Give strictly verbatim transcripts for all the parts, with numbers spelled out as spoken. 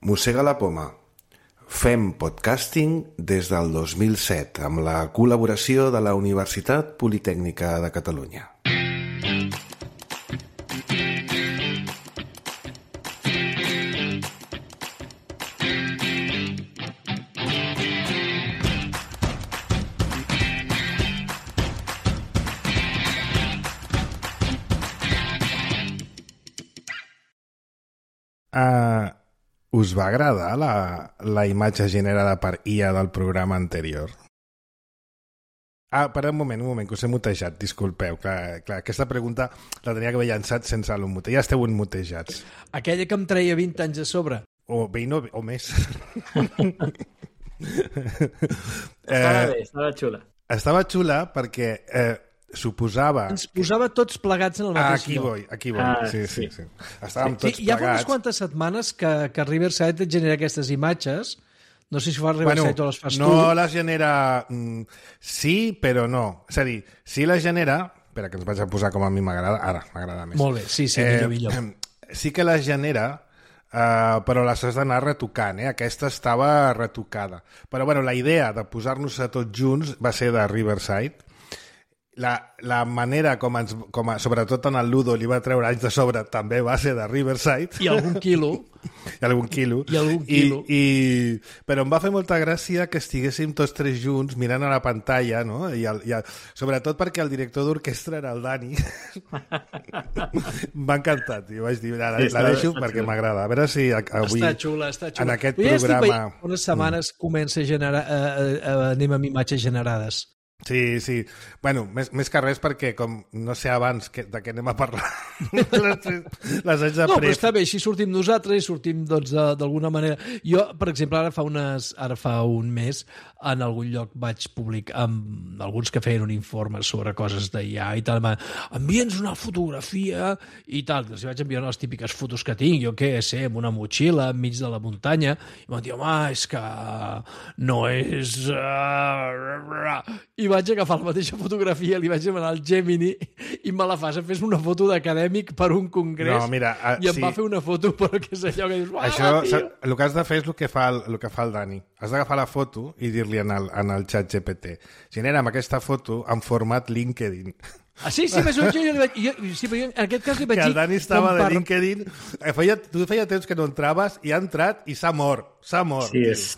Mossega la poma. Fem podcasting des del dos mil set amb la col·laboració de la Universitat Politècnica de Catalunya. Uh, us va agradar la, la imatge generada per I A del programa anterior? Ah, per un moment, un moment, que us he mutejat, disculpeu. Clar, clar, aquesta pregunta la tenia que haver llançat sense el mute. Ja esteu mutejats. Aquella que em treia vint anys a sobre. O vint o, o més. Estava bé, estava xula. Estava xula perquè... Eh, suposava... Ens posava tots plegats en el mateix aquí lloc. Voy, aquí voy, Ah, sí, sí, sí. Estàvem Sí, tots hi ha plegats. unes quantes setmanes que, que Riverside et genera aquestes imatges. No sé si fa Riverside bueno, o les fas no tu. No les genera... Mm, sí, però no. És a dir, sí les genera... Espera, que ens vaig a posar com a mi m'agrada. Ara, m'agrada més. Molt bé, sí, sí, eh, millor, millor. Sí que les genera, uh, però les has d'anar retocant. Eh? Aquesta estava retocada. Però bueno, la idea de posar-nos a tots junts va ser de Riverside. La, la manera com, ens, com a, sobretot en el Ludo li va treure anys de sobre també va ser de Riverside i algun quilo i algun quilo, I algun quilo. I, i, però em va fer molta gràcia que estiguéssim tots tres junts mirant a la pantalla, no? I el, i el, sobretot perquè el director d'orquestra era el Dani. M'ha encantat i vaig dir, la, sí, la deixo perquè m'agrada, a veure si avui està xula, està xula. en aquest ja programa unes setmanes mm. comença a generar uh, uh, uh, anem amb imatges generades. Sí, sí. Bueno, més, més que res perquè com no sé abans que, de què anem a parlar les, les anys de no, prep. però està bé, així sortim nosaltres i sortim doncs d'alguna manera. Jo, per exemple, ara fa unes ara fa un mes en algun lloc vaig publicar amb alguns que feien un informe sobre coses d'I A i tal, envia'ns una fotografia i tal, els vaig enviar les típiques fotos que tinc, jo què sé, amb una motxilla enmig de la muntanya, i m'han dit, home, és que no és... I vaig agafar la mateixa fotografia, li vaig demanar al Gemini i me la fas, fes una foto d'acadèmic per un congrés no, mira, uh, i em sí. va fer una foto, però què és allò que dius, uah, això, tio. el que has de fer és el que fa el, el, que fa el Dani. Has d'agafar la foto i dir-li en el, en el xat G P T, genera'm aquesta foto en format LinkedIn. Ah, sí, sí, però jo, jo, li vaig, jo, sí, però jo en aquest cas li vaig dir... Que dir... el Dani estava de per... LinkedIn, feia, tu feia temps que no entraves i ha entrat i s'ha mort, s'ha mort. Sí, és...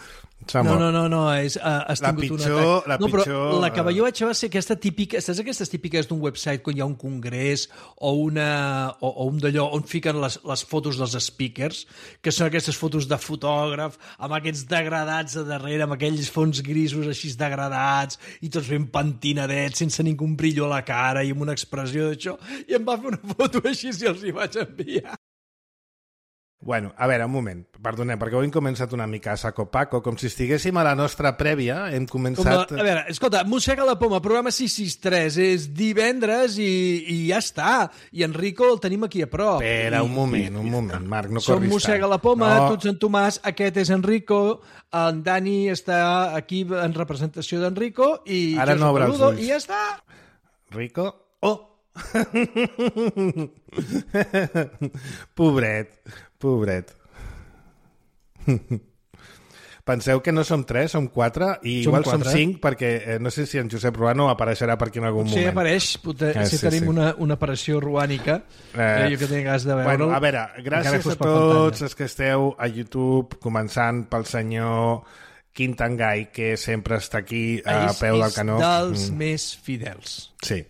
No, no, no, no, és, uh, has la tingut pitjor, un atac. la no, però pitjor... la que jo vaig va ser aquesta típica, saps aquestes típiques d'un website quan hi ha un congrés o, una, o, o un d'allò on fiquen les, les fotos dels speakers, que són aquestes fotos de fotògraf, amb aquests degradats a darrere, amb aquells fons grisos així degradats, i tots ben pentinadets, sense ningú brillo a la cara i amb una expressió d'això, i em va fer una foto així i els hi vaig enviar. Bueno, a veure, un moment, perdoneu, perquè avui hem començat una mica a saco-paco, com si estiguéssim a la nostra prèvia, hem començat... La, a veure, escolta, Mossega la poma, programa sis sis tres, és divendres i, i ja està, i Enrico el tenim aquí a prop. Espera, un moment, un moment, Marc, no corris tant. Som Mossega la poma, no. tu ets en Tomàs, aquest és Enrico, en Dani està aquí en representació d'Enrico, i ara jo no soc Ludo, ulls. i ja està. Rico? Oh! Pobret, pobret. Penseu que no som tres, som quatre, i som igual quatre. Som cinc, perquè eh, no sé si en Josep Ruano apareixerà per aquí en algun Potser moment. Sí, apareix, potser, eh, si sí, tenim sí. Una, una aparició ruànica, eh, jo que tinc gas de veure'l. Bueno, a veure, gràcies a tots els que esteu a YouTube, començant pel senyor Quintangai, que sempre està aquí a és, peu del canó. És dels mm. més fidels. Sí.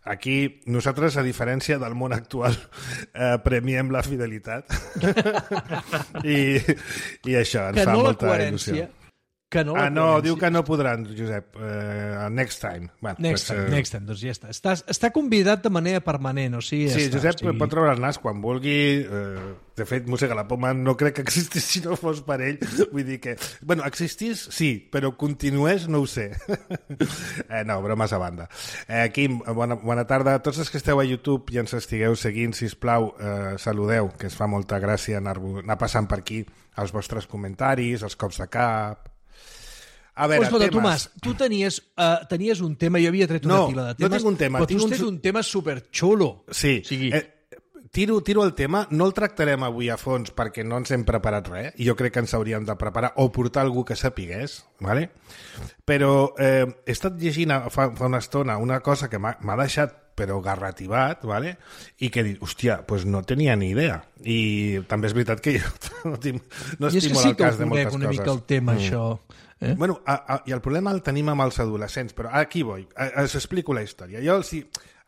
Aquí, nosaltres, a diferència del món actual, eh, premiem la fidelitat. I, I això ens que fa no molta il·lusió. Que no ah, no, diu que no podran, Josep. Uh, next time. Bueno, next, pues, time uh... next time, doncs ja està. Està, està convidat de manera permanent, o sigui... Ja sí, està, Josep o sigui... pot treure el nas quan vulgui. Uh, de fet, Mossega la poma no crec que existís si no fos per ell. Vull dir que... Bueno, existís, sí, però continués, no ho sé. eh, no, bromes a banda. Eh, Quim, bona, bona tarda. Tots els que esteu a YouTube i ens estigueu seguint, sisplau, eh, saludeu, que es fa molta gràcia anar, anar passant per aquí els vostres comentaris, els cops de cap... A veure, escolta, temes... Tomàs, tu tenies, uh, tenies un tema, jo havia tret una no, pila de temes, no tinc un tema, però tu tinc has tret un... un tema superxulo. Sí, o sigui... eh, tiro, tiro el tema, no el tractarem avui a fons perquè no ens hem preparat res, i jo crec que ens hauríem de preparar o portar algú que sapigués, ¿vale? Però eh, he estat llegint fa, fa una estona una cosa que m'ha deixat però garrativat, ¿vale? I que dic, hòstia, pues no tenia ni idea. I també és veritat que jo no, tinc, no estic molt al cas de moltes coses. I és que sí que ho conec una mica el tema, mm. això. Eh? Bueno, a, a, i el problema el tenim amb els adolescents, però aquí vull, us explico la història. Jo, els hi,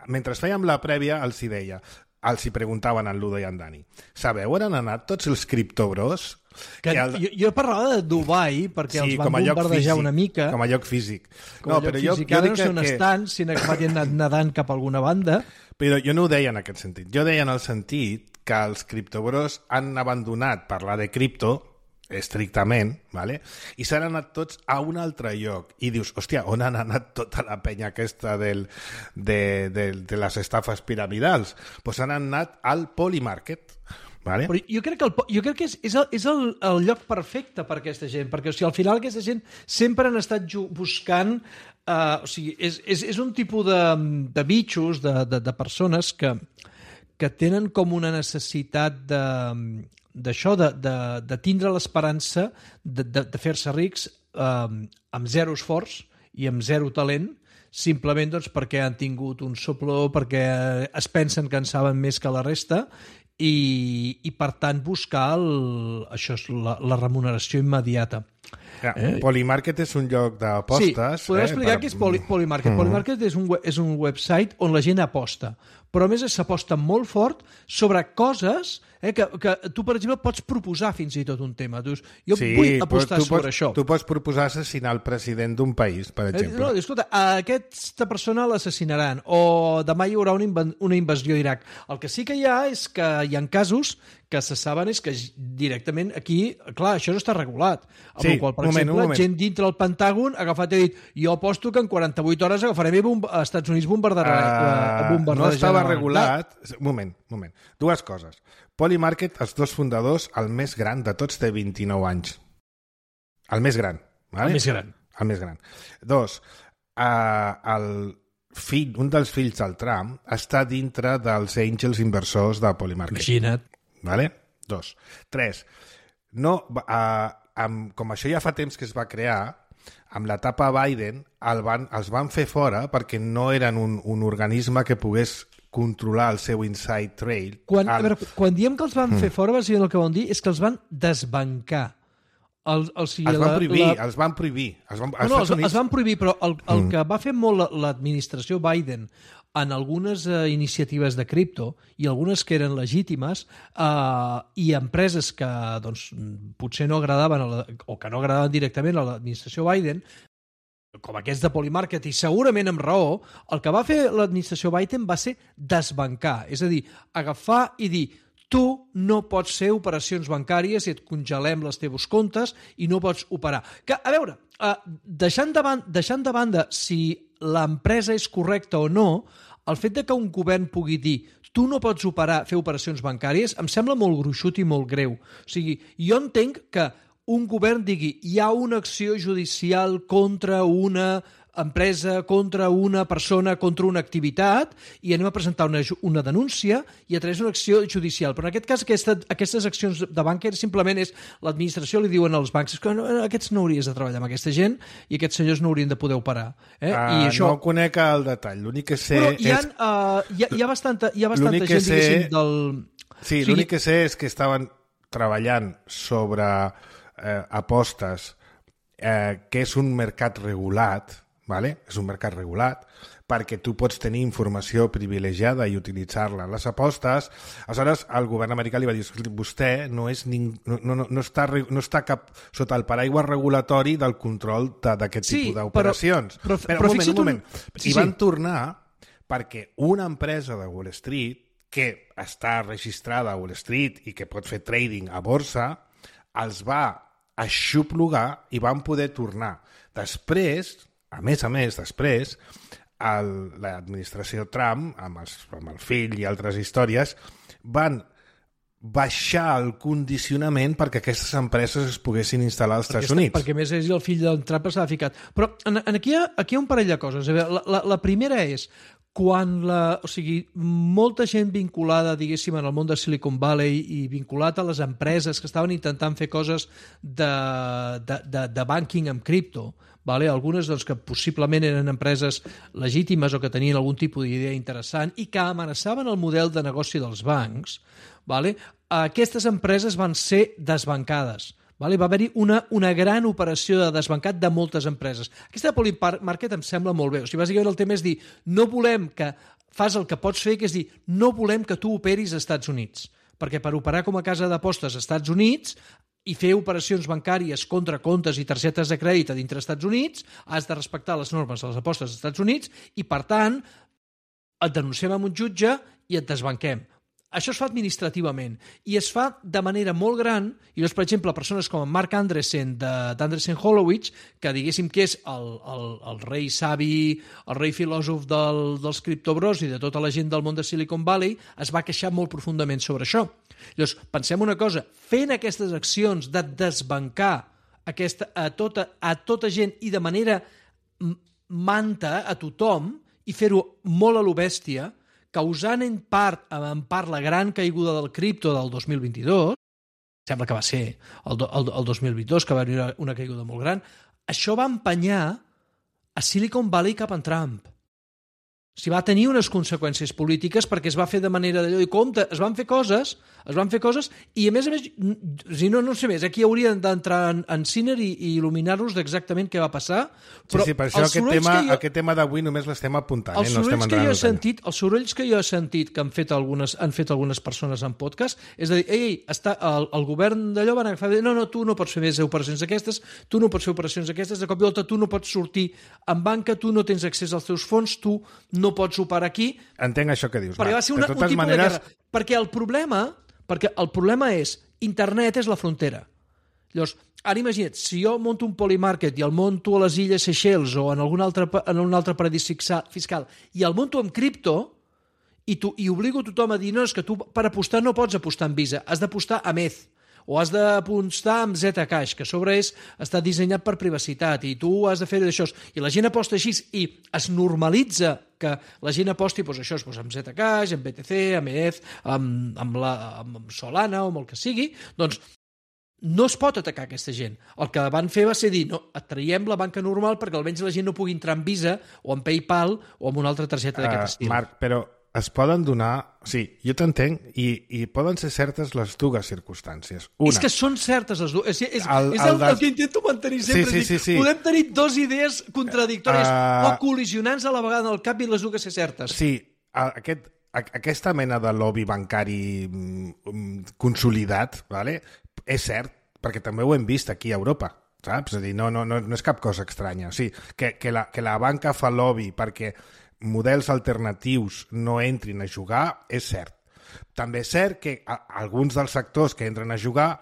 mentre fèiem la prèvia, els hi deia, els hi preguntaven en Ludo i en Dani, sabeu on han anat tots els criptobros? Que que el... jo, jo parlava de Dubai perquè sí, els van bombardejar físic, una mica. Com a lloc físic. Com no, a lloc però físic. Jo, jo Ara no sé on que... estan, si han anat nedant cap a alguna banda. Però jo no ho deia en aquest sentit. Jo deia en el sentit que els criptobros han abandonat parlar de cripto estrictament, ¿vale? I s'han anat tots a un altre lloc i dius, hòstia, on han anat tota la penya aquesta del, de, de, de les estafes piramidals? Doncs pues han anat al Polymarket, vale? Però jo crec que, el, jo crec que és, és, el, és el, el lloc perfecte per aquesta gent, perquè o sigui, al final aquesta gent sempre han estat buscant, uh, o sigui, és, és, és un tipus de, de bitxos, de, de, de persones que, que tenen com una necessitat de d'això, de, de, de tindre l'esperança de, de, de fer-se rics eh, amb zero esforç i amb zero talent, simplement doncs, perquè han tingut un sopló, perquè es pensen que en saben més que la resta i, i per tant buscar el, això és la, la remuneració immediata. Ja, eh? Polymarket és un lloc d'apostes. Sí, podem eh, explicar per... què és Poly, Polymarket. Mm. Polymarket és un, és un website on la gent aposta, però a més s'aposta molt fort sobre coses eh, que, que tu, per exemple, pots proposar fins i tot un tema. Tu dius, jo sí, vull apostar sobre pots, això. Tu pots proposar assassinar el president d'un país, per exemple. Eh, no, escolta, a aquesta persona l'assassinaran o demà hi haurà una, inv una invasió a Iraq. El que sí que hi ha és que hi ha casos que se saben és que directament aquí, clar, això no està regulat. Amb sí, el qual, per moment, exemple, gent dintre del Pentàgon ha agafat i ha dit, jo aposto que en quaranta-vuit hores agafarem i als Estats Units bombardarà. Uh, bombardarà no estava regulat. Un moment, un moment. Dues coses. Polymarket, els dos fundadors, el més gran de tots té vint-i-nou anys. El més gran. Vale? El més gran. El més gran. Dos, uh, el fill, un dels fills del Trump està dintre dels àngels inversors de Polymarket. Imagina't. Vale? Dos. Tres, no, uh, amb, com això ja fa temps que es va crear, amb l'etapa Biden el van, els van fer fora perquè no eren un, un organisme que pogués controlar el seu inside trail. Quan, el... a veure, quan diem que els van mm. fer fora, bàsicament el que van dir és que els van desbancar. El, el, si els van la, prohibir, la... els van prohibir. Els van, no, no, els, Units... els van prohibir, però el, el mm. que va fer molt l'administració Biden en algunes eh, iniciatives de cripto i algunes que eren legítimes eh, i empreses que doncs, potser no agradaven a la, o que no agradaven directament a l'administració Biden, com aquests de Polymarket, i segurament amb raó, el que va fer l'administració Biden va ser desbancar, és a dir, agafar i dir tu no pots fer operacions bancàries i et congelem els teus comptes i no pots operar. Que, a veure, eh, deixant, de ban deixant de banda si l'empresa és correcta o no, el fet de que un govern pugui dir tu no pots operar, fer operacions bancàries em sembla molt gruixut i molt greu. O sigui, jo entenc que un govern digui hi ha una acció judicial contra una empresa, contra una persona, contra una activitat i anem a presentar una, una denúncia i a través d'una acció judicial. Però en aquest cas aquesta, aquestes accions de banca simplement és l'administració li diuen als bancs que no, aquests no hauries de treballar amb aquesta gent i aquests senyors no haurien de poder operar. Eh? Uh, I això... No conec el detall. L'únic que sé Però hi ha, és... uh, hi ha, hi ha bastanta, hi ha bastanta gent, sé... diguéssim, del... Sí, o sigui... l'únic que sé és que estaven treballant sobre eh, apostes eh, que és un mercat regulat, vale? És un mercat regulat, perquè tu pots tenir informació privilegiada i utilitzar-la en les apostes. Aleshores, el govern americà li va dir, vostè no, és ning... no, no, no, està, no està cap sota el paraigua regulatori del control d'aquest sí, tipus d'operacions. Però, però, però, però un moment, un moment. Un... Sí, I van sí. tornar perquè una empresa de Wall Street que està registrada a Wall Street i que pot fer trading a borsa, els va aixoplugar i van poder tornar. Després, a més a més, després, l'administració Trump, amb, els, amb el fill i altres històries, van baixar el condicionament perquè aquestes empreses es poguessin instal·lar als Estats Units. Perquè, a més, és el fill del Trump s'ha ficat. Però en, en aquí, hi ha, aquí hi ha un parell de coses. La, la, la primera és, quan la, o sigui, molta gent vinculada, diguéssim, en el món de Silicon Valley i vinculat a les empreses que estaven intentant fer coses de, de, de, de banking amb cripto, vale? Algunes doncs, que possiblement eren empreses legítimes o que tenien algun tipus d'idea interessant i que amenaçaven el model de negoci dels bancs, vale? Aquestes empreses van ser desbancades. Vale? Va haver-hi una, una gran operació de desbancat de moltes empreses. Aquesta de Polymarket em sembla molt bé. O sigui, bàsicament el tema és dir, no volem que fas el que pots fer, que és dir, no volem que tu operis als Estats Units, perquè per operar com a casa d'apostes als Estats Units i fer operacions bancàries contra comptes i targetes de crèdit a dintre dels Estats Units, has de respectar les normes de les apostes als Estats Units i, per tant, et denunciem amb un jutge i et desbanquem. Això es fa administrativament i es fa de manera molt gran i doncs, per exemple, persones com en Mark Andreessen d'Andreessen Horowitz, que diguéssim que és el, el, el rei savi, el rei filòsof del, dels criptobros i de tota la gent del món de Silicon Valley, es va queixar molt profundament sobre això. Llavors, pensem una cosa, fent aquestes accions de desbancar aquesta, a, tota, a tota gent i de manera manta a tothom i fer-ho molt a lo bèstia, causant en part, en part la gran caiguda del cripto del dos mil vint-i-dos, sembla que va ser el, el, el dos mil vint-i-dos, que va haver una caiguda molt gran, això va empenyar a Silicon Valley cap en Trump. O sigui, va tenir unes conseqüències polítiques perquè es va fer de manera d'allò i compte, es van fer coses, es van fer coses i a més a més, si no, no sé més, aquí haurien d'entrar en, en Sinner i, i il·luminar-nos d'exactament què va passar. Però sí, sí, per això aquest tema, jo, aquest tema d'avui només l'estem apuntant. Els, eh? no estem que jo he sentit, els sorolls que jo he sentit que han fet algunes, han fet algunes persones en podcast és a dir, ei, ei està, el, el govern d'allò van agafar, no, no, tu no pots fer més operacions d'aquestes, tu no pots fer operacions d'aquestes, de cop i volta tu no pots sortir en banca, tu no tens accés als teus fons, tu no pots operar aquí. Entenc això que dius. Perquè va ser una, un tipus maneres... de guerra. Perquè el problema, perquè el problema és, internet és la frontera. Llavors, ara imagina't, si jo monto un Polymarket i el monto a les Illes Seychelles o en algun altre, en un altre paradís fiscal i el monto amb cripto i, tu, i obligo tothom a dir, no, és que tu per apostar no pots apostar amb Visa, has d'apostar amb E T H o has d'apostar amb Zcash, que a sobre és, està dissenyat per privacitat i tu has de fer això. I la gent aposta així i es normalitza que la gent aposti doncs això, doncs amb Zcash, amb B T C, amb E T H, amb, amb, la, amb Solana o amb el que sigui, doncs no es pot atacar aquesta gent. El que van fer va ser dir, no, et traiem la banca normal perquè almenys la gent no pugui entrar en Visa o en PayPal o en una altra targeta d'aquest uh, estil. Marc, però es poden donar... Sí, jo t'entenc, i, i poden ser certes les dues circumstàncies. Una, és que són certes les dues. És, és, el, és el, el, des... el que intento mantenir sempre. Sí, sí, sí, sí. Podem tenir dues idees contradictòries uh... o col·lisionants a la vegada en el cap i les dues ser certes. Sí, aquest, aquesta mena de lobby bancari consolidat, vale? És cert, perquè també ho hem vist aquí a Europa. Saps? És a dir, no, no, no, no és cap cosa estranya. O sigui, que, que, la, que la banca fa lobby perquè models alternatius no entrin a jugar, és cert. També és cert que a, alguns dels sectors que entren a jugar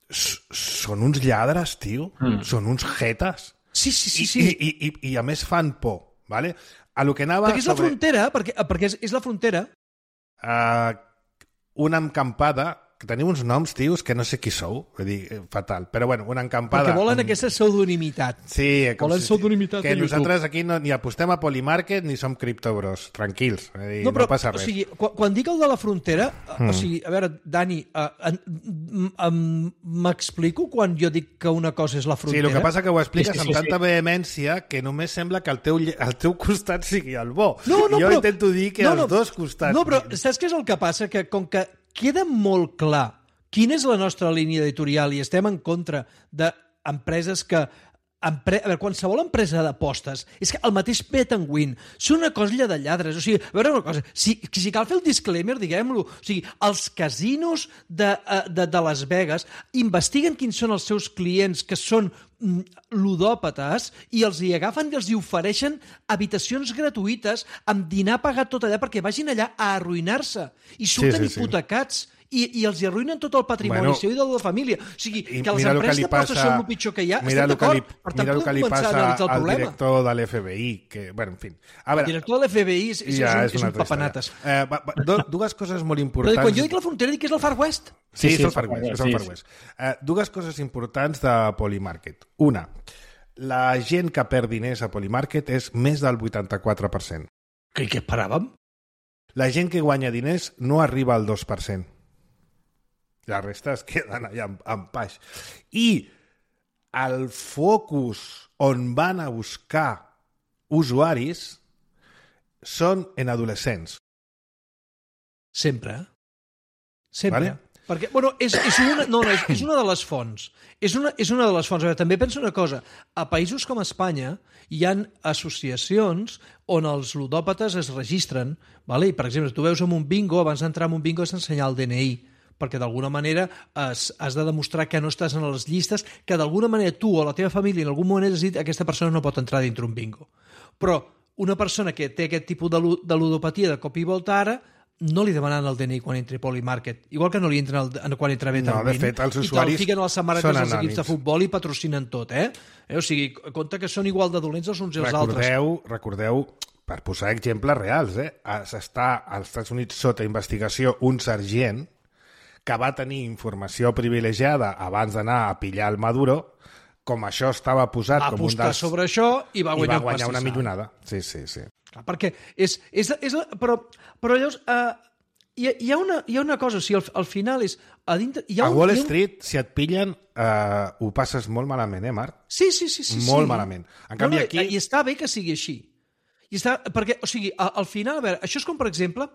són uns lladres, tio. Mm. Són uns jetes. Sí, sí, sí. sí. I, i, i, i a més fan por, ¿vale? A lo que anava perquè és sobre... la frontera, perquè, perquè és, és la frontera. Uh, una encampada que teniu uns noms, tios, que no sé qui sou, vull dir, fatal, però bueno, una encampada... Perquè volen un... aquesta pseudonimitat. Sí, volen si... pseudonimitat que nosaltres aquí no, ni apostem a Polymarket ni som criptobros, tranquils, vull dir, no, però, no passa res. O sigui, quan, quan dic el de la frontera, mm. o sigui, a veure, Dani, uh, m'explico quan jo dic que una cosa és la frontera? Sí, el que passa que ho expliques sí, sí, amb sí, tanta sí. vehemència que només sembla que el teu, el teu costat sigui el bo. No, no, jo però... intento dir que no, els no, dos costats... No, però saps què és el que passa? Que com que queda molt clar quina és la nostra línia editorial i estem en contra d'empreses que... Empre... A veure, qualsevol empresa d'apostes és que el mateix bet and win són una colla de lladres. O sigui, a veure una cosa, si, si cal fer el disclaimer, diguem-lo, o sigui, els casinos de, de, de Las Vegas investiguen quins són els seus clients que són mm, ludòpates i els hi agafen i els hi ofereixen habitacions gratuïtes amb dinar pagat tot allà perquè vagin allà a arruïnar-se i surten sí, sí, hipotecats. Sí. I, i els hi arruïnen tot el patrimoni bueno, seu i de la família. O sigui, que les empreses d'apostes són el pitjor que hi ha, estem d'acord. Per tant, podem començar a analitzar el problema. Mira el que li passa al director de l'F B I, que, bueno, en fi. A veure, el director de l'F B I és, ja, és, un, és un papanates. Eh, va, va, do, dues coses molt importants... Però quan jo dic la frontera, dic que és el Far West. Sí, sí, sí és el Far West. És el Far West. Eh, dues coses importants de Polymarket. Una, la gent que perd diners a Polymarket és més del vuitanta-quatre per cent. Què, què esperàvem? La gent que guanya diners no arriba al dos per cent. La resta es queden allà en, en paix. I el focus on van a buscar usuaris són en adolescents. Sempre. Sempre. Vale? Perquè, bueno, és, és, una, no, no, és, és una de les fonts. És una, és una de les fonts. A veure, també penso una cosa. A països com Espanya hi han associacions on els ludòpates es registren. Vale? I, per exemple, tu veus en un bingo, abans d'entrar en un bingo has d'ensenyar el D N I, perquè d'alguna manera has, has de demostrar que no estàs en les llistes, que d'alguna manera tu o la teva família en algun moment has dit que aquesta persona no pot entrar dintre un bingo. Però una persona que té aquest tipus de, de ludopatia de cop i volta ara no li demanen el D N I quan entri a Polymarket, igual que no li entren el, quan entra Better No, de fet, els i usuaris te'l fiquen a les samarretes són dels equips anònims. de futbol i patrocinen tot, eh? eh? O sigui, compte que són igual de dolents els uns i els altres. Recordeu, recordeu, per posar exemples reals, eh? S'està als Estats Units sota investigació un sergent que va tenir informació privilegiada abans d'anar a pillar el Maduro, com això estava posat Va com un apostar dels... sobre això i va i guanyar, va guanyar una pastissal. millonada. Sí, sí, sí. Clar, perquè és... és, és però, però llavors... Eh, hi, ha, hi, ha una, hi ha una cosa, o sigui, al, al final és... A, dintre, hi ha A un, Wall hi ha un... Street, si et pillen, eh, ho passes molt malament, eh, Marc? Sí, sí, sí. sí Molt sí. malament. En canvi, no, no, aquí... I està bé que sigui així. I està, perquè, o sigui, al, al final, a veure, això és com, per exemple,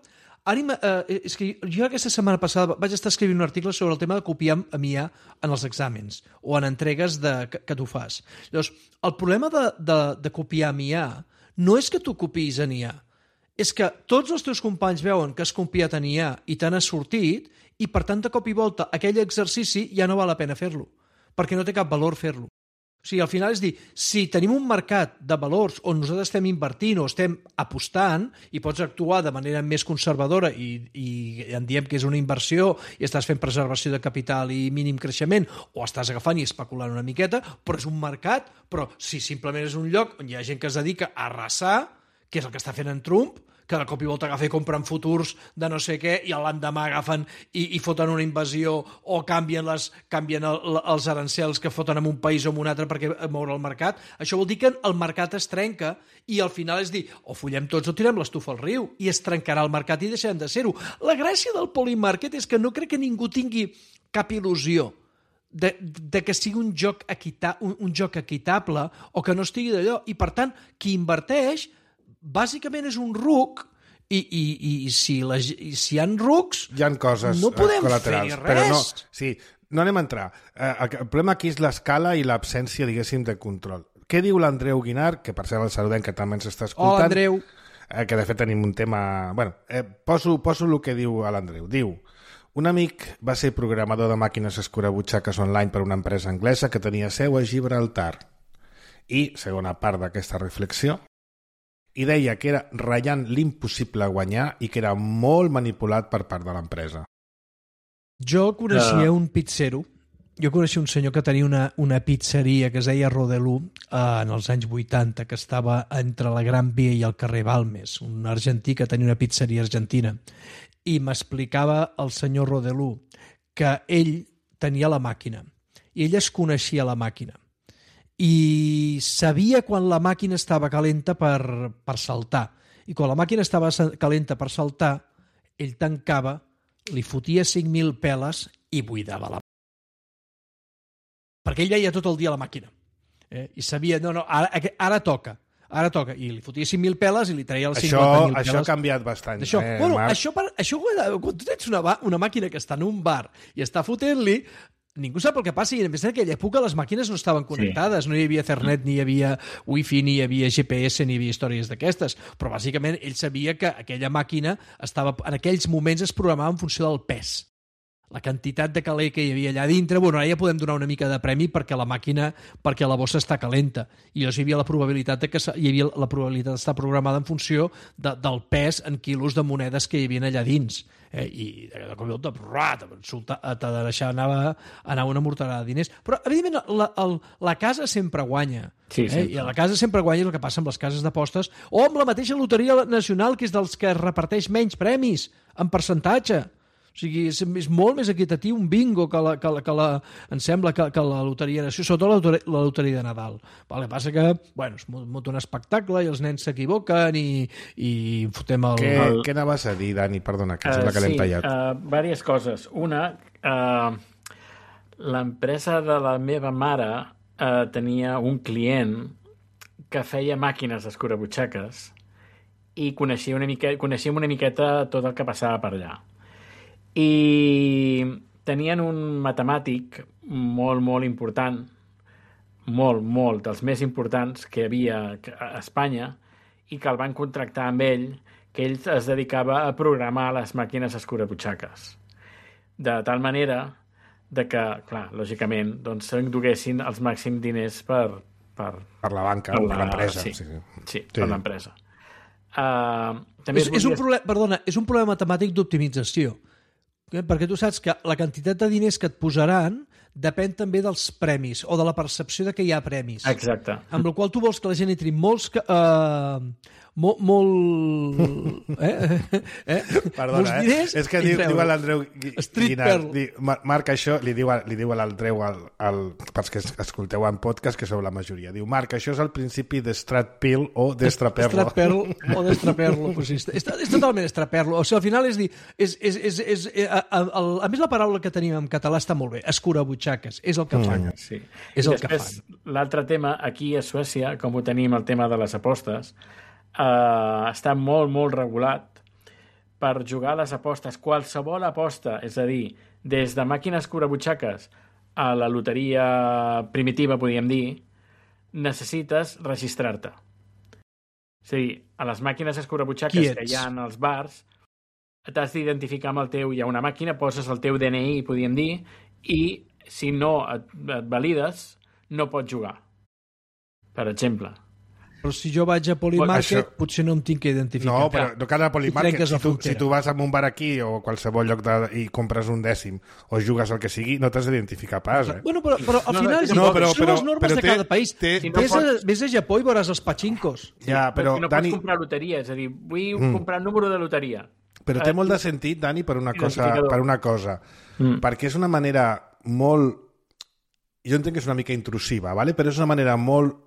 ara, eh, és que jo aquesta setmana passada vaig estar escrivint un article sobre el tema de copiar amb I A en els exàmens o en entregues de, que, que tu fas. Llavors, el problema de, de, de copiar amb I A no és que tu copiïs en I A, és que tots els teus companys veuen que has copiat en I A i te n'has sortit i, per tant, de cop i volta, aquell exercici ja no val la pena fer-lo, perquè no té cap valor fer-lo. O sigui, al final és dir, si tenim un mercat de valors on nosaltres estem invertint o estem apostant i pots actuar de manera més conservadora i, i en diem que és una inversió i estàs fent preservació de capital i mínim creixement o estàs agafant i especulant una miqueta, però és un mercat, però si simplement és un lloc on hi ha gent que es dedica a arrasar, que és el que està fent en Trump, que de cop i volta agafen i compren futurs de no sé què i l'endemà agafen i, i foten una invasió o canvien, les, canvien el, els arancels que foten en un país o en un altre perquè moure el mercat. Això vol dir que el mercat es trenca i al final és dir, o follem tots o tirem l'estufa al riu i es trencarà el mercat i deixarem de ser-ho. La gràcia del Polymarket és que no crec que ningú tingui cap il·lusió de, de que sigui un joc, equita, un, un joc equitable o que no estigui d'allò. I, per tant, qui inverteix bàsicament és un ruc i, i, i si, la, si hi ha rucs Hi ha coses no podem col·laterals, fer però res. no, sí, no anem a entrar. Eh, el problema aquí és l'escala i l'absència, diguéssim, de control. Què diu l'Andreu Guinar, que per cert el saludem, que també ens està escoltant? Hola, Andreu. Eh, que de fet tenim un tema... Bueno, eh, poso, poso el que diu l'Andreu. Diu, un amic va ser programador de màquines escurabutxaques online per una empresa anglesa que tenia seu a Gibraltar. I, segona part d'aquesta reflexió, i deia que era ratllant l'impossible guanyar i que era molt manipulat per part de l'empresa. Jo coneixia Uh. un pizzero, jo coneixia un senyor que tenia una, una pizzeria que es deia Rodelú eh, en els anys vuitanta, que estava entre la Gran Via i el carrer Balmes, un argentí que tenia una pizzeria argentina. I m'explicava el senyor Rodelú que ell tenia la màquina i ell es coneixia la màquina i sabia quan la màquina estava calenta per, per saltar. I quan la màquina estava calenta per saltar, ell tancava, li fotia cinc mil peles i buidava la màquina. Perquè ell veia tot el dia la màquina. Eh? I sabia, no, no, ara, ara toca. Ara toca. I li fotia cinc mil peles i li traia les cinquanta mil peles. Això ha canviat bastant. Això, eh, bueno, Marc? això, per, això quan tu tens una, una màquina que està en un bar i està fotent-li, ningú sap el que passa, i a més en aquella època les màquines no estaven connectades, sí. No hi havia Ethernet, ni hi havia Wi-Fi, ni hi havia G P S, ni hi havia històries d'aquestes, però bàsicament ell sabia que aquella màquina estava, en aquells moments es programava en funció del pes. La quantitat de caler que hi havia allà dintre, bueno, ara ja podem donar una mica de premi perquè la màquina, perquè la bossa està calenta, i llavors hi havia la probabilitat de que hi havia la probabilitat d'estar programada en funció de, del pes en quilos de monedes que hi havia allà dins. Eh, i de cop i volta t'ha de deixar anar, anar una morterada de diners, però evidentment la, el, la casa sempre guanya, sí, eh? I a la casa sempre guanya el que passa amb les cases d'apostes o amb la mateixa loteria nacional, que és dels que reparteix menys premis en percentatge. O O sigui, és, és molt més equitatiu un bingo que la, que la, que la em sembla, que, que la loteria de Nació, sobretot la loteria, la loteria de Nadal. El que passa que, bueno, és molt un espectacle i els nens s'equivoquen i, i fotem el... Què, el... què anaves a dir, Dani? Perdona, que Uh, sembla que l'hem sí, tallat. uh, diverses coses. Una, uh, l'empresa de la meva mare uh, tenia un client que feia màquines escurabutxaques i coneixia una, mica, coneixíem una miqueta tot el que passava per allà. I tenien un matemàtic molt, molt important, molt, molt, dels més importants que hi havia a Espanya, i que el van contractar amb ell, que ell es dedicava a programar les màquines escurabutxaques. De tal manera de que, clar, lògicament, doncs s'enduguessin els màxims diners per... Per, per la banca, per, per la, l'empresa. Sí, sí, sí, sí, sí. per l'empresa. Uh, també és, volia... és un problema, perdona, és un problema matemàtic d'optimització. Eh? Perquè tu saps que la quantitat de diners que et posaran depèn també dels premis o de la percepció de que hi ha premis. Exacte. Amb la qual tu vols que la gent entri molts... Eh, molt... molt eh? eh? Perdona, molts diners, eh? És que diu, diu a l'Andreu Guinart, Marc, això, li diu a, li diu a l'Andreu, al, al, pels que escolteu en podcast, que sou la majoria, diu, Marc, això és el principi d'Stratpill o d'Estraperlo. Estraperlo o d'Estraperlo. Pues sí, és, és totalment Estraperlo. O sigui, al final és dir... És, és, és, és, a, a, a, a més, la paraula que tenim en català està molt bé. Escurabutxaques. És el que Mm. fan. Sí. És I el que després, fan. l'altre tema, aquí a Suècia, com ho tenim el tema de les apostes, eh, està molt, molt regulat per jugar a les apostes. Qualsevol aposta, és a dir, des de màquines escurabutxaques a la loteria primitiva, podríem dir, necessites registrar-te. És a dir, a les màquines escurabutxaques que hi ha als bars, t'has d'identificar amb el teu... Hi ha una màquina, poses el teu D N I, podríem dir, i si no et, et valides, no pots jugar. Per exemple. Però si jo vaig a Polymarket, Això... potser no em tinc que identificar. No, però no cal a Polymarket. Si tu, si tu vas a un bar aquí o a qualsevol lloc de, i compres un dècim o jugues el que sigui, no t'has d'identificar pas, eh? Bueno, però, però al No, final no, no, però- són però- les normes però de té- cada país. té- Si no vés, a, pots- vés a Japó i veuràs els pachinkos. Ja, però, no Dani... pots comprar loteria, és a dir, vull mm. comprar un número de loteria. Però té molt de sentit, Dani, per una cosa. Identificador. Per una cosa. Mm. Perquè és una manera molt... Jo entenc que és una mica intrusiva, ¿vale? Però és una manera molt,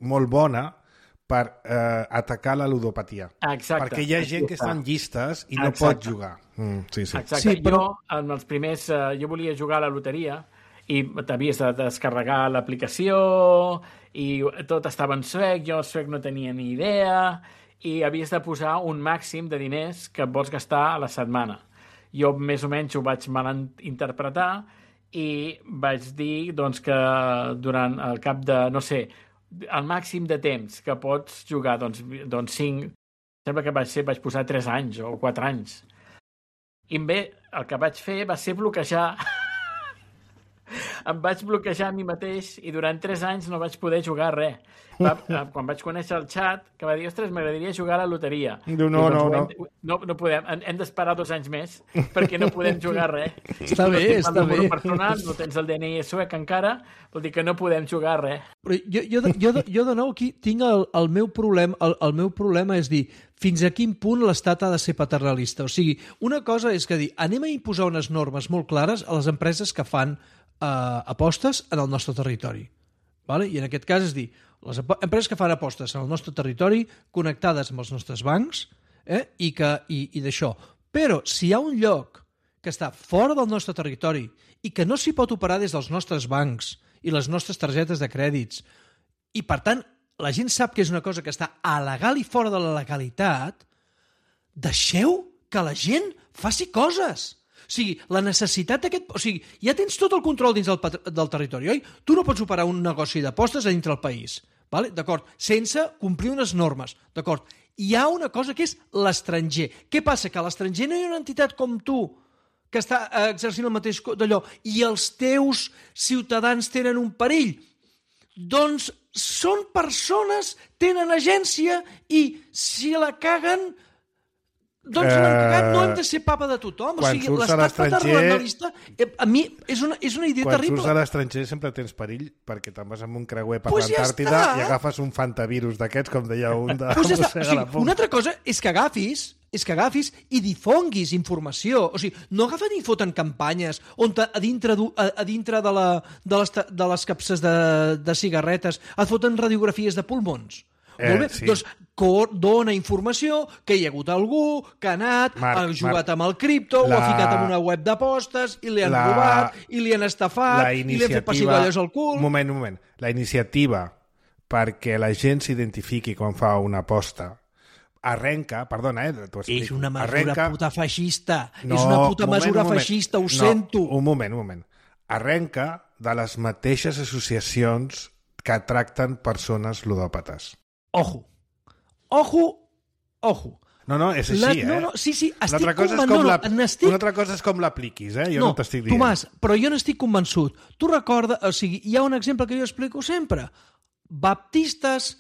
molt bona per eh, atacar la ludopatia. Exacte. Perquè hi ha gent que està en llistes i no Exacte. pot jugar. Mm, sí, sí. Exacte. Sí, però- Jo, en els primers... Eh, jo volia jugar a la loteria i t'havies de descarregar l'aplicació i tot estava en suec, jo en suec no tenia ni idea i havies de posar un màxim de diners que et vols gastar a la setmana. Jo més o menys ho vaig malinterpretar i vaig dir doncs, que durant el cap de, no sé, el màxim de temps que pots jugar, doncs, doncs cinc, sembla que vaig ser, vaig posar tres anys o quatre anys. I bé, el que vaig fer va ser bloquejar. Em vaig bloquejar a mi mateix i durant tres anys no vaig poder jugar res. Va, quan vaig conèixer el xat, que va dir, ostres, m'agradaria jugar a la loteria. Diu, no, Diu, no, doncs, no. hem, no. No podem, hem, hem d'esperar dos anys més perquè no podem jugar res. Està bé, I tu no tens està el número bé. personal, no tens el D N I suec encara, vol dir que no podem jugar res. Però jo, jo, de- jo, de- jo de nou aquí tinc el, el meu problema, el, el meu problema és dir, fins a quin punt l'Estat ha de ser paternalista. O sigui, una cosa és que dir, anem a imposar unes normes molt clares a les empreses que fan eh, apostes en el nostre territori. Vale? I en aquest cas és dir, les empreses que fan apostes en el nostre territori connectades amb els nostres bancs eh? i, que, i, i d'això. Però si hi ha un lloc que està fora del nostre territori i que no s'hi pot operar des dels nostres bancs i les nostres targetes de crèdits i, per tant, la gent sap que és una cosa que està alegal i fora de la legalitat, deixeu que la gent faci coses. O sigui, la necessitat d'aquest... O sigui, ja tens tot el control dins del, del territori, oi? Tu no pots operar un negoci d'apostes a dintre del país, vale? D'acord? Sense complir unes normes, d'acord? Hi ha una cosa que és l'estranger. Què passa? Que a l'estranger no hi ha una entitat com tu que està exercint el mateix d'allò i els teus ciutadans tenen un perill. Doncs són persones, tenen agència i si la caguen Doncs l'han cagat, no hem de ser papa de tothom. O quan sigui, surts a l'estat l'estranger- paternalista, eh, a mi és una, és una idea Quan terrible. surts a l'estranger sempre tens perill perquè te'n vas amb un creuer per Pues ja l'Antàrtida està. i agafes un fantavirus d'aquests, com deia un de Pues ja està. Mossega O sigui, la Poma. una altra cosa és que agafis és que agafis i difonguis informació. O sigui, no agafen i foten campanyes on a dintre, du- a, a dintre de, la, de, les, ta- de les capses de, de cigarretes et foten radiografies de pulmons. Eh, Molt bé? sí. Doncs co- dona informació que hi ha hagut algú que ha anat, Marc, ha jugat Marc, amb el cripto, la- ho ha ficat en una web d'apostes i li han la- robat, i li han estafat, la i li han fet pessigolles al cul. Un moment, un moment. La iniciativa perquè la gent s'identifiqui quan fa una aposta arrenca, perdona, eh, t'ho explico. És una mesura arrenca... puta feixista. No, és una puta un moment, mesura un moment. feixista, ho no, sento. Un moment, un moment. Arrenca de les mateixes associacions que tracten persones ludòpates. Ojo. Ojo. Ojo. No, no, és així, La- eh? no, no, sí, sí, una estic altra cosa és conven- com no, no, la... n'estic- Una altra cosa és com l'apliquis, eh? Jo no, no t'estic dient. Tomàs, però jo n'estic convençut. Tu recorda, o sigui, hi ha un exemple que jo explico sempre. Baptistes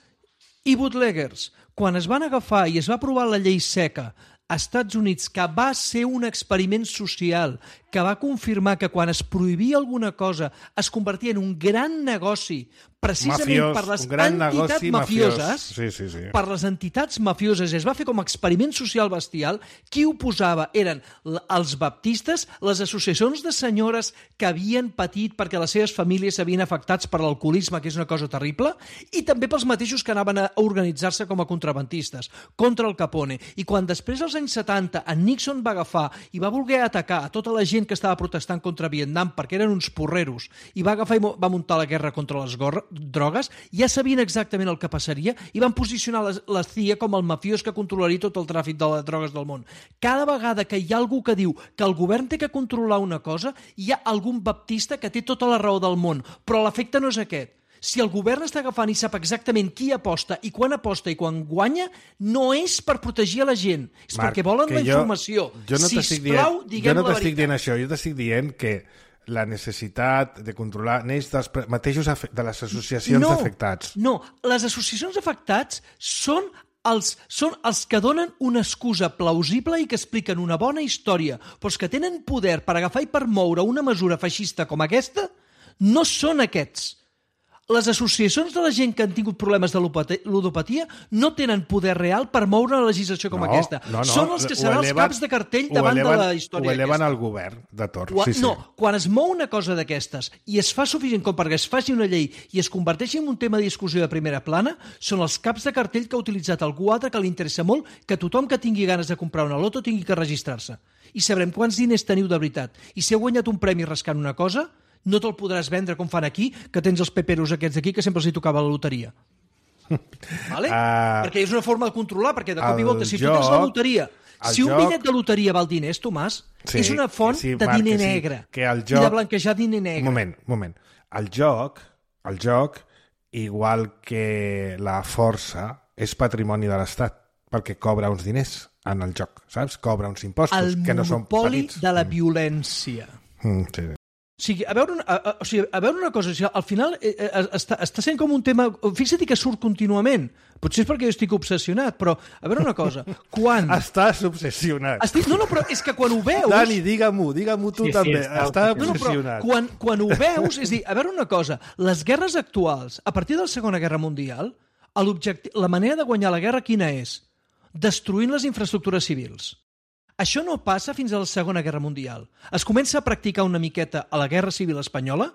i bootleggers. Quan es van agafar i es va aprovar la llei seca a Estats Units, que va ser un experiment social, que va confirmar que quan es prohibia alguna cosa es convertia en un gran negoci precisament Mafiós, per les un gran entitats negoci mafioses, mafiós. Sí, sí, sí. per les entitats mafioses, es va fer com a experiment social bestial. Qui ho posava eren l- els baptistes, les associacions de senyores que havien patit perquè les seves famílies s'havien afectats per l'alcoholisme, que és una cosa terrible, i també pels mateixos que anaven a organitzar-se com a contrabandistes contra el Capone. I quan després, als anys setanta, en Nixon va agafar i va voler atacar a tota la gent que estava protestant contra Vietnam perquè eren uns porreros, i va agafar i mo- va muntar la guerra contra les gorra, drogues, ja sabien exactament el que passaria i van posicionar la, la C I A com el mafiós que controlaria tot el tràfic de les drogues del món. Cada vegada que hi ha algú que diu que el govern té que controlar una cosa, hi ha algun baptista que té tota la raó del món, però l'efecte no és aquest. Si el govern està agafant i sap exactament qui aposta i quan aposta i quan guanya, no és per protegir a la gent, és Marc, perquè volen que la jo- informació. Jo no t'estic Sisplau, dient, diguem jo no la t'estic veritat. dient això, jo t'estic dient que la necessitat de controlar neix dels pre- mateixos afe- de les associacions d'afectats. No, les associacions d'afectats són els, són els que donen una excusa plausible i que expliquen una bona història, però els que tenen poder per agafar i per moure una mesura feixista com aquesta no són aquests. Les associacions de la gent que han tingut problemes de ludopati- ludopatia no tenen poder real per moure una legislació com No, aquesta. no, no, Són els que ho seran els eleven- caps de cartell ho davant eleven- de la història Ho eleven aquesta. al govern de torn. Quan, Sí, sí. No, quan es mou una cosa d'aquestes i es fa suficient com perquè es faci una llei i es converteixi en un tema de discussió de primera plana, són els caps de cartell que ha utilitzat algú altre que li interessa molt que tothom que tingui ganes de comprar una loto tingui que registrar-se. I sabrem quants diners teniu de veritat. I si heu guanyat un premi rascant una cosa, no te'l podràs vendre com fan aquí, que tens els peperos aquests d'aquí que sempre els hi tocava la loteria. Vale? Uh, perquè és una forma de controlar, perquè de cop i el volta, si tu joc- tens la loteria, el si un joc- bitllet de loteria val diners, Tomàs, Sí, és una font sí, de Marc, diner que sí, negre que el i joc- de blanquejar diner negre. Un moment, un moment. El joc, el joc, igual que la força, és patrimoni de l'Estat, perquè cobra uns diners en el joc, saps? Cobra uns impostos El que no són monopoli petits. de la violència. Mm, sí. O sigui, a veure una, a, a, o sigui, a veure una cosa, o sigui, al final eh, eh, està, està sent com un tema... Fixa't que surt contínuament. Potser és perquè jo estic obsessionat, però a veure una cosa, quan... Estàs obsessionat. Estic, no, no, però és que quan ho veus... Dani, digue-m'ho, digue-m'ho tu Sí, sí, també. està Estàs No, no, però obsessionat. quan, quan ho veus, és a dir, a veure una cosa, les guerres actuals, a partir de la Segona Guerra Mundial, l'objecti- la manera de guanyar la guerra quina és? Destruint les infraestructures civils. Això no passa fins a la Segona Guerra Mundial. Es comença a practicar una miqueta a la Guerra Civil Espanyola,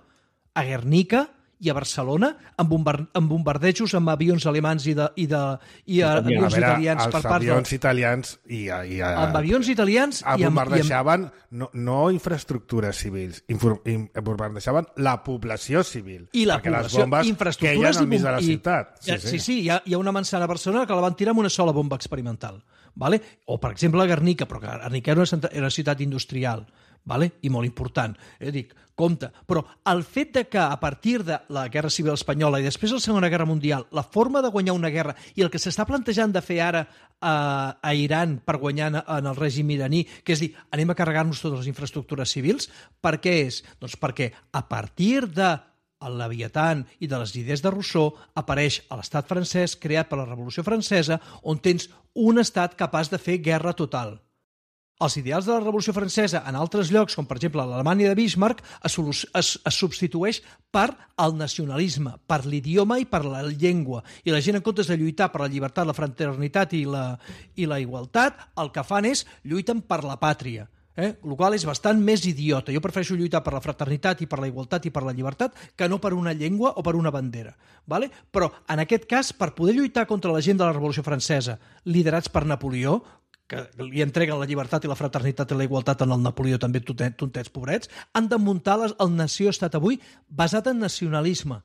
a Guernica i a Barcelona, amb, bombar amb bombardejos amb avions alemans i, de, i, de, i a, A A avions veure, italians els per part de... avions italians i, i, Amb avions italians Ah, i amb, i amb, bombardeixaven no, no infraestructures civils, infor, in, bombardeixaven la població civil. i la perquè les població, bombes infraestructures queien al i mig de la bom- i- ciutat. Sí, sí, sí hi, ha, hi ha una manzana a Barcelona que la van tirar amb una sola bomba experimental. Vale? O, per exemple, a Guernica, però que Guernica era una, centra- era una ciutat industrial, vale? I molt important. Eh, dic, compte. Però el fet de que a partir de la Guerra Civil Espanyola i després de la Segona Guerra Mundial, la forma de guanyar una guerra i el que s'està plantejant de fer ara a, a Iran per guanyar en, en el règim iraní, que és dir, anem a carregar-nos totes les infraestructures civils, per què és? Doncs perquè a partir de el Leviatán i de les idees de Rousseau, apareix a l'estat francès creat per la Revolució Francesa, on tens un estat capaç de fer guerra total. Els ideals de la Revolució Francesa en altres llocs, com per exemple l'Alemanya de Bismarck, es, es, es substitueix per el nacionalisme, per l'idioma i per la llengua. I la gent, en comptes de lluitar per la llibertat, la fraternitat i la, i la igualtat, el que fan és lluiten per la pàtria. Eh? El qual és bastant més idiota. Jo prefereixo lluitar per la fraternitat i per la igualtat i per la llibertat que no per una llengua o per una bandera. Vale? Però, en aquest cas, per poder lluitar contra la gent de la Revolució Francesa, liderats per Napoleó, que li entreguen la llibertat i la fraternitat i la igualtat en el Napoleó, també tontets pobrets, han de muntar el nació-estat avui basat en nacionalisme.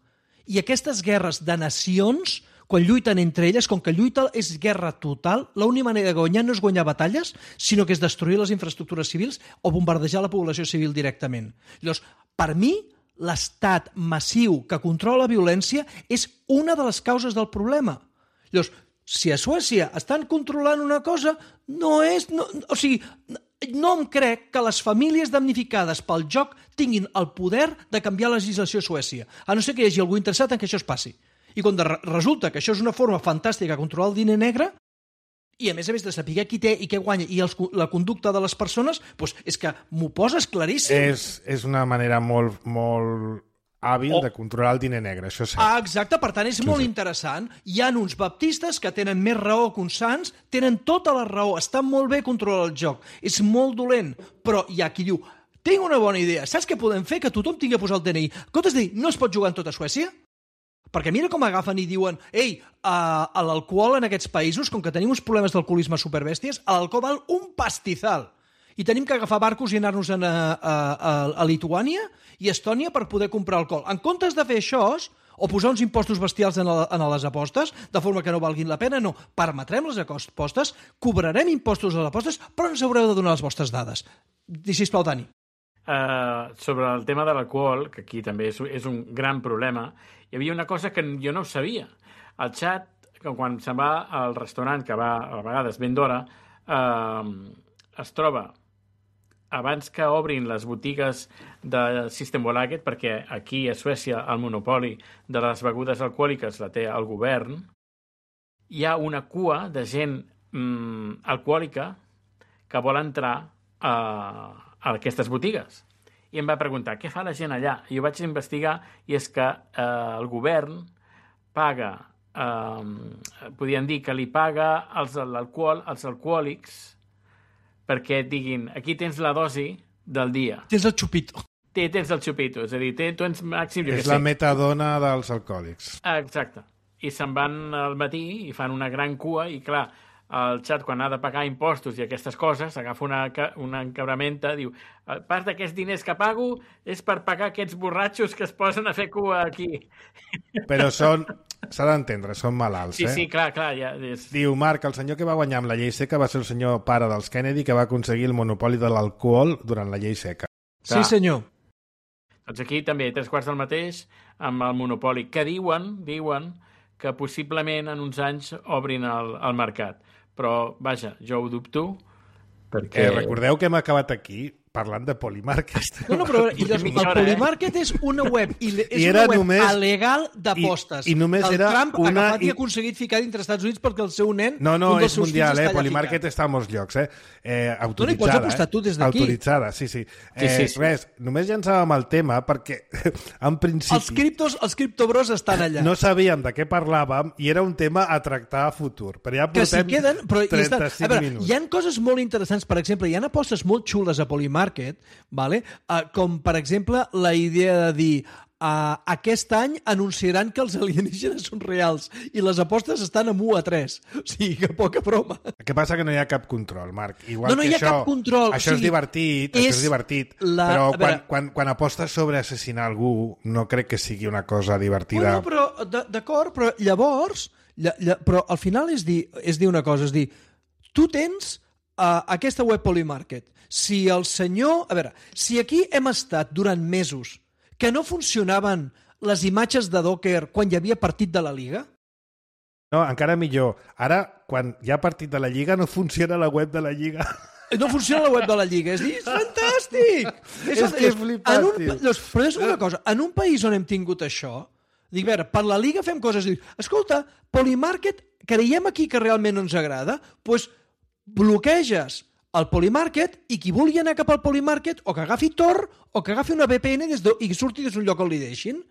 I aquestes guerres de nacions, quan lluiten entre elles, com que lluita és guerra total, l'única manera de guanyar no és guanyar batalles, sinó que és destruir les infraestructures civils o bombardejar la població civil directament. Llavors, per mi, l'estat massiu que controla la violència és una de les causes del problema. Llavors, si a Suècia estan controlant una cosa, no és... No, o sigui, no em crec que les famílies damnificades pel joc tinguin el poder de canviar la legislació a Suècia, a no ser que hi hagi algú interessat en que això es passi. I quan resulta que això és una forma fantàstica de controlar el diner negre, i a més a més de saber qui té i què guanya i els, la conducta de les persones, doncs és que m'ho poses claríssim. És, és una manera molt... molt... hàbil oh. de controlar el diner negre, això és cert. Ah, exacte, per tant és sí, molt sí. interessant. Hi ha uns baptistes que tenen més raó que uns sants, tenen tota la raó, estan molt bé controlar el joc, és molt dolent, però hi ha qui diu, tinc una bona idea, saps què podem fer? Que tothom tingui a posar el D N I. Comptes de dir, no es pot jugar en tota Suècia? Perquè mira com agafen i diuen, ei, uh, l'alcohol en aquests països, com que tenim uns problemes d'alcoholisme superbèsties, l'alcohol val un pastizal. I tenim que agafar barcos i anar-nos a, a, a, a Lituània i Estònia per poder comprar alcohol. En comptes de fer això, o posar uns impostos bestials en, la, en les apostes, de forma que no valguin la pena, no. Permetrem les apostes, cobrarem impostos a les apostes, però ens haureu de donar les vostres dades. Sisplau, Dani. Uh, sobre el tema de l'alcohol, que aquí també és, és un gran problema, hi havia una cosa que jo no ho sabia. El xat, que quan se'n va al restaurant, que va a vegades ben d'hora, uh, es troba abans que obrin les botigues de Systembolaget, perquè aquí a Suècia el monopoli de les begudes alcohòliques la té el govern, hi ha una cua de gent mm, alcohòlica que vol entrar a, a aquestes botigues. I em va preguntar, què fa la gent allà? I jo vaig investigar i és que eh, el govern paga, eh, podien dir que li paga els, l'alcohol als alcohòlics perquè et diguin, aquí tens la dosi del dia. Tens el xupito. Té, tens el xupito, és a dir, té, tens màxim... És la metadona dels alcohòlics. Exacte. I se'n van al matí i fan una gran cua i, clar, el xat, quan ha de pagar impostos i aquestes coses, agafa una, una encabramenta, diu, part d'aquests diners que pago és per pagar aquests borratxos que es posen a fer cua aquí. Però són... S'ha d'entendre, són malalts, sí, eh? Sí, sí, clar, clar. Ja és... Diu, Marc, el senyor que va guanyar amb la llei seca va ser el senyor pare dels Kennedy que va aconseguir el monopoli de l'alcohol durant la llei seca. Clar. Sí, senyor. Doncs aquí també, tres quarts del mateix, amb el monopoli, que diuen, diuen que possiblement en uns anys obrin el, el mercat. Però, vaja, jo ho dubto, perquè... Eh, recordeu que hem acabat aquí parlant de Polymarket. No, no, però i llavors, el Polymarket és una web, i és I una web només, alegal d'apostes. I, i només el era Trump una... ha agafat i ha aconseguit ficar dintre Estats Units perquè el seu nen... No, no, un dels és seus mundial, fills eh? Polymarket ficat. està a molts llocs, eh? eh autoritzada, no, no, pots apostar eh? tu des d'aquí. Autoritzada, sí, sí. Eh, sí, sí, sí. Res, només llançàvem el tema perquè, en principi... Els criptos, els criptobros estan allà. No sabíem de què parlàvem i era un tema a tractar a futur. Però ja que si portem queden, però trenta-cinc a veure, minuts. hi ha coses molt interessants, per exemple, hi ha apostes molt xules a Polymarket, vale? uh, com per exemple la idea de dir uh, aquest any anunciaran que els alienígenes són reals i les apostes estan amb u a tres. O sigui, que poca broma. El que passa que no hi ha cap control, Marc. Igual no, no que hi ha això, cap control. Això o sigui, és divertit, és això és divertit, la... però veure... quan, quan, quan apostes sobre assassinar algú no crec que sigui una cosa divertida. Oh, no, però d'acord, però llavors lla, lla, però al final és dir, és dir una cosa, és dir, tu tens uh, aquesta web Polymarket. Si el senyor... A veure, si aquí hem estat durant mesos que no funcionaven les imatges de Docker quan hi havia partit de la Lliga... No, encara millor. Ara, quan hi ha partit de la Lliga, no funciona la web de la Lliga. no funciona la web de la Lliga. És dir, és fantàstic! És, és que és flipat, en un, tio. doncs, però és una cosa, en un país on hem tingut això, dic, a veure, per la Lliga fem coses, dic, escolta, Polymarket, creiem aquí que realment no ens agrada, doncs bloqueges el Polymarket i qui vulgui anar cap al Polymarket o que agafi Tor o que agafi una V P N des de, i que surti des d'un lloc on li deixin.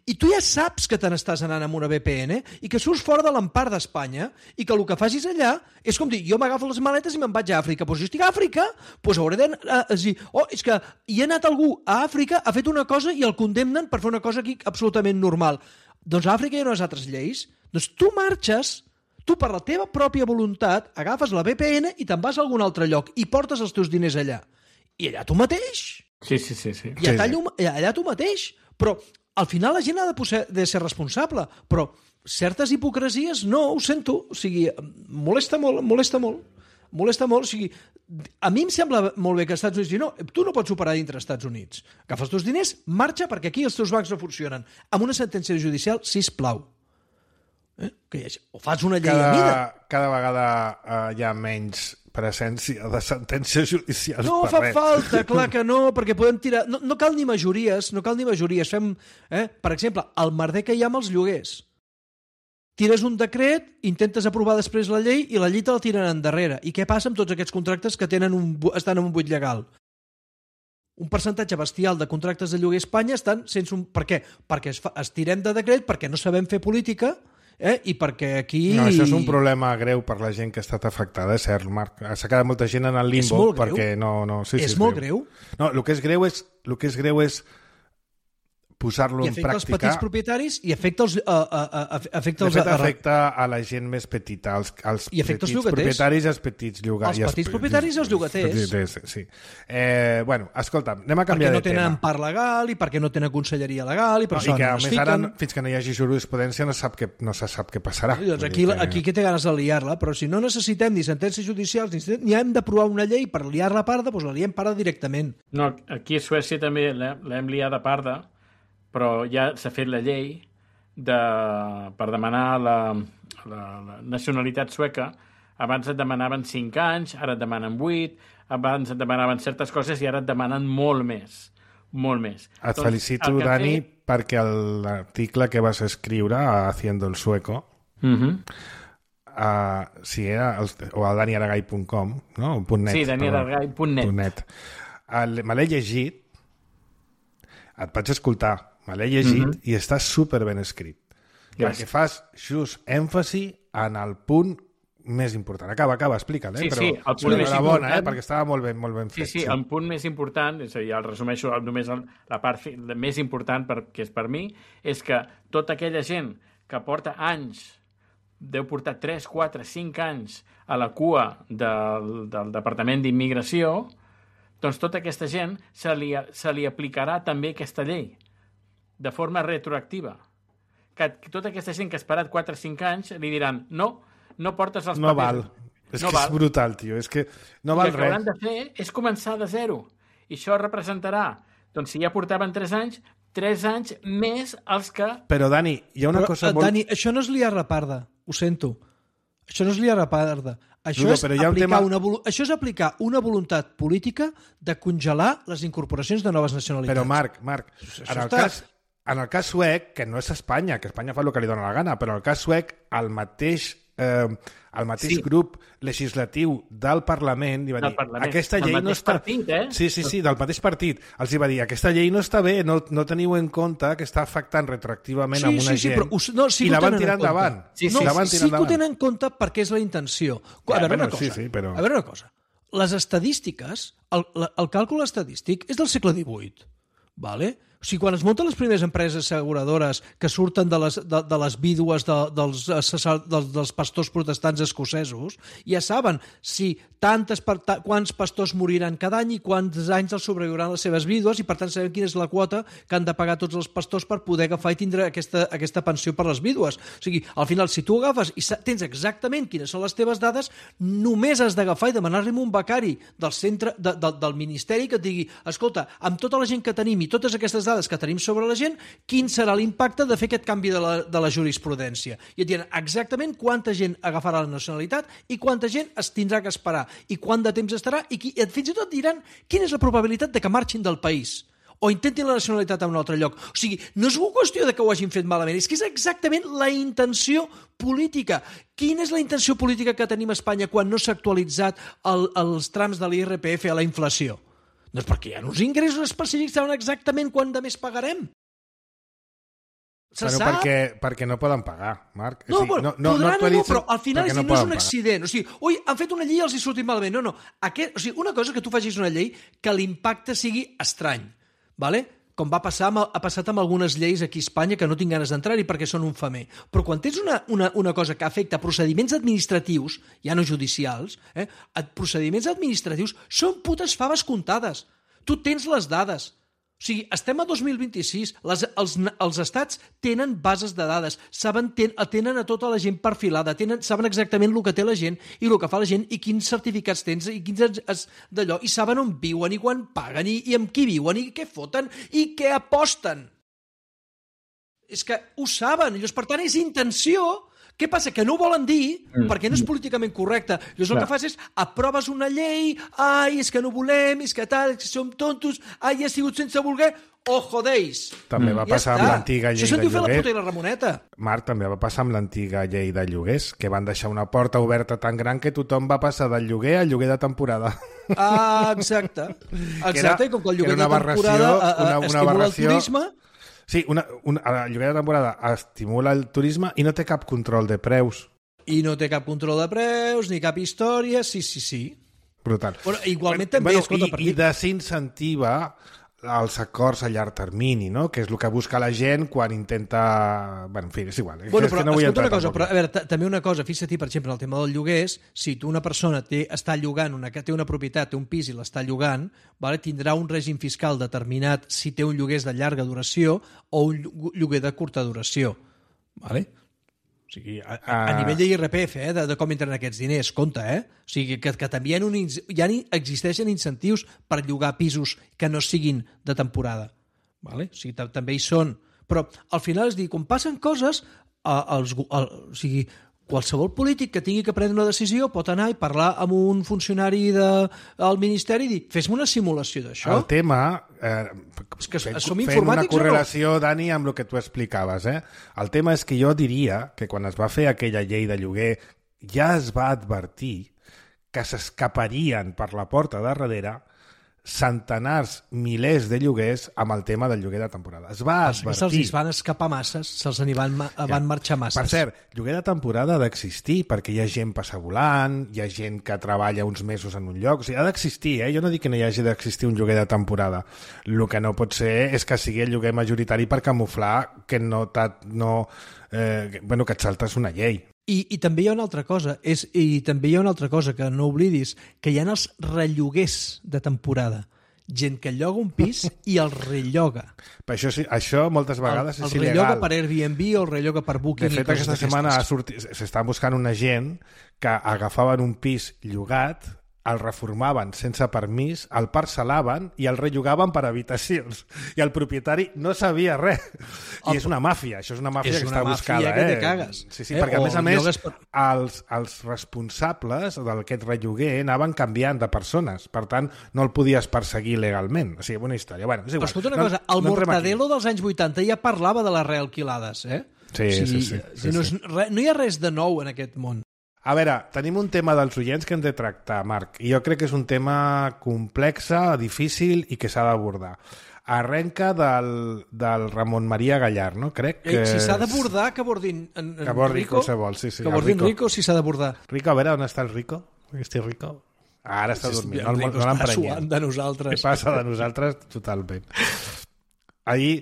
I tu ja saps que te n'estàs anant amb una V P N i que surts fora de l'empart d'Espanya i que el que facis allà és com dir, jo m'agafo les maletes i me'n vaig a Àfrica. Doncs si estic a Àfrica, doncs hauré de dir, oh, és que hi ha anat algú a Àfrica, ha fet una cosa i el condemnen per fer una cosa aquí absolutament normal. Doncs a Àfrica hi ha unes altres lleis. Doncs tu marxes, tu per la teva pròpia voluntat agafes la V P N i te'n vas a algun altre lloc i portes els teus diners allà. I allà tu mateix. Sí, sí, sí. sí. I allà, allà tu mateix. Però al final la gent ha de, posar, de ser responsable, però certes hipocresies no, ho sento, o sigui, molesta molt, molesta molt, molesta molt, o sigui, a mi em sembla molt bé que als Estats Units, no, tu no pots operar dintre dels Estats Units, agafa els teus diners, marxa perquè aquí els teus bancs no funcionen, amb una sentència judicial, sisplau. Eh? Que hi hagi, o fas una llei cada, a mida. Cada vegada uh, hi ha menys presència de sentències judicials no per fa res. falta, clar que no, perquè podem tirar... No, no cal ni majories, no cal ni majories. Fem, eh? Per exemple, el merder que hi ha amb els lloguers. Tires un decret, intentes aprovar després la llei i la llei te la tiren endarrere. I què passa amb tots aquests contractes que tenen un, estan en un buit legal? Un percentatge bestial de contractes de lloguer a Espanya estan sense un... Per què? Perquè es, fa, es tirem de decret, perquè no sabem fer política, eh? I perquè aquí... No, això és un problema greu per la gent que ha estat afectada, és cert, Marc. S'ha quedat molta gent en el limbo perquè no... no sí, és sí, molt greu. greu. No, el que és greu és, el que és greu és posar-lo en pràctica. I afecta els petits propietaris i afecta els... Uh, uh, uh, afecta els de fet, afecta a la gent més petita, als, als I afecta petits els llogaters. propietaris i els petits llogaters. Els petits propietaris i els llogaters. Sí. Eh, bueno, escolta, anem a canviar perquè no de tema. tenen empart legal i perquè no tenen conselleria legal i per no, això i que, no a es més, fiquen. ara, fins que no hi hagi jurisprudència no, sap que, no se sap què passarà. I doncs aquí, que... aquí qui té ganes de liar-la, però si no necessitem ni sentències judicials ni, ni hem d'aprovar una llei per liar-la parda, doncs la liem parda directament. No, aquí a Suècia també l'hem liada parda, però ja s'ha fet la llei de, per demanar la, la, la nacionalitat sueca. Abans et demanaven cinc anys, ara et demanen vuit, abans et demanaven certes coses i ara et demanen molt més, molt més. Et doncs, felicito, Dani, fet... perquè l'article que vas escriure a Haciendo el Sueco, uh-huh. uh, si era el, o al dani aragai punt com, no? .net, sí, dani aragai punt net. Me l'he llegit, et vaig escoltar, me l'he llegit uh-huh. i està super ben escrit. Gràcies. Perquè fas just èmfasi en el punt més important. Acaba, acaba, explica'l, eh? Sí, Però sí, el punt més bona, important... eh? Perquè estava molt ben, molt ben fet. Sí, sí, sí, el punt més important, és a dir, el resumeixo només la part la més important per, que és per mi, és que tota aquella gent que porta anys, deu portar tres, quatre, cinc anys a la cua del, del Departament d'Immigració, doncs tota aquesta gent se li, se li aplicarà també aquesta llei, de forma retroactiva. Que tota aquesta gent que ha esperat quatre o cinc anys li diran, no, no portes els no papers. Val. És no que val. És brutal, tio. És que no val res. I el que hauran de fer és començar de zero. I això representarà, doncs si ja portaven tres anys, tres anys més els que... Però, Dani, hi ha una però, cosa molt... Dani, això no és liar la parda, ho sento. Això no és liar la parda. Això, no, és però hi ha un aplicar tema... una, això és aplicar una voluntat política de congelar les incorporacions de noves nacionalitats. Però, Marc, Marc, en el, cas, en el cas suec, que no és Espanya, que Espanya fa el que li dóna la gana, però en el cas suec, el mateix... Eh, el mateix sí. grup legislatiu del Parlament li va dir, Parlament. aquesta llei no està... Partit, eh? Sí, sí, sí, del mateix partit. Els hi va dir, aquesta llei no està bé, no, no teniu en compte que està afectant retroactivament sí, a una sí, sí, gent. Però, us, no, sí I la van tirar en endavant. Sí, sí, no, sí, la van tirar sí endavant. que ho tenen en compte perquè és la intenció. A ja, veure bueno, una cosa. Sí, sí, però... A veure una cosa. Les estadístiques, el, el càlcul estadístic és del segle divuit, vale? O sigui, quan es munten les primeres empreses asseguradores que surten de les, de, de les vídues de, dels, dels, dels pastors protestants escocesos, ja saben si tantes, quants pastors moriran cada any i quants anys els sobreviuran les seves vídues i, per tant, sabem quina és la quota que han de pagar tots els pastors per poder agafar i tindre aquesta, aquesta pensió per les vídues. O sigui, al final, si tu agafes i tens exactament quines són les teves dades, només has d'agafar i demanar-li un becari del centre de, de, del Ministeri que et digui, escolta, amb tota la gent que tenim i totes aquestes dades que tenim sobre la gent, quin serà l'impacte de fer aquest canvi de la, de la jurisprudència. I et diran exactament quanta gent agafarà la nacionalitat i quanta gent es tindrà que esperar i quant de temps estarà i, qui, i fins i tot diran quina és la probabilitat de que marxin del país o intentin la nacionalitat a un altre lloc. O sigui, no és una qüestió de que ho hagin fet malament, és que és exactament la intenció política. Quina és la intenció política que tenim a Espanya quan no s'ha actualitzat el, els trams de l'I R P F a la inflació? Doncs perquè hi ha uns ingressos específics, saben exactament quant de més pagarem. Se però sap? perquè, perquè no poden pagar, Marc. No, o sigui, bueno, no, no, podran no o no, però al final és, no, no és un pagar. accident. O sigui, ui, han fet una llei i els hi sortit malament. No, no. Aquest, o sigui, una cosa és que tu facis una llei que l'impacte sigui estrany. Vale? Com va passar amb, ha passat amb algunes lleis aquí a Espanya que no tinc ganes d'entrar-hi perquè són un femer. Però quan tens una, una, una cosa que afecta procediments administratius, ja no judicials, eh, procediments administratius són putes faves comptades. Tu tens les dades. O sigui, estem a dos mil vint-i-sis, les, els, els estats tenen bases de dades, saben, ten, tenen a tota la gent perfilada, tenen, saben exactament el que té la gent i el que fa la gent i quins certificats tens i quins es, d'allò, i saben on viuen i quan paguen i, i amb qui viuen i què foten i què aposten. És que ho saben, llavors, per tant, és intenció. Què passa? Que no ho volen dir perquè no és políticament correcte. Llavors el que fas és aproves una llei, ai, és que no volem, és que tal, és que som tontos, ai, ha sigut sense voler, oh, jodeix. També va passar amb l'antiga llei de lloguer. Això se'n diu fer la puta i la Ramoneta. Marc, també va passar amb l'antiga llei de lloguers, que van deixar una porta oberta tan gran que tothom va passar del lloguer al lloguer de temporada. Ah, exacte. Exacte, era, i com que el lloguer de temporada una, una estimula aberració, el turisme... Sí, una, una, el lloguer de temporada estimula el turisme i no té cap control de preus. I no té cap control de preus, ni cap història, sí, sí, sí. Brutal. Però igualment també, bueno, escolta... I, perquè... i desincentiva els acords a llarg termini, no? Que és el que busca la gent quan intenta... Bueno, en fi, és igual. Bueno, és però que no vull escolta una entrar cosa, tampoc. però, a veure, també una cosa, fixa't, per exemple, el tema dels lloguers, si tu una persona té, està llogant, una, té una propietat, té un pis i l'està llogant, vale, tindrà un règim fiscal determinat si té un lloguer de llarga duració o un lloguer de curta duració. Vale? O sigui, a, a, a nivell d'I R P F, eh, de, de com entren aquests diners, compte, eh? O sigui, que, que també hi ha, un, hi ha existeixen incentius per llogar pisos que no siguin de temporada. Vale? O sigui, també hi són. Però al final és dir, quan passen coses, eh, els, el, o sigui, qualsevol polític que tingui que prendre una decisió pot anar i parlar amb un funcionari del de, Ministeri i dir, fes-me una simulació d'això. El tema... Eh, és que fent, som fent informàtics una correlació, o no? Dani, amb el que tu explicaves. Eh? El tema és que jo diria que quan es va fer aquella llei de lloguer ja es va advertir que s'escaparien per la porta de darrere centenars, milers de lloguers amb el tema del lloguer de temporada. Es va advertir. Se'ls van escapar masses, se'ls n'hi van, van ja. marxar masses. Per cert, lloguer de temporada ha d'existir perquè hi ha gent passa volant, hi ha gent que treballa uns mesos en un lloc, o sigui, ha d'existir, eh? Jo no dic que no hi hagi d'existir un lloguer de temporada. El que no pot ser és que sigui el lloguer majoritari per camuflar que no, no eh, bueno, que et saltes una llei. I, I també hi ha una altra cosa, és, i també hi ha una altra cosa que no oblidis, que hi ha els relloguers de temporada. Gent que lloga un pis i el relloga. Per això, sí, això moltes vegades el, és el il·legal. El relloga per Airbnb o el relloga per Booking. De fet, aquesta setmana s'està buscant una gent que agafaven un pis llogat, el reformaven sense permís, el parcel·laven i el rellogaven per habitacions. I el propietari no sabia res. I és una màfia, això és una màfia és que una està màfia buscada. Que eh? te cagues. Sí, sí, eh? perquè a més a més per... els, els responsables d'aquest relloguer anaven canviant de persones, per tant no el podies perseguir legalment. O sigui, bona història. Bueno, és igual. Però escolta una no, cosa, el no Mortadelo dels anys vuitanta ja parlava de les realquilades, eh? Sí, o sigui, sí, sí. sí, no, sí. Re, no hi ha res de nou en aquest món. A veure, tenim un tema dels oients que hem de tractar, Marc, i jo crec que és un tema complex, difícil i que s'ha d'abordar. Arrenca del, del Ramon Maria Gallar, no? Crec que... Eh, si s'ha d'abordar, que abordin en, en que abordi Rico. Qualsevol, sí, sí. Que abordin Rico. Rico si s'ha d'abordar. Rico, a veure, on està el Rico? Este Rico? Ara està sí, dormint, no, no, no l'emprenyem. Està suant de nosaltres. Què passa de nosaltres? Totalment. Ahir,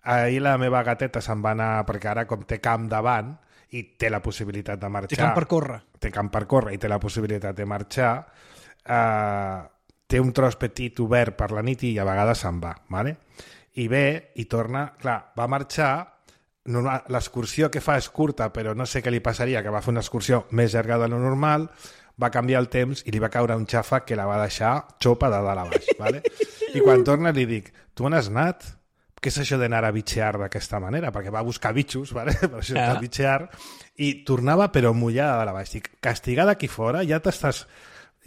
ahir la meva gateta se'n va anar, perquè ara com té camp davant, i té la possibilitat de marxar. Té camp per córrer. Té camp per córrer i té la possibilitat de marxar. Eh, té un tros petit obert per la nit i a vegades se'n va. Vale? I ve i torna... Clar, va marxar... L'excursió que fa és curta, però no sé què li passaria, que va fer una excursió més llarga de lo normal, va canviar el temps i li va caure un xàfec que la va deixar xopa de dalt a baix. Vale? I quan torna li dic, tu on has anat? què és això d'anar a bitxear d'aquesta manera? Perquè va buscar bitxos, ¿vale? Per això Ah. està bitxear, i tornava però mullada de la baix. Dic, castigada aquí fora, ja t'estàs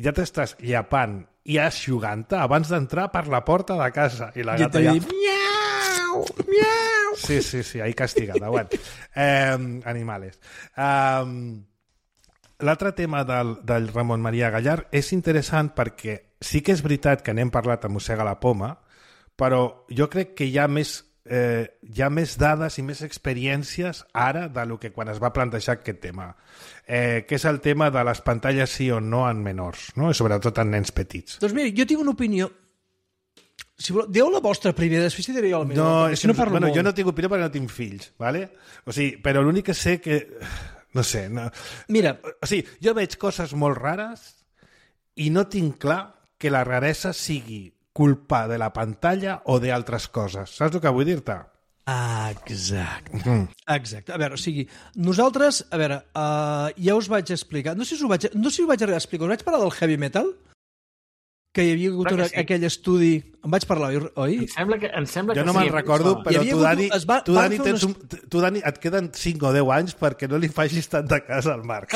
ja t'estàs llapant i aixugant-te abans d'entrar per la porta de casa. I la I gata t'ha ja... dit, miau, miau. Sí, sí, sí, ahí castigada. Bueno, eh, animales. Um, L'altre tema del, del Ramon Maria Gallard és interessant perquè sí que és veritat que n'hem parlat a Mossega la Poma, però jo crec que hi ha més, eh, hi ha més dades i més experiències ara de lo que quan es va plantejar aquest tema, eh, que és el tema de les pantalles sí o no en menors, no? I sobretot en nens petits. Doncs mira, jo tinc una opinió. Si voleu, dieu la vostra primer, després diré jo la meva. No, perquè és si no parlo bueno, molt. jo no tinc opinió perquè no tinc fills, ¿vale? O sigui, però l'únic que sé que... No sé, no... Mira, O sigui, jo veig coses molt rares i no tinc clar que la raresa sigui culpa de la pantalla o d'altres coses. Saps el que vull dir-te? exacte. Mm. Exacte. A veure, o sigui, nosaltres, a veure, uh, ja us vaig explicar, no sé si us vaig, no sé si us vaig arribar a explicar, us vaig parlar del heavy metal? Que hi havia hagut Clar que una, sí. aquell estudi... Em vaig parlar, oi? Em sembla que, em sembla Jo que no sí, me'n em recordo, sona. Hi però havia tu, hagut- Dani, es va- tu, van Dani, fer tens un, tu, Dani, et queden cinc o deu anys perquè no li facis tant de cas al Marc.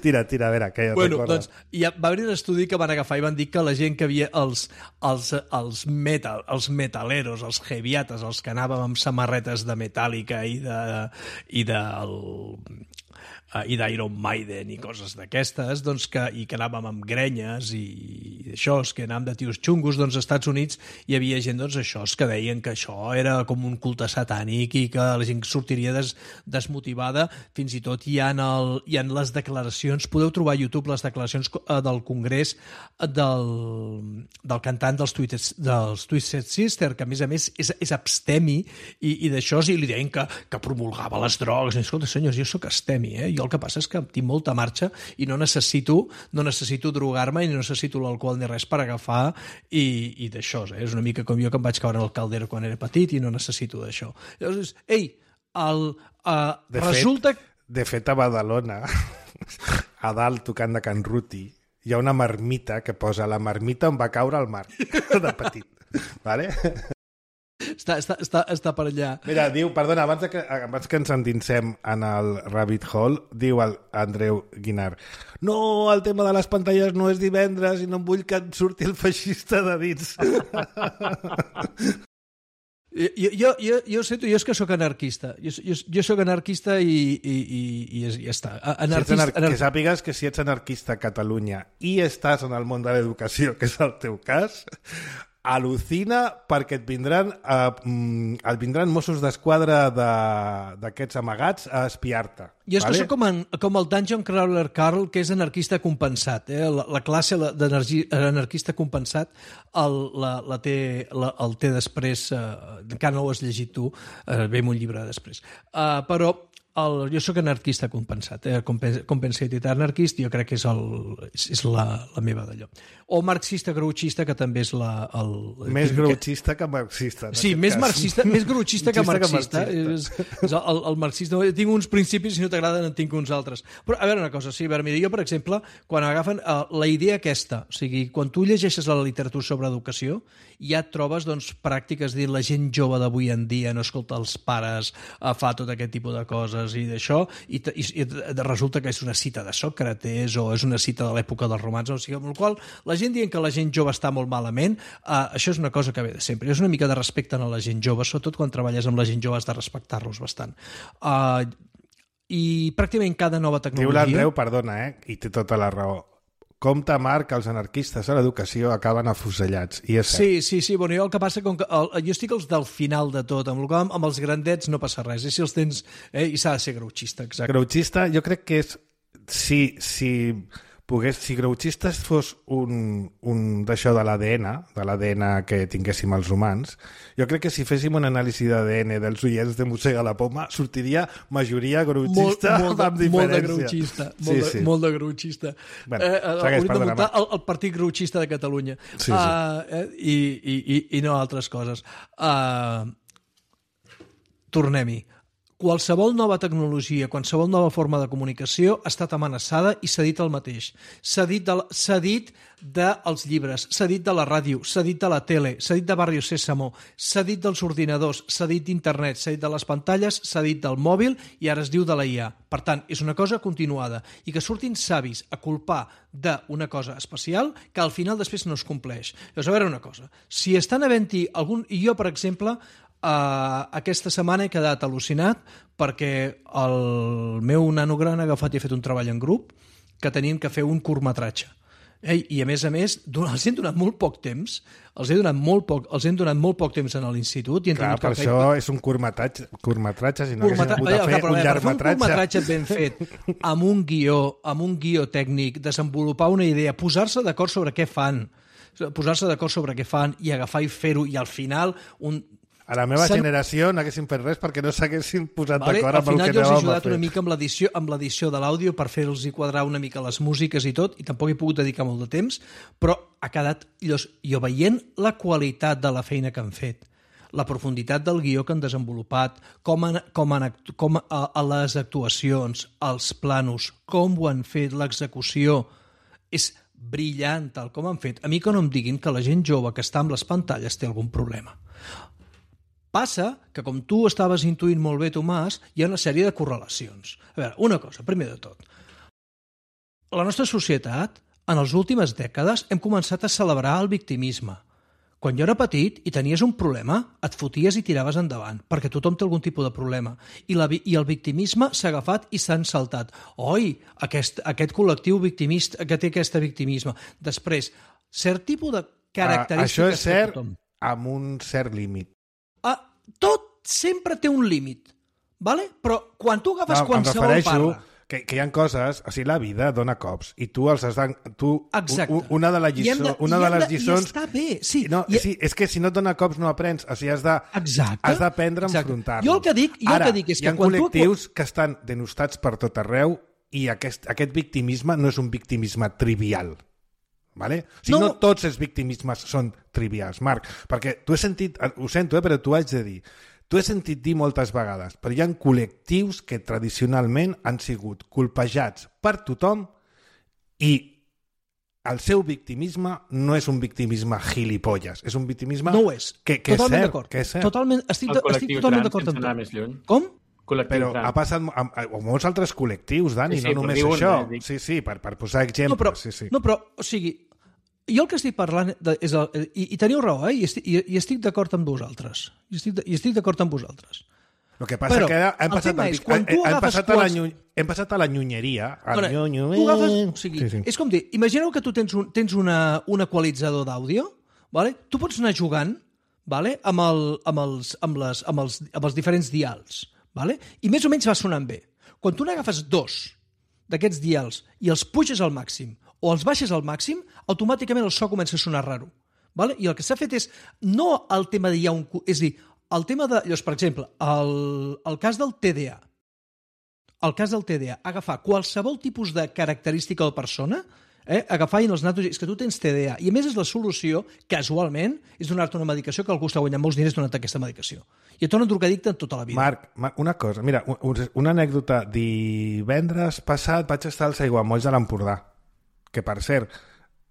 tira, tira, a veure, què Bueno, recordes? doncs hi ha, va haver un estudi que van agafar i van dir que la gent que havia els, els, els metal, els metaleros, els heaviates, els que anàvem amb samarretes de Metallica i de i del uh, i d'Iron Maiden i coses d'aquestes, doncs que, i que anàvem amb grenyes i, i això, que anàvem de tios xungos, doncs als Estats Units hi havia gent, doncs això, que deien que això era com un culte satànic i que la gent sortiria des, desmotivada. Fins i tot hi ha, el, hi ha les declaracions, podeu trobar a YouTube les declaracions eh, del Congrés del, del cantant dels Twisted, dels Twisted Sister, que a més a més és, és abstemi i, i d'això, i li deien que, que promulgava les drogues. I, escolta, senyors, jo sóc abstemi, eh? Jo el que passa és que tinc molta marxa i no necessito, no necessito drogar-me i no necessito l'alcohol ni res per agafar i, i d'això. Eh? És una mica com jo que em vaig caure en el caldero quan era petit i no necessito d'això. Llavors, ei, el, uh, De resulta... fet, de fet, a Badalona, a dalt, tocant de Can Ruti, hi ha una marmita que posa la marmita on va caure el Marc, de petit. Vale? Està, està, està, està per allà. Mira, diu, perdona, abans de que, abans que ens endinsem en el rabbit hole, diu el Andreu Guinart, no, el tema de les pantalles no és divendres i no em vull que em surti el feixista de dins. Jo, jo, jo, jo sé, jo és que sóc anarquista. Jo, jo, jo sóc anarquista i, i, i, i ja està. Si ets Anarquista, anar... Que sàpigues que si ets anarquista a Catalunya i estàs en el món de l'educació, que és el teu cas, al·lucina perquè et vindran, eh, et vindran Mossos d'Esquadra d'aquests de, amagats a espiar-te. Jo és vale? que soc com, en, com el Dungeon Crawler Carl, que és anarquista compensat. Eh? La, la classe d'anarquista compensat el, la, la té, la, el té després, eh, encara no ho has llegit tu, eh, ve un llibre després. Uh, però el, jo sóc anarquista compensat, eh? Compensated anarchist, jo crec que és, el, és, és la, la meva d'allò. O marxista grouchista, que també és la... El, Més que, grouchista que marxista. Sí, més cas. marxista, més grouchista que marxista. Que marxista. És, és el, el marxista. Tinc uns principis i si no t'agraden en tinc uns altres. Però, a veure una cosa, sí, a veure, mira, jo, per exemple, quan agafen uh, la idea aquesta, o sigui, quan tu llegeixes la literatura sobre educació, ja et trobes, doncs, pràctiques, dir, la gent jove d'avui en dia no escolta els pares, uh, fa tot aquest tipus de coses i d'això, i, i, i resulta que és una cita de Sòcrates o és una cita de l'època dels romans, o sigui, amb la qual la gent dient que la gent jove està molt malament, uh, això és una cosa que ve de sempre. És una mica de respecte a la gent jove, sobretot quan treballes amb la gent jove has de respectar-los bastant. Uh, I pràcticament cada nova Diu tecnologia... l'Andreu, perdona, eh? I té tota la raó. Compte, Marc, que els anarquistes a l'educació acaben afusellats. I és cert. Sí, sí, sí. Bueno, jo el que passa com que el, jo estic als del final de tot, amb, amb, amb els grandets no passa res. I si els tens... Eh, I s'ha de ser grouchista, exacte. Grouchista, jo crec que és... Si, si, pogués, si grouchista fos un, un d'això de l'A D N, de l'A D N que tinguéssim els humans, jo crec que si féssim un anàlisi d'A D N dels oients de Mossega la Poma, sortiria majoria grouchista molt, molt, de, amb diferència. molt de grouchista. Molt, Sí, de, sí. molt de grouchista. Bueno, eh, segueix, hauríem de perdona, muntar Marc. el, el partit grouchista de Catalunya. Sí, sí. Uh, eh, i, i, i, I no altres coses. Uh, Tornem-hi. Qualsevol nova tecnologia, qualsevol nova forma de comunicació ha estat amenaçada i s'ha dit el mateix. S'ha dit, de, s'ha dit dels llibres, s'ha dit de la ràdio, s'ha dit de la tele, s'ha dit de Barrio Sésamo, s'ha dit dels ordinadors, s'ha dit d'internet, s'ha dit de les pantalles, s'ha dit del mòbil i ara es diu de la I A. Per tant, és una cosa continuada i que surtin savis a culpar d'una cosa especial que al final després no es compleix. Llavors, a veure una cosa, si estan havent-hi algun... I jo, per exemple, Uh, aquesta setmana he quedat al·lucinat perquè el meu nano gran ha agafat i ha fet un treball en grup que tenien que fer un curtmetratge. Eh? I a més a més, els hem donat molt poc temps, els he donat molt poc, els hem donat molt poc temps en l'institut. I Clar, per que això fer... és un curtmetratge, curtmetratge si no Curtmetra... haguéssim hagut de fer però, un llargmetratge. Per fer un curtmetratge ben fet, amb un guió, amb un guió tècnic, desenvolupar una idea, posar-se d'acord sobre què fan, posar-se d'acord sobre què fan i agafar i fer-ho, i al final un... A la meva Sen... generació no haguéssim fet res perquè no s'haguessin posat vale, d'acord amb el que anàvem a fer. Al final jo els he ajudat una mica amb l'edició amb l'edició de l'àudio per fer-los quadrar una mica les músiques i tot, i tampoc he pogut dedicar molt de temps, però ha quedat... Jo veient la qualitat de la feina que han fet, la profunditat del guió que han desenvolupat, com, han, com, han, com a, a les actuacions, els planos, com ho han fet, l'execució, és brillant tal com han fet. A mi que no em diguin que la gent jove que està amb les pantalles té algun problema. Passa que, com tu estaves intuint molt bé, Tomàs, hi ha una sèrie de correlacions. A veure, una cosa, primer de tot. La nostra societat, en les últimes dècades, hem començat a celebrar el victimisme. Quan jo era petit i tenies un problema, et foties i tiraves endavant, perquè tothom té algun tipus de problema. I, la, i el victimisme s'ha agafat i s'ha ensaltat. Oi, aquest, aquest col·lectiu victimista que té aquest victimisme. Després, cert tipus de característiques... Uh, això és cert tothom. Amb un cert límit. Uh, tot sempre té un límit, vale? Però quan tu agafes no, qualsevol parla... Que, que hi ha coses, o sigui, la vida dona cops i tu els has de... Tu, Exacte. Una de, la lliçó, de, una de les de, lliçons... I està bé, sí. No, I... sí, és que si no et dona cops no aprens, o sigui, has de, Exacte. has d'aprendre a enfrontar-los. Jo el que dic, jo Ara, el que dic és hi ha que quan col·lectius tu... que estan denostats per tot arreu i aquest, aquest victimisme no és un victimisme trivial. Vale? O sigui, no. no tots els victimismes són trivials, Marc, perquè tu he sentit, ho sento, eh, però t'ho haig de dir, tu he sentit dir moltes vegades, però hi ha col·lectius que tradicionalment han sigut colpejats per tothom i el seu victimisme no és un victimisme gilipolles, és un victimisme no ho és. que, que, és cert, que és cert. Totalment, estic, estic totalment d'acord amb tu. Més lluny. Com? Però ha passat amb, amb molts altres col·lectius, Dani, sí, sí, no només això. Un, eh, sí, sí, per, per posar exemples. No, però, sí, sí. no, però, o sigui, jo el que estic parlant, de, és el, i, i teniu raó, eh? I estic, i, i estic d'acord amb vosaltres. I estic, i estic d'acord amb vosaltres. El que passa però, que hem passat, el, és, hem, hem, passat quals... a la, hem passat a la nyunyeria. A bueno, nyunyo... tu agafes, o sigui, sí, sí. És com dir, imagineu que tu tens un, tens una, un equalitzador d'àudio, vale? Tu pots anar jugant, vale? amb, el, amb, els, amb, les, amb, els, amb els diferents dials, vale? I més o menys va sonant bé. Quan tu n'agafes dos d'aquests dials i els puges al màxim o els baixes al màxim, automàticament el so comença a sonar raro. Vale? I el que s'ha fet és, no el tema de hi ha un... És dir, el tema de... Llavors, per exemple, el, el cas del T D A. El cas del T D A, agafar qualsevol tipus de característica de persona, eh, agafar i en els natos... És que tu tens T D A. I a més és la solució, casualment, és donar-te una medicació que algú està guanyant molts diners donant aquesta medicació. I et torna drogadicte en tota la vida. Marc, Marc una cosa, mira, una anècdota. Divendres passat vaig estar als aiguamolls de l'Empordà, que per cert,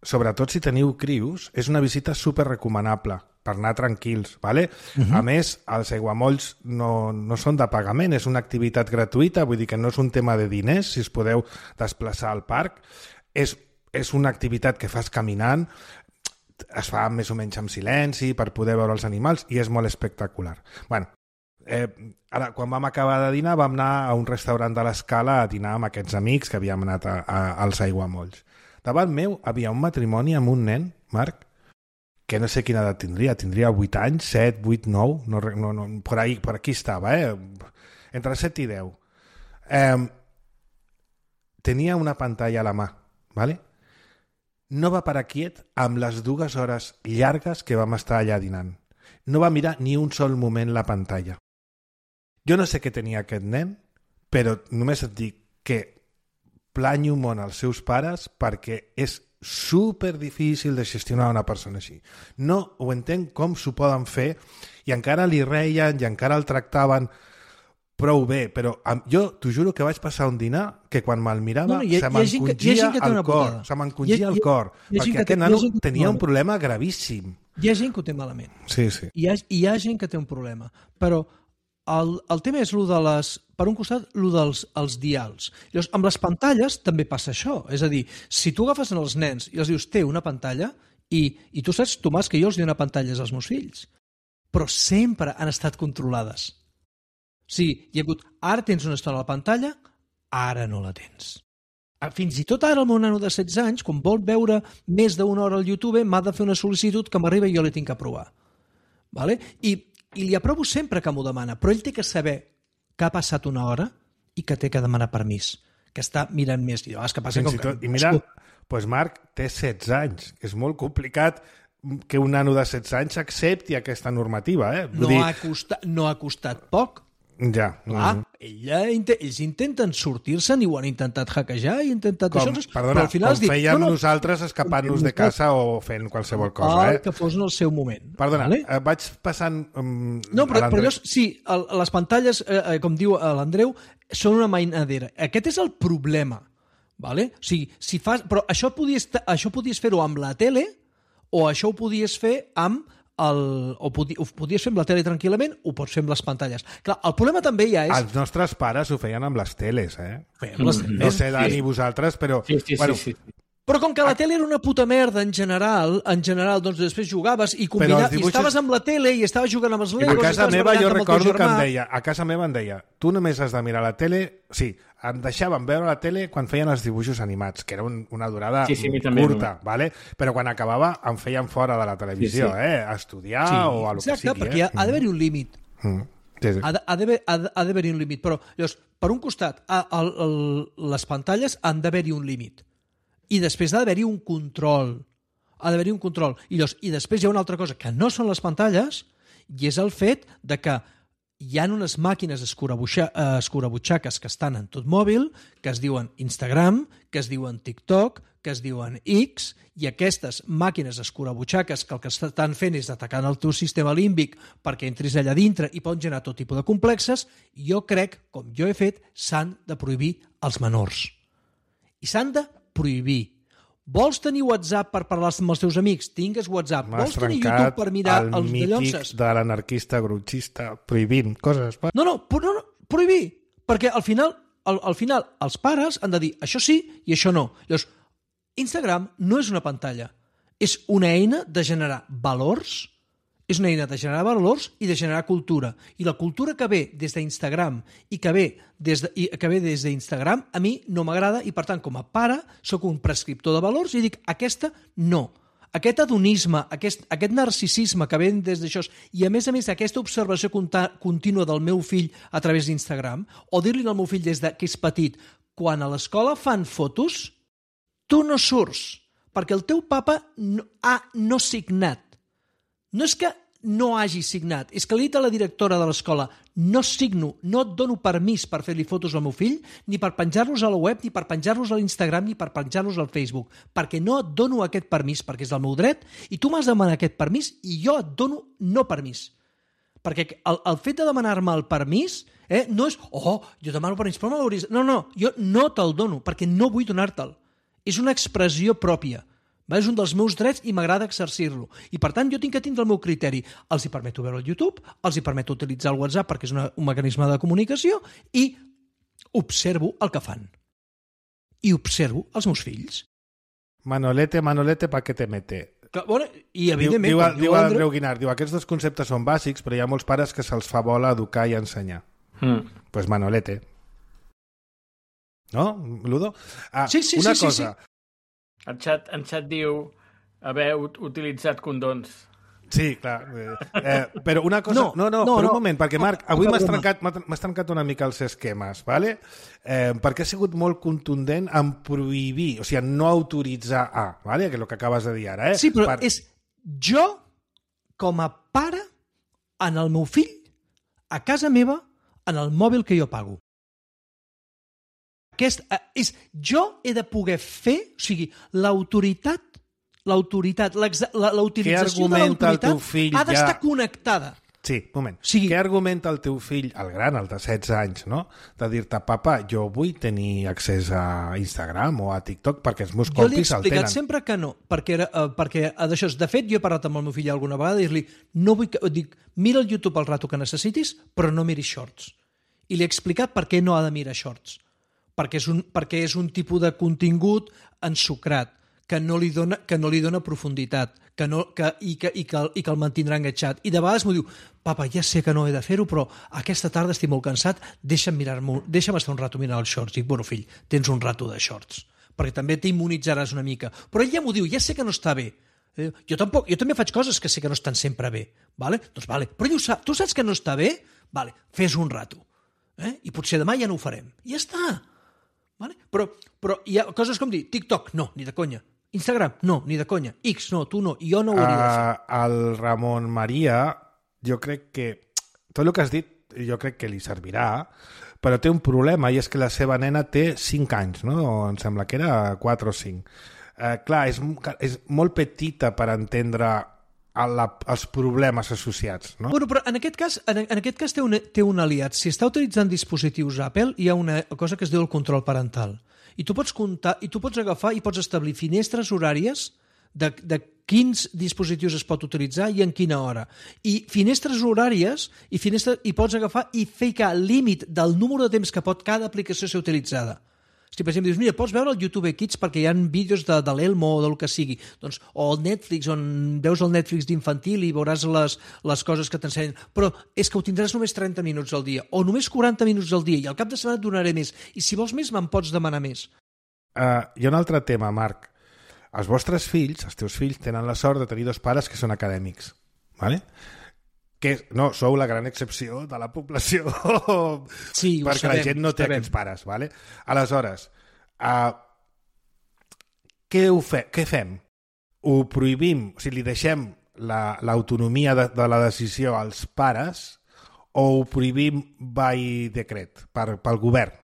sobretot si teniu crius, és una visita super recomanable per anar tranquils, ¿vale? Uh-huh. A més, els aiguamolls no, no són de pagament, és una activitat gratuïta, vull dir que no és un tema de diners, si us podeu desplaçar al parc, és, és una activitat que fas caminant, es fa més o menys amb silenci per poder veure els animals i és molt espectacular. Bueno, eh, ara, quan vam acabar de dinar vam anar a un restaurant de l'Escala a dinar amb aquests amics que havíem anat a, a, als aiguamolls. Davant meu havia un matrimoni amb un nen, Marc, que no sé quina edat tindria, tindria vuit anys, set, vuit, nou, no, no, no, por, ahí, por aquí estava, eh? Entre set i deu. Eh, tenia una pantalla a la mà, ¿vale? No va parar quiet amb les dues hores llargues que vam estar allà dinant. No va mirar ni un sol moment la pantalla. Jo no sé què tenia aquest nen, però només et dic que planyo molt als seus pares perquè és super difícil de gestionar una persona així. No ho entenc com s'ho poden fer i encara li reien i encara el tractaven prou bé, però amb, jo t'ho juro que vaig passar un dinar que quan me'l mirava No, no, hi ha- se hi ha gent que- hi ha m'encongia gent que té el una cor, putada. se m'encongia Hi ha- el hi ha- cor, hi ha gent perquè que té- aquest hi ha nano gent que té tenia un malament. problema gravíssim. Hi ha gent que ho té malament. Sí, sí. Hi ha, hi ha gent que té un problema. Però el, el tema és lo de les... Per un costat, lo dels els dials. Llavors, amb les pantalles també passa això. És a dir, si tu agafes els nens i els dius, té una pantalla, i, i tu saps, Tomàs, que jo els dono pantalles als meus fills, però sempre han estat controlades. O sigui, hi ha hagut, ara tens una estona a la pantalla, ara no la tens. Fins i tot ara el meu nano de setze anys, quan vol veure més d'una hora al YouTube, m'ha de fer una sol·licitud que m'arriba i jo l'he tinc que aprovar. Vale? I, I li aprovo sempre que m'ho demana, però ell té que saber que ha passat una hora i que té que demanar permís, que està mirant més. I, oh, és que passa Fins com i tot, que... I mira, doncs Marc té setze anys. És molt complicat que un nano de setze anys accepti aquesta normativa. Eh? Vull No, dir, ha costat, no ha costat poc. ja. Clar, mm. ella, ells intenten sortir-se'n i ho han intentat hackejar i intentat Com, això, perdona, però al final com dic, fèiem no, no, nosaltres escapant-nos de casa o fent qualsevol cosa. el Eh? que fos en el seu moment. Perdona, Vale? eh, vaig passant... Um, No, però, a però l'Andreu. llavors, sí, el, les pantalles, eh, eh, com diu l'Andreu, són una mainadera. Aquest és el problema. Vale? O sigui, si fas... Però això podies, això podies fer-ho amb la tele o això ho podies fer amb el, o podi, ho podies fer amb la tele tranquil·lament, ho pots fer amb les pantalles. Clar, el problema també ja és... Els nostres pares ho feien amb les teles, eh? Fem les No teles. sé, Dani, vosaltres, però... Sí, sí, bueno, sí, sí. Però com que la tele era una puta merda en general, en general, doncs després jugaves i, Però combina... els dibuixos- i estaves amb la tele i estaves jugant amb els I a Legos... i casa estaves meva barallant jo amb el teu recordo que em germà. deia, a casa meva em deia, tu només has de mirar la tele... Sí, em deixaven veure la tele quan feien els dibuixos animats, que era un, una durada Sí, sí, a mi també, curta, vale? Però quan acabava em feien fora de la televisió, Sí, sí. eh? A estudiar Sí, o a lo exacte, que sigui. perquè eh? ha, ha d'haver-hi un límit. Mm. Sí, sí. Ha de- ha d'haver- ha de- ha d'haver-hi un límit. Però, llavors, per un costat, a, el, el, les pantalles han d'haver-hi un límit. I després ha d'haver-hi un control. Ha d'haver-hi un control. I, llavors, I després hi ha una altra cosa, que no són les pantalles, i és el fet de que hi ha unes màquines escurabutxa, eh, escurabutxaques que estan en tot mòbil, que es diuen Instagram, que es diuen TikTok, que es diuen X, i aquestes màquines escurabutxaques que el que estan fent és atacar el teu sistema límbic perquè entris allà dintre i poden generar tot tipus de complexes, jo crec, com jo he fet, s'han de prohibir als menors. I s'han de prohibir. Vols tenir WhatsApp per parlar amb els teus amics? Tingues WhatsApp. M'has Vols tenir trencat YouTube per mirar el els mític dallonses? de l'anarquista grutxista prohibint coses. No, no, pro- no, no, prohibir. Perquè al final, al, al final els pares han de dir això sí i això no. Llavors, Instagram no és una pantalla. És una eina de generar valors, és una eina de generar valors i de generar cultura. I la cultura que ve des d'Instagram i que ve des de, i que ve des d'Instagram a mi no m'agrada i, per tant, com a pare, sóc un prescriptor de valors i dic, aquesta no. Aquest hedonisme, aquest, aquest narcisisme que ve des d'això i, a més a més, aquesta observació conta, contínua del meu fill a través d'Instagram, o dir-li al meu fill des de, que és petit, quan a l'escola fan fotos, tu no surts, perquè el teu papa no, ha no signat. No és que no hagi signat, és que li he dit a la directora de l'escola no signo, no et dono permís per fer-li fotos al meu fill, ni per penjar-los a la web, ni per penjar-los a l'Instagram, ni per penjar-los al Facebook, perquè no et dono aquest permís, perquè és del meu dret, i tu m'has de demanar aquest permís i jo et dono no permís. Perquè el, el fet de demanar-me el permís eh, no és, oh, jo demano permís, però me l'hauries... No, no, jo no te'l dono, perquè no vull donar-te'l. És una expressió pròpia. Va? És un dels meus drets i m'agrada exercir-lo. I, per tant, jo tinc que tindre el meu criteri. Els hi permeto veure el YouTube, els hi permeto utilitzar el WhatsApp perquè és una, un mecanisme de comunicació i observo el que fan. I observo els meus fills. Manolete, Manolete, pa que te mete. Que, bueno, I, Diu, evidentment... diu, com diu Andreu- Andreu Guinart, diu, aquests dos conceptes són bàsics, però hi ha molts pares que se'ls fa bola educar i ensenyar. Mm. Pues Manolete. No, Ludo? Ah, Sí, sí, una sí, sí, cosa. El xat, en xat diu haver ut utilitzat condons. Sí, clar. Eh, eh, però una cosa... No, No, no, no, per un no. moment, perquè, Marc, avui Poca m'has broma. trencat, m'ha- m'has trencat una mica els esquemes, ¿vale? Eh, perquè ha sigut molt contundent en prohibir, o sigui, en no autoritzar a, ¿vale? Que és el que acabes de dir ara, eh? Sí, però Per- és jo, com a pare, en el meu fill, a casa meva, en el mòbil que jo pago. Aquest, eh, és, jo he de poder fer, o sigui, l'autoritat, l'autoritat, l'ex- la- Què l'utilització de argumenta el l'autoritat teu fill ha d'estar ja? connectada. Sí, moment. sigui... Què argumenta el teu fill, el gran, el de setze anys, no? De dir-te, papa, jo vull tenir accés a Instagram o a TikTok perquè els meus Jo li he compis el explicat tenen. sempre que no, perquè, era, uh, perquè uh, d'això, de fet, jo he parlat amb el meu fill alguna vegada i dir-li, no vull que, dic, mira el YouTube el rato que necessitis, però no miris shorts. I li he explicat per què no ha de mirar shorts. Perquè és un, perquè és un tipus de contingut ensucrat, que no li dona, que no li dona profunditat, que no, que, i, que, i, que, i que el mantindrà enganxat. I de vegades m'ho diu, papa, ja sé que no he de fer-ho, però aquesta tarda estic molt cansat, deixa'm, mirar-m'ho, deixa'm estar un rato mirant els shorts. Dic, bueno, fill, tens un rato de shorts, perquè també t'immunitzaràs una mica. Però ell ja m'ho diu, ja sé que no està bé. Jo, tampoc, jo també faig coses que sé que no estan sempre bé. Vale? Doncs vale, però ell ho sap. Tu saps que no està bé? Vale, fes un rato. Eh? I potser demà ja no ho farem. I ja està. Vale? Però, però hi ha coses com dir, TikTok, no, ni de conya. Instagram, no, ni de conya. X, no, tu no, jo no ho hauria de fer. Uh, el Ramon Maria, jo crec que tot el que has dit, jo crec que li servirà, però té un problema, i és que la seva nena té cinc anys, no? O em sembla que era quatre o cinc. Uh, clar, és, és molt petita per entendre la, els problemes associats, no? Bueno, però en aquest cas, en, en aquest cas té, un, té un aliat. Si està utilitzant dispositius Apple, hi ha una cosa que es diu el control parental. I tu pots comptar, i tu pots agafar i pots establir finestres horàries de, de quins dispositius es pot utilitzar i en quina hora. I finestres horàries i, finestres, i pots agafar i ficar el límit del número de temps que pot cada aplicació ser utilitzada. Si, per exemple, dius, mira, pots veure el YouTube Kids perquè hi ha vídeos de, de l'Elmo o del que sigui, doncs, o el Netflix, on veus el Netflix d'infantil i veuràs les, les coses que t'ensenyen, però és que ho tindràs només trenta minuts al dia, o només quaranta minuts al dia, i al cap de setmana et donaré més, i si vols més me'n pots demanar més. Uh, hi ha un altre tema, Marc. Els vostres fills, els teus fills, tenen la sort de tenir dos pares que són acadèmics, ¿vale? Que no, sou la gran excepció de la població sí, perquè sabem, la gent no té sabem. aquests pares, ¿vale? Aleshores, uh, què, ho fe, què fem? Ho prohibim, o sigui, li deixem l'autonomia la, de, de la decisió als pares o ho prohibim by decret, per, pel govern?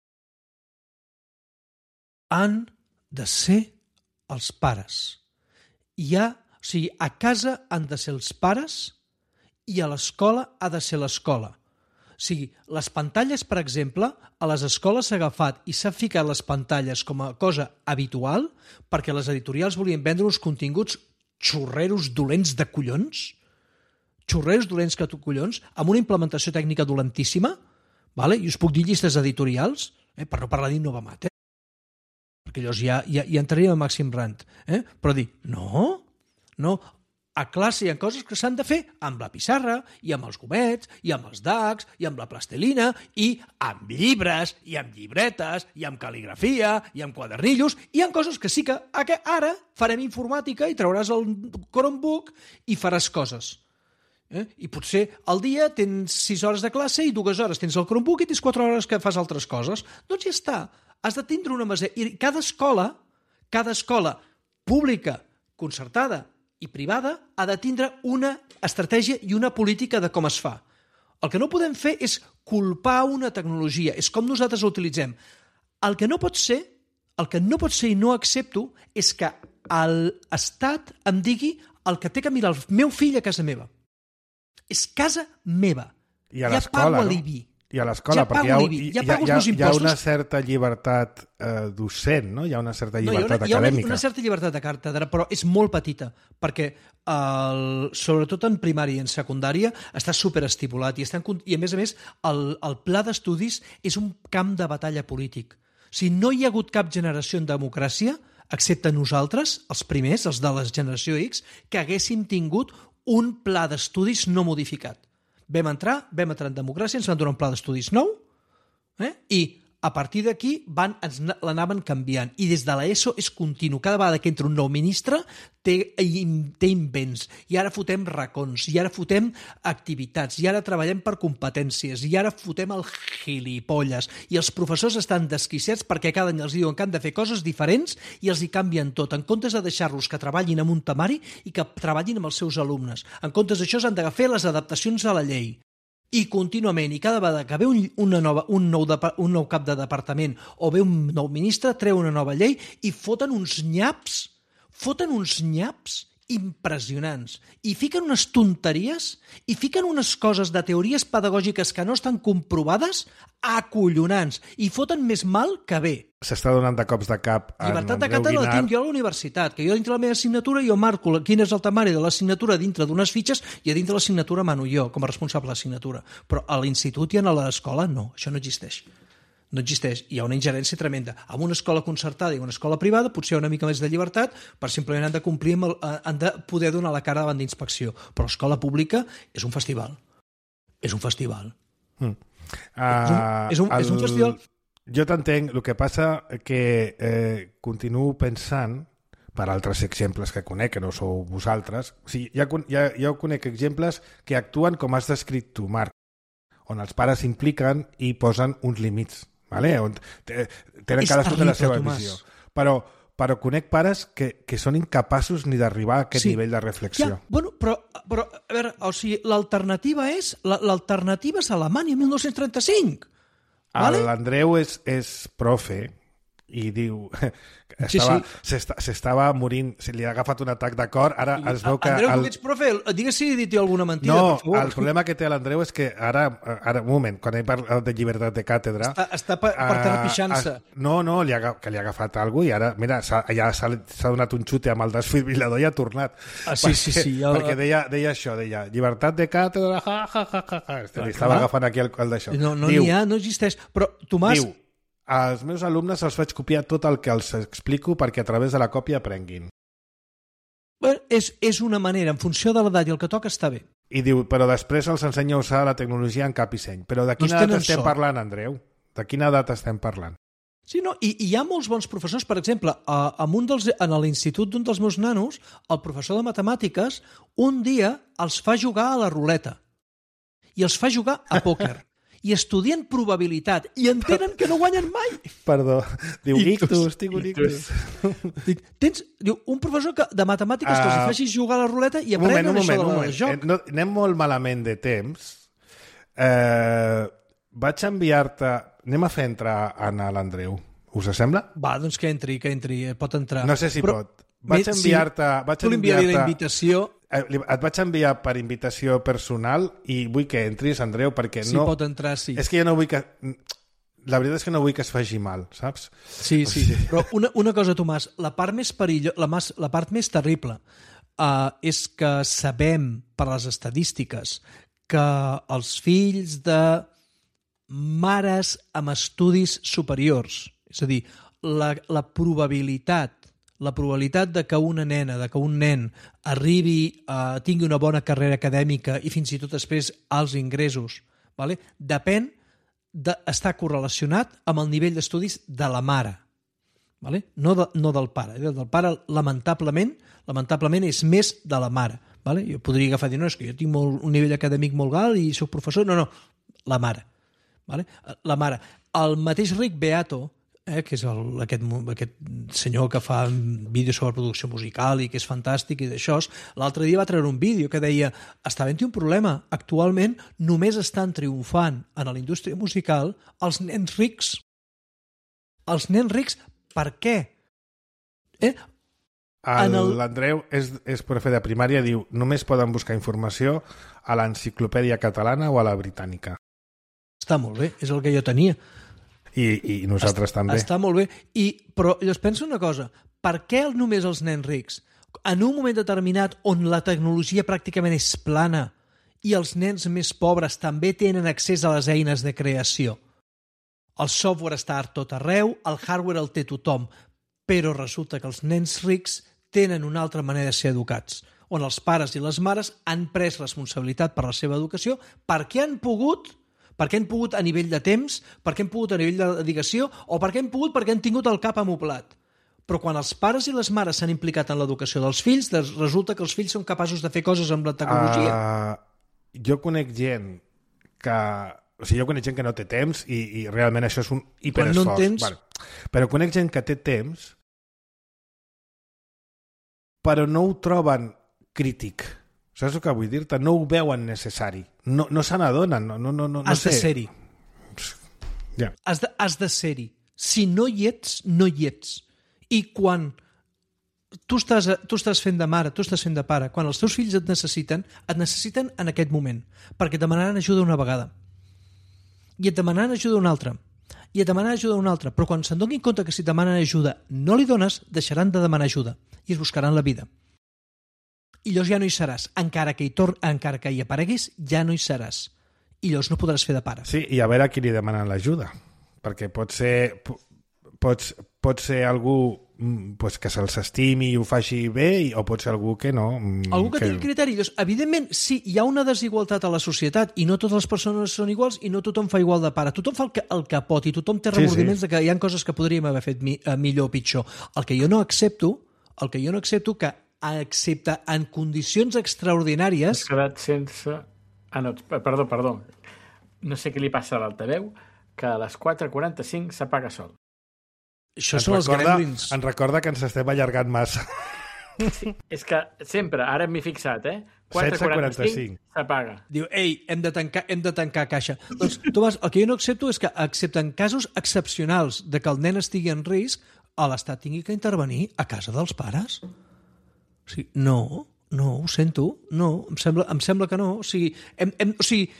Han de ser els pares. Hi ha, o sigui, a casa han de ser els pares i a l'escola ha de ser l'escola. O sigui, les pantalles, per exemple, a les escoles s'ha agafat i s'ha ficat les pantalles com a cosa habitual perquè les editorials volien vendre uns continguts xorreros dolents de collons, xorreros dolents que tu collons, amb una implementació tècnica dolentíssima, vale? I us puc dir llistes editorials, eh? Per no parlar d'Innovamat, eh? Perquè llavors ja, ja, ja entraríem a màxim rant. Eh? Però dir, no, no, a classe hi ha coses que s'han de fer amb la pissarra, i amb els gomets, i amb els dacs, i amb la plastelina, i amb llibres, i amb llibretes, i amb cal·ligrafia, i amb quadernillos, i hi ha coses que sí que ara farem informàtica i trauràs el Chromebook i faràs coses. Eh? I potser al dia tens sis hores de classe i dues hores tens el Chromebook i tens quatre hores que fas altres coses. Doncs ja està. Has de tindre una mesura. I cada escola, cada escola pública, concertada i privada ha de tindre una estratègia i una política de com es fa. El que no podem fer és culpar una tecnologia, és com nosaltres la utilitzem. El que no pot ser, el que no pot ser i no accepto és que l'Estat em digui el que té que mirar el meu fill a casa meva. És casa meva. I a ja l'escola, pago no? l'I B I. I a l'escola, Ja perquè hi ha, pago l'I B I, hi, ja hi, pago els hi, ha, meus hi ha impostos. una certa llibertat eh, docent, no? Hi ha una certa No, hi ha llibertat una, hi ha una, acadèmica. una certa llibertat de càtedra, però és molt petita, perquè el, sobretot en primària i en secundària està superestipulat i, estan, i a més a més el, el pla d'estudis és un camp de batalla polític. O sigui, no hi ha hagut cap generació en democràcia, excepte nosaltres, els primers, els de la generació X, que haguéssim tingut un pla d'estudis no modificat. Vam entrar, vam entrar en democràcia, ens van donar un pla d'estudis nou, eh? I a partir d'aquí van, ens l'anaven canviant. I des de l'ESO és continu. Cada vegada que entra un nou ministre té, té invents. I ara fotem racons, i ara fotem activitats, i ara treballem per competències, i ara fotem el gilipolles. I els professors estan desquiciats perquè cada any els diuen que han de fer coses diferents i els hi canvien tot. En comptes de deixar-los que treballin amb un temari i que treballin amb els seus alumnes. En comptes d'això s'han de fer les adaptacions a la llei. I contínuament, i cada vegada que ve un, una nova, un, nou de, un nou cap de departament o ve un nou ministre, treu una nova llei i foten uns nyaps, foten uns nyaps impressionants. I fiquen unes tonteries i fiquen unes coses de teories pedagògiques que no estan comprovades acollonants i foten més mal que bé. S'està donant de cops de cap a Llibertat de Andreu càtedra la Guinart. tinc jo a la universitat, que jo dintre la meva assignatura jo marco quin és el temari de l'assignatura dintre d'unes fitxes i a dintre de l'assignatura mano jo, com a responsable de l'assignatura. Però a l'institut i a l'escola no, això no existeix. No existeix. Hi ha una ingerència tremenda. En una escola concertada i una escola privada potser hi ha una mica més de llibertat, per simplement han de complir, amb el, han de poder donar la cara davant d'inspecció. Però l'escola pública és un festival. És un festival. Mm. Uh, és, un, és, un, és un festival... Jo t'entenc, el que passa que eh, continuo pensant, per altres exemples que conec, que no sou vosaltres, o sigui, ja, ja, ja conec exemples que actuen com has descrit tu, Marc, on els pares s'impliquen i posen uns límits, vale? On tenen cadascun de la seva Tomàs. visió. Però, però conec pares que, que són incapaços ni d'arribar a aquest Sí. nivell de reflexió. Ja, bueno, però, però, a veure, o sigui, l'alternativa és l'alternativa és Alemanya, mil nou-cents trenta-cinc. Vale? L'Andreu és, és profe i diu Sí, estava, sí. s'esta- s'estava morint, se li ha agafat un atac de cor, ara es veu que... Andreu, el... tu que ets profe, digues si he dit jo alguna mentida, No, per favor. el problema que té l'Andreu és que ara, ara, un moment, quan he parlat de llibertat de càtedra... Està, està per, per terra ah, pixant-se. ah, no, no, li ha, aga- que li ha agafat alguna cosa i ara, mira, s'ha, ja s'ha, s'ha donat un xute amb el desfibrilador i ha tornat. Ah, sí, sí, sí, ja- Perquè deia, deia això, deia, llibertat de càtedra, ja, ja, ja, ja, ja. Li estava clar. agafant aquí el, el d'això. No, no Diu, n'hi ha, no existeix. Però, Tomàs, Diu, als meus alumnes els faig copiar tot el que els explico perquè a través de la còpia aprenguin. bueno, és, és una manera, en funció de l'edat i el que toca, està bé. I diu, però després els ensenya a usar la tecnologia en cap i seny. Però de quina Doncs edat tenen estem sort. parlant, Andreu? De quina edat estem parlant? Sí, no? I, I hi ha molts bons professors. Per exemple, a, a un dels, en l'institut d'un dels meus nanos, el professor de matemàtiques, un dia els fa jugar a la ruleta. I els fa jugar a pòquer. I estudien probabilitat. I entenen que no guanyen mai. Perdó. Diu, Ictus. ictus, tinc un ictus. Dic, tens diu, un professor que, de matemàtiques uh, que els Ah, facis jugar a la ruleta i Un moment, aprenen un moment, això un de moment. joc. Eh, no, anem molt malament de temps. Eh, vaig enviar-te... Anem a fer entrar en l'Andreu. Us sembla? Va, doncs que entri, que entri, eh, pot entrar. No sé si Però, pot. Vaig mi- enviar-te... Sí, vaig tu li enviaré la enviar-te- invitació, Eh, li- Et vaig enviar per invitació personal i vull que entris, Andreu, perquè si no... pot entrar, sí. És que jo no vull que... La veritat és que no vull que es faci mal, saps? Sí, sí. Però una, una cosa, Tomàs, la part més perillo, la, mas, la part més terrible uh, és que sabem per les estadístiques que els fills de mares amb estudis superiors, és a dir, la, la probabilitat la probabilitat de que una nena, de que un nen arribi a tingui una bona carrera acadèmica i fins i tot després als ingressos, vale? Depèn de, està correlacionat amb el nivell d'estudis de la mare, vale? no, de, no del pare. Del pare, lamentablement, lamentablement és més de la mare. Vale? Jo podria agafar i dir, no, és que jo tinc molt, un nivell acadèmic molt alt i soc professor. No, no, la mare. Vale? La mare. El mateix Rick Beato, eh, que és el, aquest, aquest senyor que fa vídeos sobre producció musical i que és fantàstic i d'això, l'altre dia va treure un vídeo que deia està havent-hi un problema. Actualment només estan triomfant en la indústria musical els nens rics. Els nens rics, per què? Eh? En el- L'Andreu és, és profe de primària, diu només poden buscar informació a l'enciclopèdia catalana o a la britànica. Està molt bé, és el que jo tenia. I, i nosaltres també. Està molt bé. I, però llavors penso una cosa, per què només els nens rics? En un moment determinat on la tecnologia pràcticament és plana i els nens més pobres també tenen accés a les eines de creació. El software està a tot arreu, el hardware el té tothom, però resulta que els nens rics tenen una altra manera de ser educats, on els pares i les mares han pres responsabilitat per la seva educació perquè han pogut perquè han pogut a nivell de temps, perquè han pogut a nivell de dedicació, o perquè han pogut perquè han tingut el cap amoblat. Però quan els pares i les mares s'han implicat en l'educació dels fills, resulta que els fills són capaços de fer coses amb la tecnologia. Uh, jo conec gent que... O sigui, jo conec gent que no té temps i, i realment això és un hiperesforç. Quan no en tens... Vale. Però conec gent que té temps però no ho troben crític. Saps el que vull dir-te? No ho veuen necessari. No, no se n'adonen. No, no, no, no has sé. de ser-hi. Ja. Has de, has de ser-hi. Si no hi ets, no hi ets. I quan tu estàs, tu estàs fent de mare, tu estàs fent de pare. Quan els teus fills et necessiten, et necessiten en aquest moment, perquè et demanaran ajuda una vegada. I et demanaran ajuda una altra. I et demanen ajuda una altra. Però quan se'n donin compte que si et demanen ajuda no li dones, deixaran de demanar ajuda i es buscaran la vida. I llavors ja no hi seràs. Encara que hi, tor encara que hi apareguis, ja no hi seràs. I llavors no podràs fer de pare. Sí, i a veure a qui li demanen l'ajuda. Perquè pot ser, pots, pot ser algú pues, que se'ls estimi i ho faci bé, o pot ser algú que no. Algú que, que... tingui criteri. Llavors, evidentment, sí, hi ha una desigualtat a la societat i no totes les persones són iguals i no tothom fa igual de pare. Tothom fa el que, el que pot i tothom té remordiments sí, sí. de que hi ha coses que podríem haver fet mi, millor o pitjor. El que jo no accepto, el que jo no accepto que excepte en condicions extraordinàries... Has quedat sense... Ah, no, perdó, perdó. No sé què li passa a l'altaveu, que a les quatre quaranta-cinc s'apaga sol. Això ens són recorda, els gremlins. Ens recorda que ens estem allargant massa. Sí, és que sempre, ara m'he fixat, eh? quatre quaranta-cinc s'apaga. Diu, ei, hem de tancar, hem de tancar caixa. Doncs, Tomàs, el que jo no accepto és que, excepte en casos excepcionals de que el nen estigui en risc, l'Estat tingui que intervenir a casa dels pares. O sigui, no... No, ho sento. No, em sembla, em sembla que no. O sigui, hem, hem, o sigui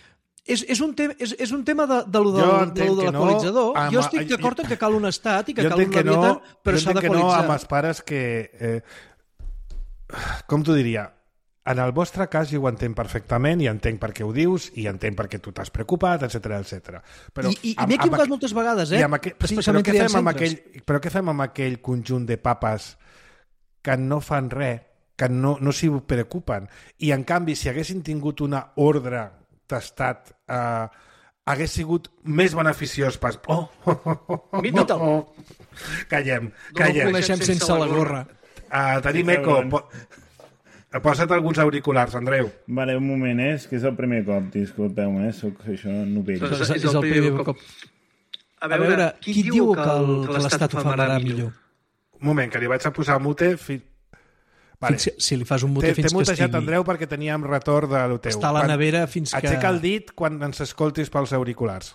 és, és, un tema, és, és un tema de, de lo, del, de, lo de l'equalitzador. No, jo estic d'acord en que cal un estat i que cal un leviatán, no, però s'ha d'equalitzar. Jo entenc que no amb els pares que... Eh, com t'ho diria? En el vostre cas jo ho entenc perfectament i entenc per què ho dius i entenc per què tu t'has preocupat, etcètera, etcètera. I, i, i m'he equivocat moltes vegades, eh? Aqu... Sí, però, què fem amb aquell, però què fem amb aquell conjunt de papes que no fan res, que no, no s'hi preocupen? I, en canvi, si haguessin tingut una ordre d'estat, eh, hagués sigut més beneficiós pas... Oh, oh, oh, oh, oh, oh. Callem, callem. No ho coneixem sense la gorra. Uh, tenim eco. Po posa't alguns auriculars, Andreu. Vale, un moment, eh? És que és el primer cop, disculpeu, eh? Soc això novell. És, és, és el primer cop. A veure, a veure qui, qui diu que, el, que l'Estat ho farà millor? Un moment, que li vaig a posar mute... Fi... Vale. Si, si li fas un mute fins que estigui... T'he mutejat, Andreu, perquè teníem retorn de lo teu. Està a la nevera fins que... Aixeca el dit quan ens escoltis pels auriculars.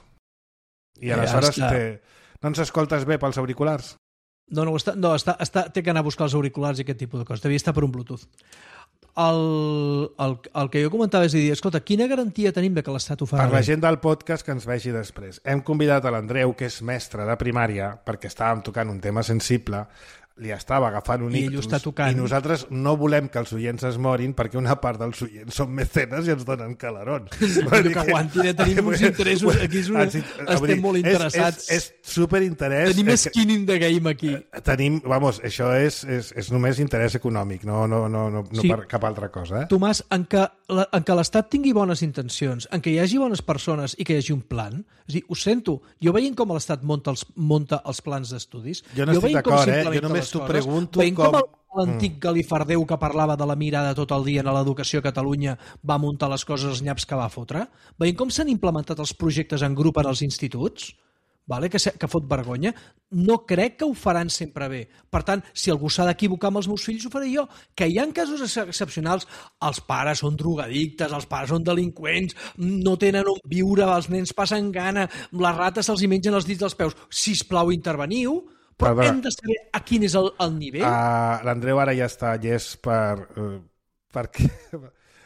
I aleshores ja te... no ens escoltes bé pels auriculars? No, no, està, no està, està, té que anar a buscar els auriculars i aquest tipus de coses. Devia estar per un Bluetooth. El, el, el que jo comentava és dir, escolta, quina garantia tenim de que l'Estat ho farà? Per la gent del podcast que ens vegi després. Hem convidat a l'Andreu, que és mestre de primària, perquè estàvem tocant un tema sensible, li estava agafant un ictus i nosaltres no volem que els oients es morin perquè una part dels oients són mecenes i ens donen calarons. Però que aguantin, tenim uns interessos aquí, una... estem dir, molt interessats. És, és, és superinterès. Tenim skin in the game aquí. Tenim, vamos, això és, és, és només interès econòmic, no, no, no, no, no sí. per cap altra cosa. Eh? Tomàs, en què, la, en què l'Estat tingui bones intencions, en què hi hagi bones persones i que hi hagi un plan, és dir, ho sento, jo veient com l'Estat monta els, monta els plans d'estudis... Jo no estic d'acord, eh? Jo només t'ho pregunto veient com... com l'antic Galifardeu que parlava de la mirada tot el dia en l'educació a Catalunya va muntar les coses als nyaps que va fotre, veient com s'han implementat els projectes en grup en els instituts, vale? que, que fot vergonya, no crec que ho faran sempre bé. Per tant, si algú s'ha d'equivocar amb els meus fills, ho faré jo. Que hi ha casos excepcionals, els pares són drogadictes, els pares són delinqüents, no tenen on viure, els nens passen gana, les rates se'ls mengen els dits dels peus. Sisplau, interveniu, però hem de saber a quin és el, el nivell. Uh, L'Andreu ara ja està llest per... Uh, perquè...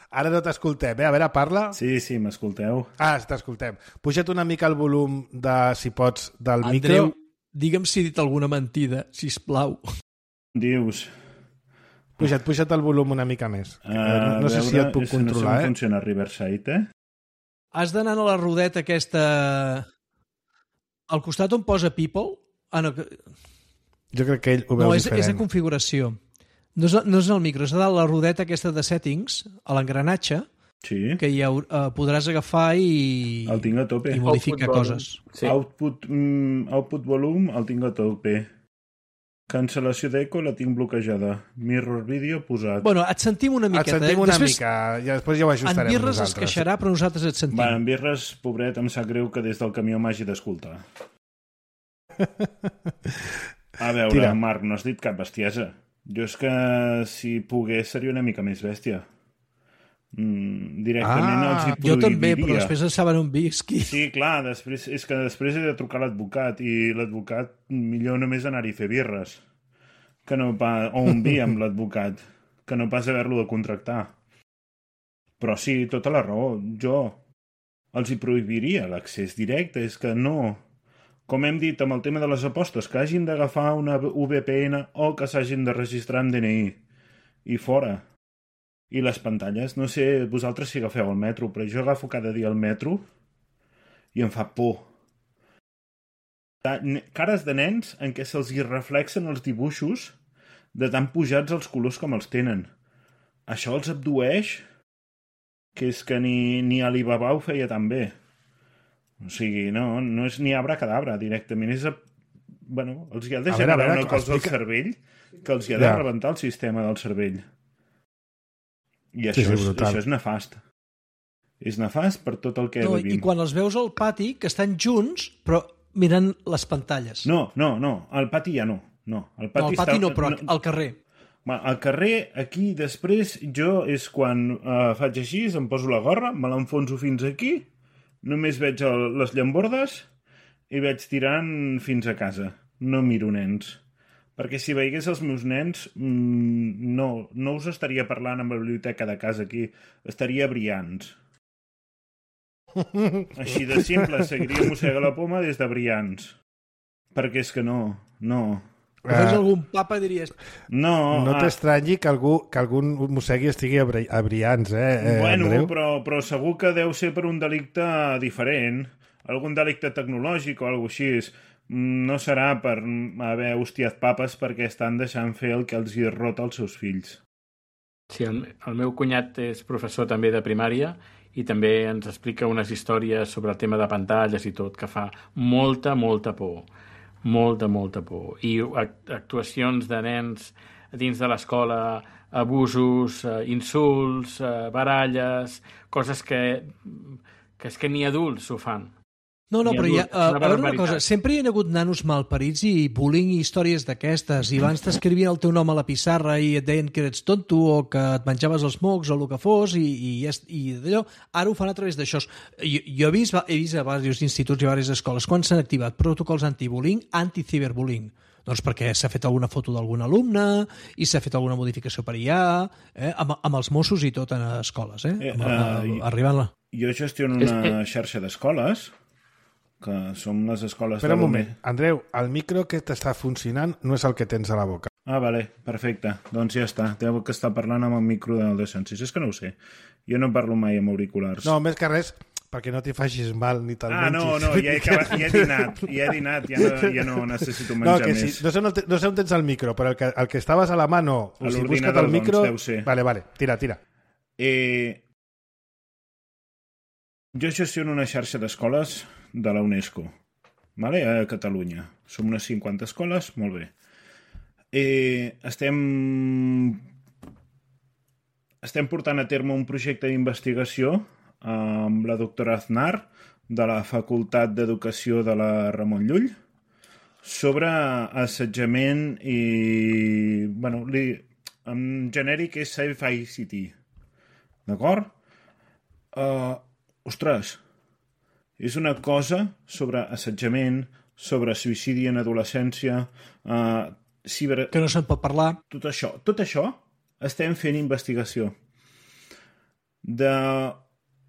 Ara no t'escoltem, eh? A veure, parla. Sí, sí, m'escolteu. Ah, t'escoltem. Puja't una mica el volum, de, si pots, del Andreu, micro. Andreu, digue'm si he dit alguna mentida, sisplau. Dius... Puja't, puja't el volum una mica més. Uh, no no sé si et puc controlar, no sé eh? No funciona Riverside, eh? Has d'anar a la rodeta aquesta... Al costat on posa People... Ah, no, que... Jo crec que ell ho veu no, és, diferent. és a configuració. No és, no és el micro, és a dalt la rodeta aquesta de settings, a l'engranatge, sí. que ja uh, podràs agafar i, el tinc a tope. i modificar output coses. Sí. Output, mm, output volume el tinc a tope. Cancel·lació d'eco la tinc bloquejada. Mirror video posat. Bueno, et sentim una miqueta. Et sentim una després, mica, i després ja ho ajustarem en Birres nosaltres. es queixarà, però nosaltres et sentim. Va, en Birres, pobret, em sap greu que des del camió m'hagi d'escoltar. A veure, Tira. Marc, no has dit cap bestiesa. Jo és que si pogués seria una mica més bèstia. Mm, directament ah, els hi prohibiria. Jo també, però després en saben on visqui. Sí, clar, després, és que després he de trucar a l'advocat i l'advocat millor només anar-hi a fer birres. que no pas, o un vi amb l'advocat, que no pas haver-lo de contractar. Però sí, tota la raó. Jo els hi prohibiria l'accés directe. És que no... Com hem dit amb el tema de les apostes, que hagin d'agafar una U V P N o que s'hagin de registrar amb D N I. I fora. I les pantalles, no sé vosaltres si agafeu el metro, però jo agafo cada dia el metro i em fa por. Cares de nens en què se'ls hi reflexen els dibuixos de tan pujats els colors com els tenen. Això els abdueix, que és que ni, ni Alibaba ho feia tan bé. O sigui, no, no és ni abracadabra, directament és... A... Bueno, els hi ha de generar una cosa al cervell que els hi ha de ja. rebentar el sistema del cervell. I això, sí, sí, és, això és nefast. És nefast per tot el que no, vivim. I quan els veus al pati, que estan junts, però mirant les pantalles. No, no, no, al pati ja no. No, al pati, no, al pati està... no, però no... al carrer. Al carrer, aquí, després, jo és quan uh, faig així, em poso la gorra, me l'enfonso fins aquí, només veig el, les llambordes i veig tirant fins a casa. No miro nens. Perquè si veiés els meus nens, mmm, no, no us estaria parlant amb la biblioteca de casa aquí, estaria Brians. Així de simple, seguiria Mossega la Poma des de Brians. Perquè és que no, no... Uh, veus algun papa diries... No, no uh, t'estranyi que algú que algun mossegui estigui a, bri a Brians, eh, eh bueno, Andreu? Però, però segur que deu ser per un delicte diferent, algun delicte tecnològic o alguna cosa així. No serà per haver hostiat papes perquè estan deixant fer el que els hi rota als seus fills. Sí, el, el meu cunyat és professor també de primària i també ens explica unes històries sobre el tema de pantalles i tot, que fa molta, molta por. Molta, molta por. I actuacions de nens dins de l'escola, abusos, insults, baralles, coses que, que és que ni adults ho fan. No, no, però hi ha, uh, a veure una cosa, sempre hi ha hagut nanos malparits i bullying i històries d'aquestes, i abans t'escrivien el teu nom a la pissarra i et deien que eres tonto o que et menjaves els mocs o el que fos, i, i, i d'allò, ara ho fan a través d'això. Jo, jo he vist, he vist a diversos instituts i a diverses escoles quan s'han activat protocols anti-bullying, anti-ciberbullying. Doncs perquè s'ha fet alguna foto d'algun alumne i s'ha fet alguna modificació per allà, eh, amb, amb els Mossos i tot en escoles, eh? eh amb, uh, arribant la... Jo gestiono una xarxa d'escoles que som les escoles... Espera un moment, Andreu, el micro que t'està funcionant no és el que tens a la boca. Ah, vale, perfecte. Doncs ja està. Deu que està parlant amb el micro del Descensis. És que no ho sé. Jo no parlo mai amb auriculars. No, més que res, perquè no t'hi facis mal ni te'l ah, menjis. Ah, no, no, ja he, acabat, ja he dinat. Ja he dinat, ja no, ja no necessito menjar no, que més. Sí, no, sé on, no sé on tens el micro, però el que, el que estaves a la mà no. O sigui, busca't el micro... Doncs, deu ser. Vale, vale, tira, tira. Eh... Jo gestiono una xarxa d'escoles de la UNESCO. Vale? A Catalunya. Som unes cinquanta escoles, molt bé. Eh, estem... estem portant a terme un projecte d'investigació amb la doctora Aznar de la Facultat d'Educació de la Ramon Llull sobre assetjament i... bueno, li... en genèric és Safe I C T. D'acord? Uh, ostres, és una cosa sobre assetjament, sobre suïcidi en adolescència, uh, ciber... que no se'n pot parlar. Tot això, tot això estem fent investigació. De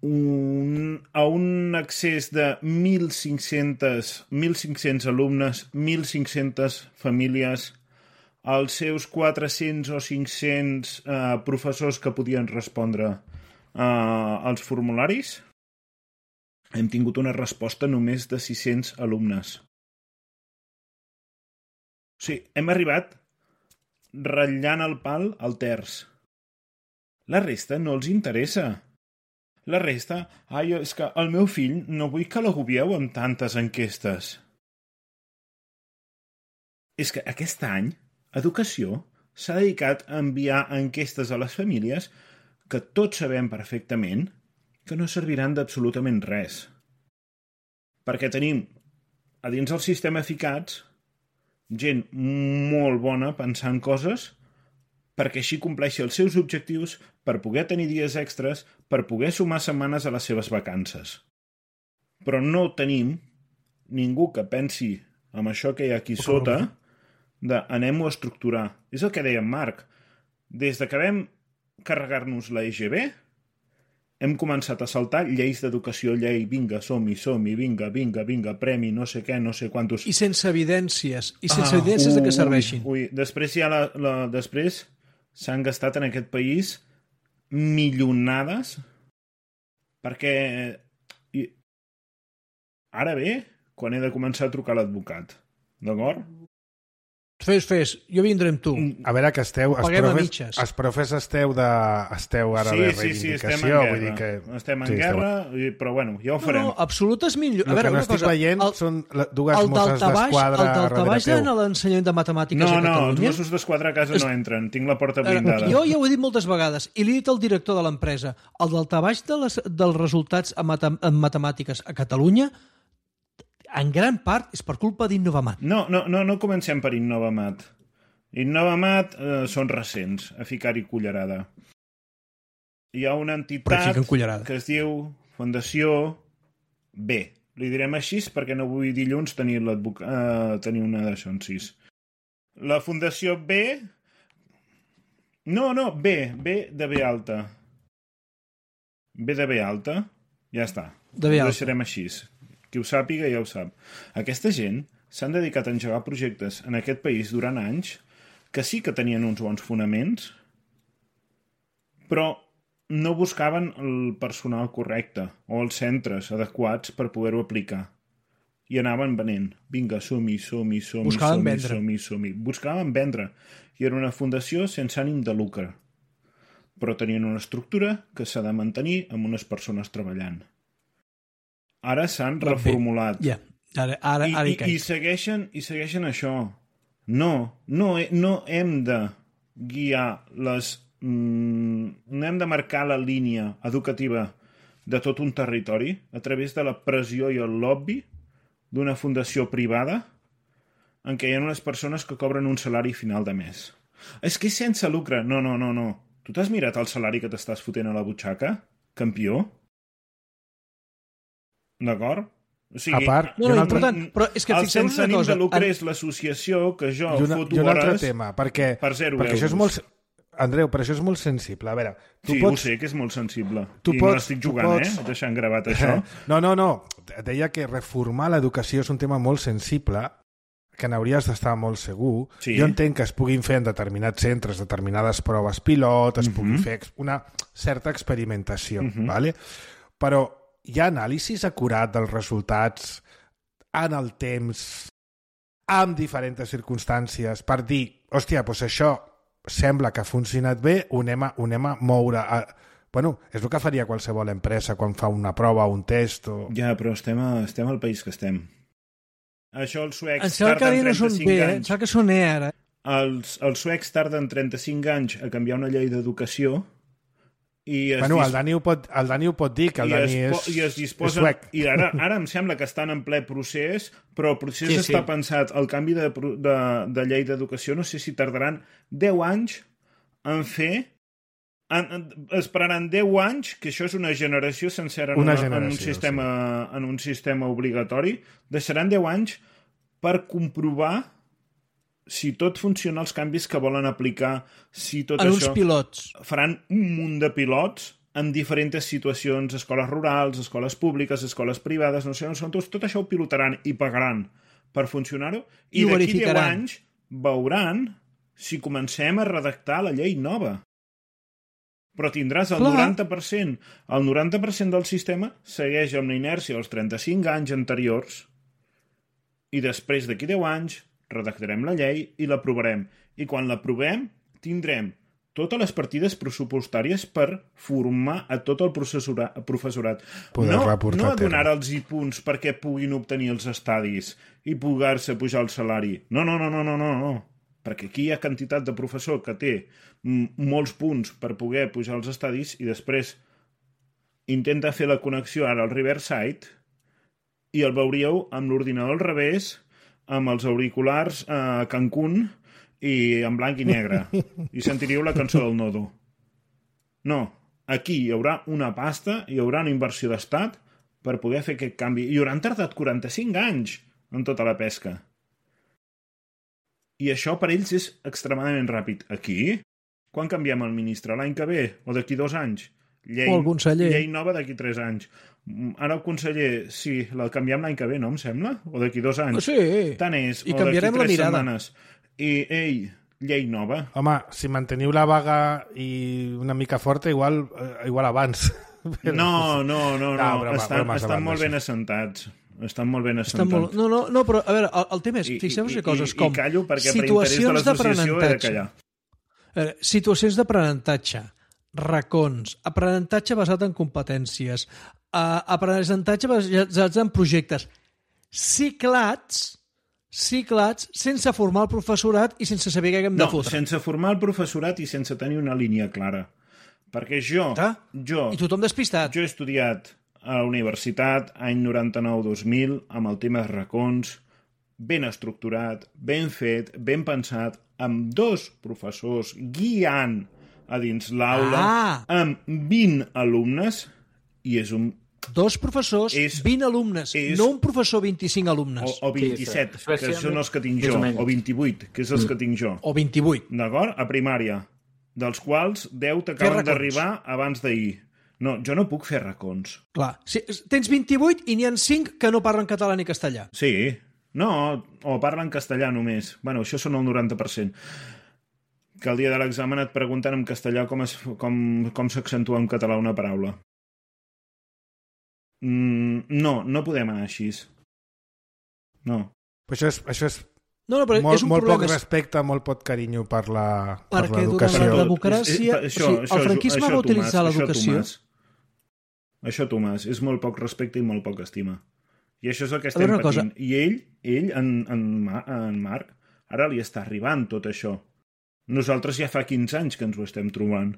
un, a un accés de mil cinc-cents alumnes, mil cinc-centes famílies, als seus quatre-cents o cinc-cents uh, professors que podien respondre uh, als formularis, hem tingut una resposta només de sis-cents alumnes. O sigui, hem arribat ratllant el pal al terç. La resta no els interessa. La resta, ai, és que el meu fill no vull que l'agobieu amb tantes enquestes. És que aquest any, Educació s'ha dedicat a enviar enquestes a les famílies que tots sabem perfectament que no serviran d'absolutament res. Perquè tenim a dins del sistema ficats gent molt bona pensant coses perquè així compleixi els seus objectius, per poder tenir dies extras, per poder sumar setmanes a les seves vacances. Però no tenim ningú que pensi amb això que hi ha aquí sota de anem-ho a estructurar. És el que deia en Marc. Des de que vam carregar-nos la E G B, hem començat a saltar lleis d'educació, llei, vinga, som-hi, som-hi, vinga, vinga, vinga, premi, no sé què, no sé quantos... I sense evidències, i sense ah, evidències de que serveixin. Ui, ui. Després ja la, la, després s'han gastat en aquest país milionades perquè i... ara bé, quan he de començar a trucar a l'advocat, d'acord? Fes, fes, jo vindré amb tu. A veure, que esteu... Els Paguem a profes, mitges. els profes esteu, de, esteu ara sí, de sí, sí, estem en reivindicació. guerra. Vull dir que... Estem en sí, guerra, esteu... però bueno, ja ho farem. No, no, absolutes millor... El a veure, que no una estic cosa, veient el, són dues el mosses d'esquadra el daltabaix darrere en teu. l'ensenyament de matemàtiques No, a no, els Catalunya... Mossos d'Esquadra a casa Es... no entren. Tinc la porta Eh, blindada. Jo ja ho he dit moltes vegades, i li he dit al director de l'empresa, el daltabaix de les, dels resultats en, matem en matemàtiques a Catalunya, en gran part, és per culpa d'Innovamat. No, no, no, no comencem per Innovamat. Innovamat eh, són recents, a ficar-hi cullerada. Hi ha una entitat que es diu Fundació B. Li direm així perquè no vull dilluns tenir, eh, tenir una d'això en sis. La Fundació B... No, no, B. B de B alta. B de B alta. Ja està. De B alta. Ho deixarem així. Qui ho sàpiga ja ho sap. Aquesta gent s'han dedicat a engegar projectes en aquest país durant anys que sí que tenien uns bons fonaments, però no buscaven el personal correcte o els centres adequats per poder-ho aplicar. I anaven venent. Vinga, som-hi, som-hi, som-hi, Buscaven som-hi, vendre. som-hi, som-hi. Buscaven vendre. I era una fundació sense ànim de lucre. Però tenien una estructura que s'ha de mantenir amb unes persones treballant. Ara s'han reformulat. Ja, ara, ara, I, ara hi i, caic. i, segueixen, I segueixen això. No, no, no hem de guiar les... Mm, no hem de marcar la línia educativa de tot un territori a través de la pressió i el lobby d'una fundació privada en què hi ha unes persones que cobren un salari final de mes. És que és sense lucre. No, no, no, no. Tu t'has mirat el salari que t'estàs fotent a la butxaca, campió? D'acord? O sigui, A part, No, i un no, altre, important, però és que el fixeu-vos sense una ànim cosa. de lucre en- és l'associació que jo i una, foto i un altre hores tema, perquè, per zero perquè això és euros. molt... Andreu, però això és molt sensible. A veure, tu Sí, pots... ho sé, que és molt sensible. Tu I pots- no estic tu jugant, pots- eh? Deixant gravat això. No, no, no. Deia que reformar l'educació és un tema molt sensible, que n'hauries d'estar molt segur. Sí. Jo entenc que es puguin fer en determinats centres determinades proves pilot, es Mhm. pugui fer ex- una certa experimentació, Mhm. vale? Però hi ha anàlisis acurat dels resultats en el temps, amb diferents circumstàncies, per dir, hòstia, doncs això sembla que ha funcionat bé, ho anem a, ho anem a moure... A... Bueno, és el que faria qualsevol empresa quan fa una prova o un test. O... Ja, però estem, a, estem al país que estem. Això els Em suecs sembla que ara tarden ja no són trenta-cinc bé, eh? Em anys. sembla que són E ara. Els, els suecs tarden trenta-cinc anys a canviar una llei d'educació i es, Bueno, dis- el Dani ho pot, el Dani ho pot dir, que el i Dani es, és, po- i es és disposen, suec. i ara, ara em sembla que estan en ple procés, però el procés Sí, sí, sí. està pensat, el canvi de, pro- de, de llei d'educació, no sé si tardaran deu anys en fer, en, en, esperaran deu anys, que això és una generació sencera en, Una una, en, un generació, sistema, en un sistema obligatori, deixaran deu anys per comprovar si tot funciona, els canvis que volen aplicar, si tot En uns això... pilots. Faran un munt de pilots en diferents situacions, escoles rurals, escoles públiques, escoles privades, no sé on són tots, tot això ho pilotaran i pagaran per funcionar-ho, I i ho d'aquí deu verificaran. anys veuran si comencem a redactar la llei nova. Però tindràs el Clar. noranta per cent. El noranta per cent del sistema segueix amb la inèrcia dels trenta-cinc anys anteriors i després d'aquí deu anys redactarem la llei i l'aprovarem. I quan l'aprovem tindrem totes les partides pressupostàries per formar a tot el professorat. professorat. Poder No, reportar no a a terme. donar-los punts perquè puguin obtenir els estadis i poder-se pujar el salari. No, no, no, no, no, no, no. Perquè aquí hi ha quantitat de professor que té mm, molts punts per poder pujar els estadis i després intenta fer la connexió ara al Riverside i el veuríeu amb l'ordinador al revés, amb els auriculars a Cancún i en blanc i negre. I sentiríeu la cançó del Nodo. No, aquí hi haurà una pasta, hi haurà una inversió d'estat per poder fer aquest canvi. I hauran tardat quaranta-cinc anys en tota la pesca. I això per ells és extremadament ràpid. Aquí? Quan canviem el ministre? L'any que ve? O d'aquí dos anys? Llei, o el conseller. Llei nova d'aquí tres anys. Ara el conseller, sí, la canviem l'any que ve, no em sembla? O d'aquí dos anys? Sí. Tant és. I o canviarem la mirada. Setmanes. I, ei, llei nova. Home, si manteniu la vaga i una mica forta, igual, eh, igual abans. Però... No, no, no, no. no broma, estan, broma, estan broma, molt ben assentats. Estan molt ben assentats. Molt... No, no, no, però a veure, el, el tema és, fixeu-vos en coses com I callo perquè per interès de l'associació he de callar. Veure, situacions d'aprenentatge, racons, aprenentatge basat en competències, uh, aprenentatge basat en projectes, ciclats, ciclats sense formar el professorat i sense saber què hem de no, fotre. No, sense formar el professorat i sense tenir una línia clara. Perquè jo... Ah? jo I tothom despistat. Jo he estudiat a la universitat, any noranta-nou dos mil, amb el tema de racons, ben estructurat, ben fet, ben pensat, amb dos professors guiant a dins l'aula, ah. amb vint alumnes, i és un... Dos professors, és, vint alumnes, és, no un professor, vint-i-cinc alumnes. O, o vint-i-set, sí, que són els que tinc jo, o vint-i-vuit, que és els que tinc jo. O vint-i-vuit. D'acord? A primària, dels quals deu t'acaben d'arribar abans d'ahir. No, jo no puc fer racons. Clar, si, tens vint-i-vuit i n'hi ha cinc que no parlen català ni castellà. Sí, no, o parlen castellà només. Bueno, això són el noranta per cent. Que el dia de l'examen et pregunten en castellà com, es, com, com s'accentua en català una paraula. Mm, no, no podem anar així. No. Però això és... Això és... No, no, però molt, és un molt problema. poc respecte, molt poc carinyo per l'educació. Perquè durant la democràcia... Això, o sigui, això, el franquisme això, va utilitzar Tomàs, l'educació... Això, això, Tomàs, és molt poc respecte i molt poc estima. I això és el que estem patint. Cosa... I ell, ell en, en, en Marc, ara li està arribant tot això. Nosaltres ja fa quinze anys que ens ho estem trobant.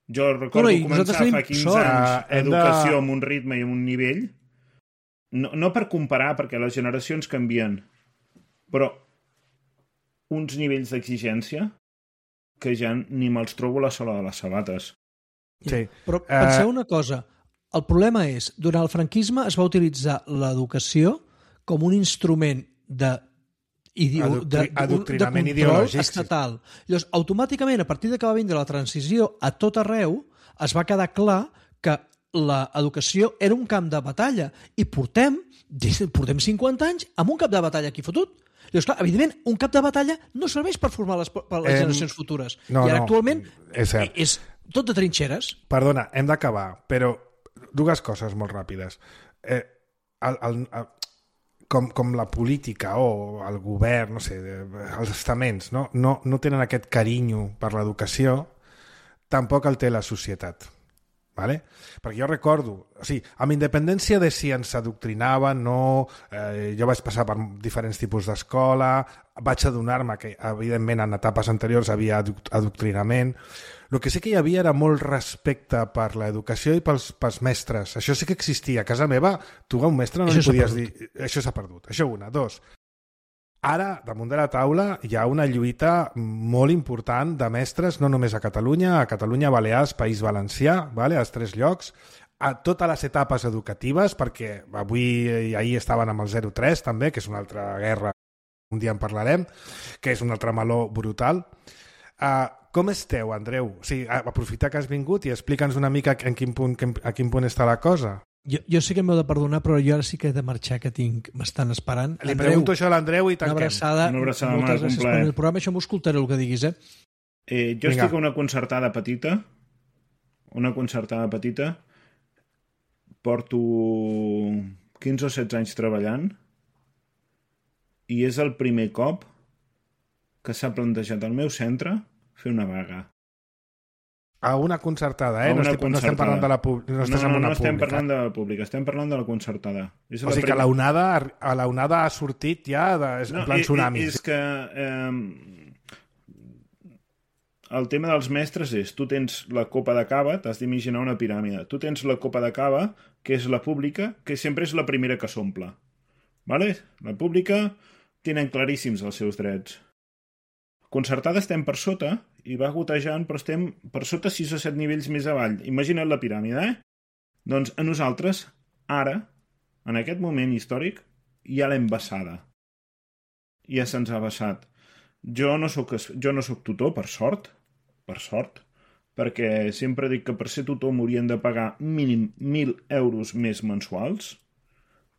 Jo recordo no, començar fa quinze sort. anys educació de... amb un ritme i amb un nivell, no, no per comparar, perquè les generacions canvien, però uns nivells d'exigència que ja ni me'ls trobo a la sola de les sabates. Sí. Però penseu uh... una cosa, el problema és, durant el franquisme es va utilitzar l'educació com un instrument de, ideo... Adoctri... de, adoctrinament de control ideològic estatal. Llavors, automàticament, a partir de que va vindre la transició a tot arreu, es va quedar clar que l'educació era un camp de batalla i portem, portem cinquanta anys amb un camp de batalla aquí fotut. Llavors, clar, evidentment, un cap de batalla no serveix per formar les, per les eh, generacions futures. No, I ara no, actualment és, és tot de trinxeres. Perdona, hem d'acabar, però dues coses molt ràpides. Eh, el, el, el, com, com la política o el govern, no sé, els estaments, no, no, no tenen aquest carinyo per l'educació, tampoc el té la societat. Vale? Perquè jo recordo, o sigui, amb independència de si ens adoctrinaven, no, eh, jo vaig passar per diferents tipus d'escola, vaig adonar-me que, evidentment, en etapes anteriors havia adoctrinament. El que sí que hi havia era molt respecte per l'educació i pels, pels mestres. Això sí que existia. A casa meva, tu a un mestre no li podies dir... Això s'ha perdut. Això una. Dos. Ara, damunt de la taula, hi ha una lluita molt important de mestres, no només a Catalunya, a Catalunya, Balears, País Valencià, vale? Als tres llocs, a totes les etapes educatives, perquè avui i ahir estaven amb el zero tres també, que és una altra guerra, un dia en parlarem, que és un altre meló brutal. Uh, com esteu, Andreu? O sigui, aprofita que has vingut i explica'ns una mica en quin punt, a quin punt està la cosa. Jo, jo sé que m'heu de perdonar, però jo ara sí que he de marxar, que tinc, m'estan esperant. Li Andreu, pregunto això a l'Andreu i tanquem. Una abraçada, una abraçada moltes gràcies per el programa. Això m'ho escoltaré el que diguis, eh? eh jo Vinga. Estic a una concertada petita, una concertada petita, porto quinze o setze anys treballant i és el primer cop que s'ha plantejat al meu centre fer una vaga. A una concertada, eh? No, estic, concertada. no estem parlant de la pública. No, no, no, no estem pública. parlant de la pública, estem parlant de la concertada. És o sigui prim... que la onada, a la onada ha sortit ja de, no, en plan tsunami. És que eh, el tema dels mestres és, tu tens la copa de cava, t'has d'imaginar una piràmide, tu tens la copa de cava, que és la pública, que sempre és la primera que s'omple. Vale? La pública tenen claríssims els seus drets. Concertada estem per sota i va gotejant, però estem per sota sis o set nivells més avall. Imagina't la piràmide, eh? Doncs a nosaltres, ara, en aquest moment històric, hi ha l'embassada. ja se'ns ha baixat. Jo no soc, jo no soc tutor, per sort, per sort, perquè sempre dic que per ser tutor m'haurien de pagar mínim mil euros més mensuals.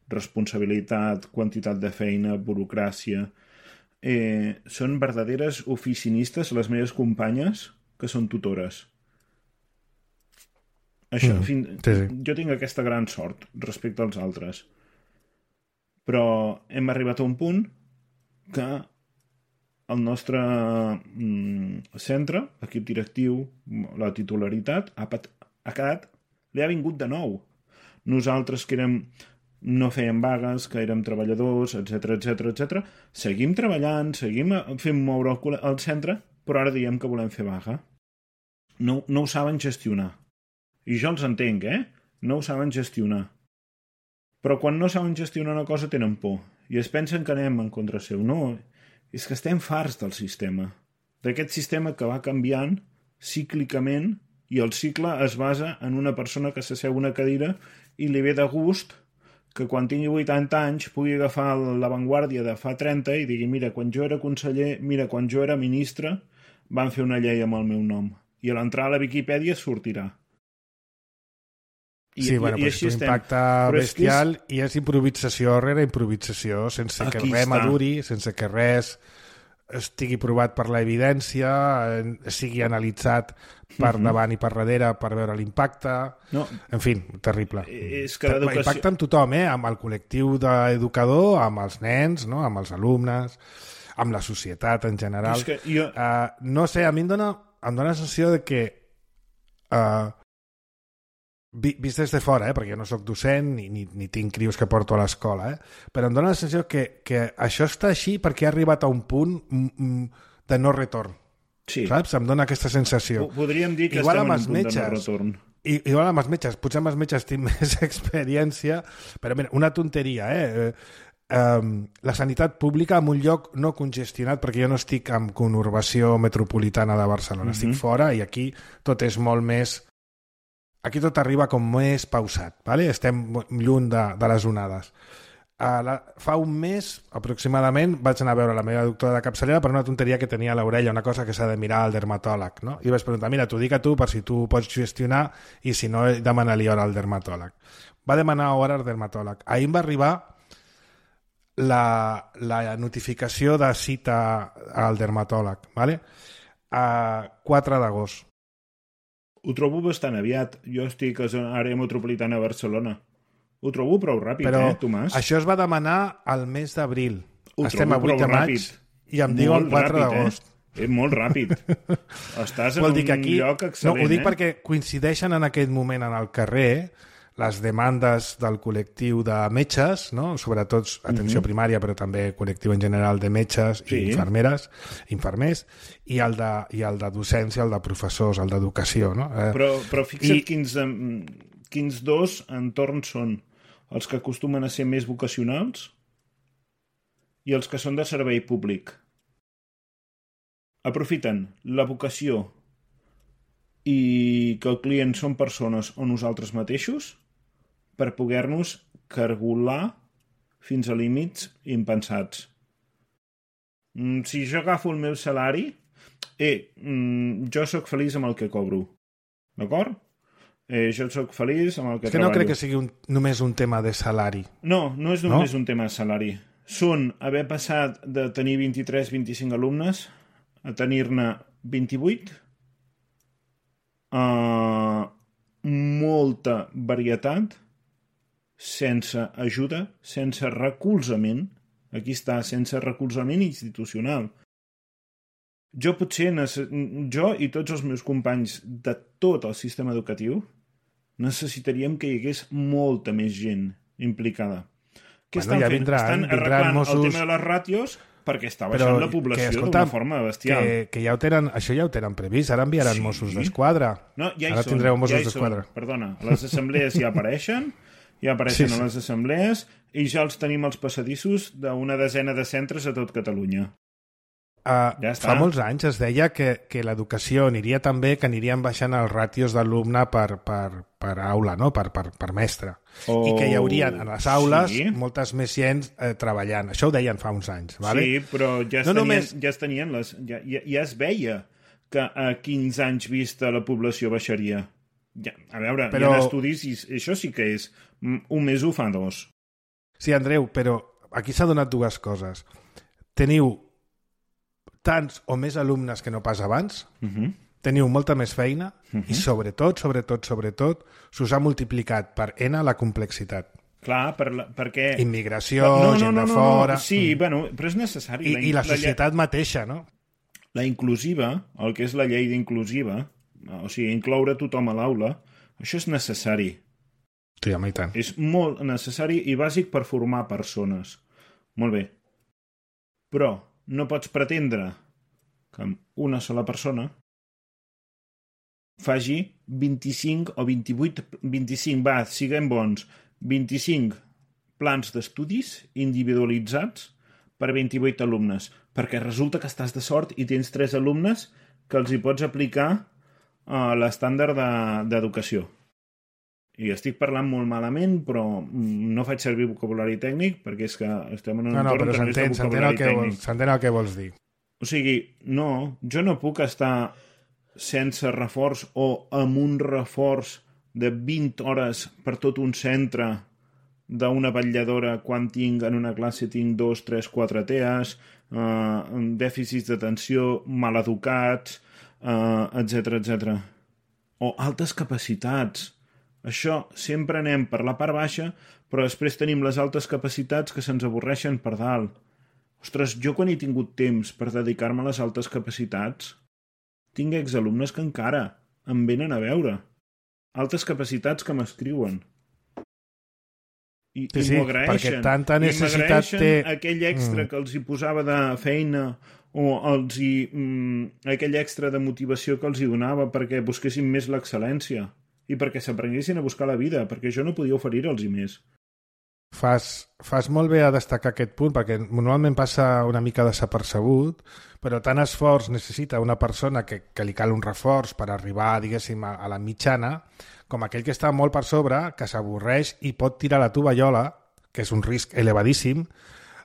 Responsabilitat, quantitat de feina, burocràcia. Eh, són verdaderes oficinistes les meves companyes que són tutores. Això, Mm, fin... sí, sí. Jo tinc aquesta gran sort respecte als altres. Però hem arribat a un punt que el nostre mm, centre, equip directiu, la titularitat, ha, pat... ha quedat... li ha vingut de nou. Nosaltres que érem... no fèiem vagues, que érem treballadors, etcètera, etcètera, etcètera. Seguim treballant, seguim fent moure el, col- el centre, però ara diem que volem fer vaga. No, no ho saben gestionar. I jo els entenc, eh? No ho saben gestionar. Però quan no saben gestionar una cosa tenen por. I es pensen que anem en contra seu. No, és que estem farts del sistema. D'aquest sistema que va canviant cíclicament i el cicle es basa en una persona que s'asseu a una cadira i li ve de gust que quan tingui vuitanta anys pugui agafar l'avantguàrdia de fa trenta i digui mira, quan jo era conseller, mira, quan jo era ministre van fer una llei amb el meu nom. I a l'entrar a la Viquipèdia sortirà. I, Sí, bueno, i, i però és així un estem. impacte Però és que bestial i és improvisació rere improvisació, sense que Aquí res està. maduri, sense que res estigui provat per l'evidència, eh, sigui analitzat per Mhm. davant i per darrere per veure l'impacte. No, En fi, terrible. és que l'educació... Impacta amb tothom, eh? Amb el col·lectiu d'educador, amb els nens, no? Amb els alumnes, amb la societat en general. És que jo... Uh, no sé, a mi em dona, em dona la sensació de que uh, vi, vist des de fora, eh, perquè jo no sóc docent ni, ni, ni tinc crios que porto a l'escola, eh, però em dona la sensació que, que això està així perquè ha arribat a un punt mm, mm, de no retorn. Sí, Saps? Em dona aquesta sensació. po- podríem dir que Igual estem amb en els un punt de no metges. retorn. I, igual amb els metges, potser amb els metges tinc més experiència, però mira, una tonteria, eh? Um, la sanitat pública en un lloc no congestionat, perquè jo no estic en conurbació metropolitana de Barcelona, Mhm. estic fora i aquí tot és molt més... Aquí tot arriba com més pausat, ¿vale? Estem lluny de, de les onades. Uh, la, fa un mes, aproximadament, vaig anar a veure la meva doctora de capçalera per una tonteria que tenia a l'orella, una cosa que s'ha de mirar al dermatòleg, no? I vaig preguntar, mira, t'ho dic a tu per si tu pots gestionar i si no, demana-li hora al dermatòleg. Va demanar hora al dermatòleg. Ahir em va arribar la, la notificació de cita al dermatòleg, ¿vale? A quatre d'agost. Ho trobo bastant aviat. Jo estic a l'àrea metropolitana de Barcelona. Ho trobo prou ràpid, Però eh, Tomàs? això es va demanar al mes d'abril. Ho Estem a trobo vuit de prou maig ràpid. i em diuen Molt quatre ràpid, d'agost. Eh? És molt ràpid. Estàs en Vol dir un que aquí... lloc No, excel·lent, ho dic eh? perquè coincideixen en aquest moment en el carrer les demandes del col·lectiu de metges, no? Sobretot atenció primària, però també col·lectiu en general de metges Sí. i infermeres, infermers, i el, de, i el de docència, el de professors, el d'educació. No? Eh, Però, però fixa't I- quins, em, quins dos entorns són els que acostumen a ser més vocacionals i els que són de servei públic. Aprofiten la vocació i que el client són persones o nosaltres mateixos per poder-nos cargolar fins a límits impensats. Mm, Si jo agafo el meu salari, eh, mm, jo sóc feliç amb el que cobro. D'acord? Eh, jo sóc feliç amb el que és que no treballo. crec que sigui un, només un tema de salari. No, no és només no? un tema de salari. Són haver passat de tenir vint-i-tres vint-i-cinc alumnes a tenir-ne vint-i-vuit, uh, molta varietat, sense ajuda, sense recolzament. Aquí està, sense recolzament institucional. Jo potser, jo i tots els meus companys de tot el sistema educatiu necessitaríem que hi hagués molta més gent implicada. Què Bueno, estan ja fent? vindran, estan vindran arreglant Mossos- el tema de les ràtios perquè està baixant Però la que, població escolta, d'una forma bestial. Que, que ja ho tenen, això ja ho tenen previst, ara enviaran Sí. Mossos d'Esquadra. No, ja hi Ara són, tindreu Mossos ja hi d'Esquadra. són. Perdona, les assemblees ja apareixen, ja apareixen Sí, sí. a les assemblees i ja els tenim als passadissos d'una desena de centres a tot Catalunya. Uh, Ja està. fa molts anys es deia que, que l'educació aniria tan bé que anirien baixant els ràtios d'alumne per, per, per aula, no? per, per, per mestre. Oh, I que hi haurien a les aules sí. moltes més gent eh, treballant. Això ho deien fa uns anys. Vale? Sí, però ja es, No tenien, només- ja es tenien les... Ja, ja, ja es veia que a quinze anys vista la població baixaria. Ja, a veure, Però- hi ha estudis i això sí que és mm, un més un fa dos. Sí, Andreu, però aquí s'ha donat dues coses. Teniu tants o més alumnes que no pas abans, Uh -huh. teniu molta més feina Mhm. i sobretot, sobretot, sobretot, s'us ha multiplicat per N la complexitat. Clar, per la, perquè... Immigració, no, no, gent no, de no, fora... No. Sí, Mm. bueno, però és necessari. I, I la societat mateixa, no? La, la inclusiva, el que és la llei d'inclusiva, o sigui, incloure tothom a l'aula, això és necessari. Sí, home, i tant. És molt necessari i bàsic per formar persones. Molt bé. Però no pots pretendre que amb una sola persona faci vint-i-cinc o vint-i-vuit, vint-i-cinc, va, siguem bons, vint-i-cinc plans d'estudis individualitzats per vint-i-vuit alumnes, perquè resulta que estàs de sort i tens tres alumnes que els hi pots aplicar uh, l'estàndard de- d'educació. I estic parlant molt malament, però mm, no faig servir vocabulari tècnic perquè és que estem en un No, no, entorn però que no és de s'entén, s'entén el, vocabulari que tècnic. vols, s'entén el que vols dir. O sigui, no, jo no puc estar sense reforç o amb un reforç de vint hores per tot un centre d'una vetlladora quan tinc en una classe tinc dos, tres, quatre T E As, eh, dèficits d'atenció, maleducats, eh, etcètera, etcètera. O altes capacitats. Això sempre anem per la part baixa, però després tenim les altes capacitats que se'ns avorreixen per dalt. Ostres, jo quan he tingut temps per dedicar-me a les altes capacitats, tinc exalumnes que encara em venen a veure. Altes capacitats que m'escriuen. I, Sí, i sí, m'ho agraeixen. perquè tanta I necessitat m'agraeixen té- aquell extra Mm. que els hi posava de feina o els hi, mm, aquell extra de motivació que els hi donava perquè busquessin més l'excel·lència i perquè s'aprenguessin a buscar la vida, perquè jo no podia oferir-los més. Fas, fas molt bé a destacar aquest punt, perquè normalment passa una mica desapercebut, però tant esforç necessita una persona que, que li cal un reforç per arribar, diguéssim, a, a la mitjana, com aquell que està molt per sobre, que s'avorreix i pot tirar la tovallola, que és un risc elevadíssim,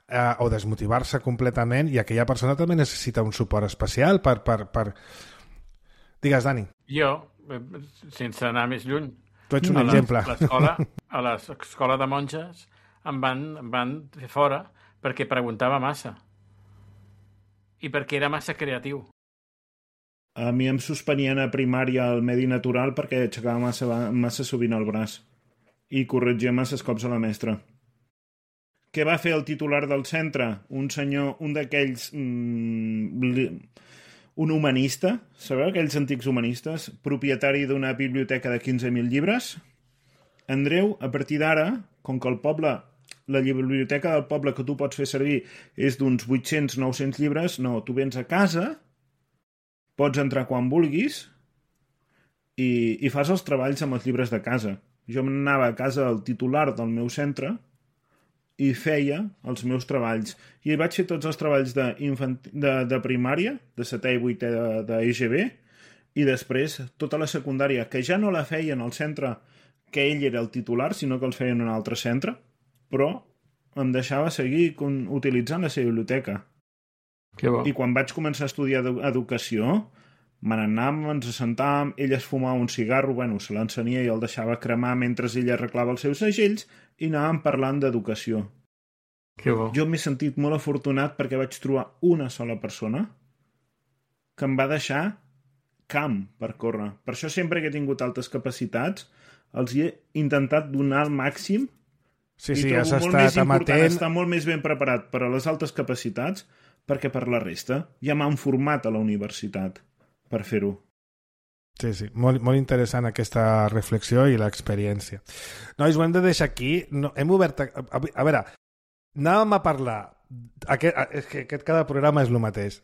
eh, o desmotivar-se completament, i aquella persona també necessita un suport especial per... per, per... Digues, Dani, Jo, eh, sense anar més lluny, tu ets un a la- exemple. l'escola, a l'escola de monges em van, em van fer fora perquè preguntava massa i perquè era massa creatiu. A mi em suspenien a primària al medi natural perquè aixecava massa, massa sovint el braç i corregia masses cops a la mestra. Què va fer el titular del centre? Un senyor, un d'aquells... Mm, li- un humanista, sabeu aquells antics humanistes? Propietari d'una biblioteca de quinze mil llibres? Andreu, a partir d'ara, com que el poble, la biblioteca del poble que tu pots fer servir és d'uns vuit-cents nou cents llibres, no, tu vens a casa, pots entrar quan vulguis i, i fas els treballs amb els llibres de casa. Jo anava a casa del titular del meu centre i feia els meus treballs. I vaig fer tots els treballs de, de, de primària, de setè i vuitè de, de E G B, i després tota la secundària, que ja no la feien al centre que ell era el titular, sinó que els feien en un altre centre, però em deixava seguir con, utilitzant la seva biblioteca. Que bo. I quan vaig començar a estudiar edu educació, me n'anàvem, ens assentàvem, ell es fumava un cigarro, bueno, se l'encenia i el deixava cremar mentre ell arreglava els seus segells i anàvem parlant d'educació. Que bo. Jo m'he sentit molt afortunat perquè vaig trobar una sola persona que em va deixar camp per córrer. Per això sempre que he tingut altes capacitats els he intentat donar el màxim. Sí, I sí, trobo has molt estat més important amatent. estar molt més ben preparat per a les altes capacitats perquè per la resta ja m'han format a la universitat per fer-ho. Sí, sí, molt, molt interessant aquesta reflexió i l'experiència. Nois, ho hem de deixar aquí. No, hem obert... A, a, a veure, anàvem a parlar... Aquest, és que aquest cada programa és el mateix.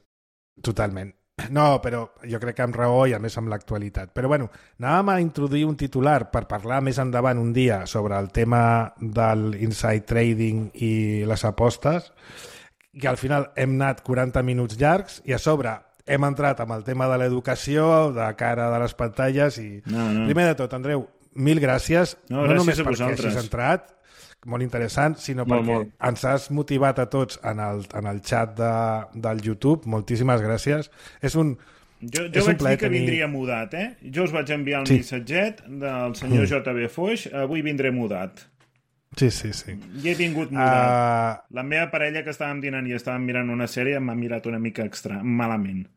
Totalment. No, però jo crec que amb raó i a més amb l'actualitat. Però bueno, anàvem a introduir un titular per parlar més endavant un dia sobre el tema del inside trading i les apostes, que al final hem anat quaranta minuts llargs i a sobre hem entrat amb el tema de l'educació, de cara de les pantalles i... No, no. Primer de tot, Andreu, mil gràcies. No, no gràcies només a perquè vosaltres. hagis entrat, molt interessant, sinó Molt, perquè molt. ens has motivat a tots en el, en el xat de, del YouTube. Moltíssimes gràcies. És un... Jo, És jo un vaig plaer dir que tenir- vindria mudat, eh? Jo us vaig enviar un Sí. missatget del senyor Mm. J B Foix, avui vindré mudat. Sí, sí, sí. I he vingut mudat. Uh, La meva parella, que estàvem dinant i estàvem mirant una sèrie, m'ha mirat una mica extra, malament.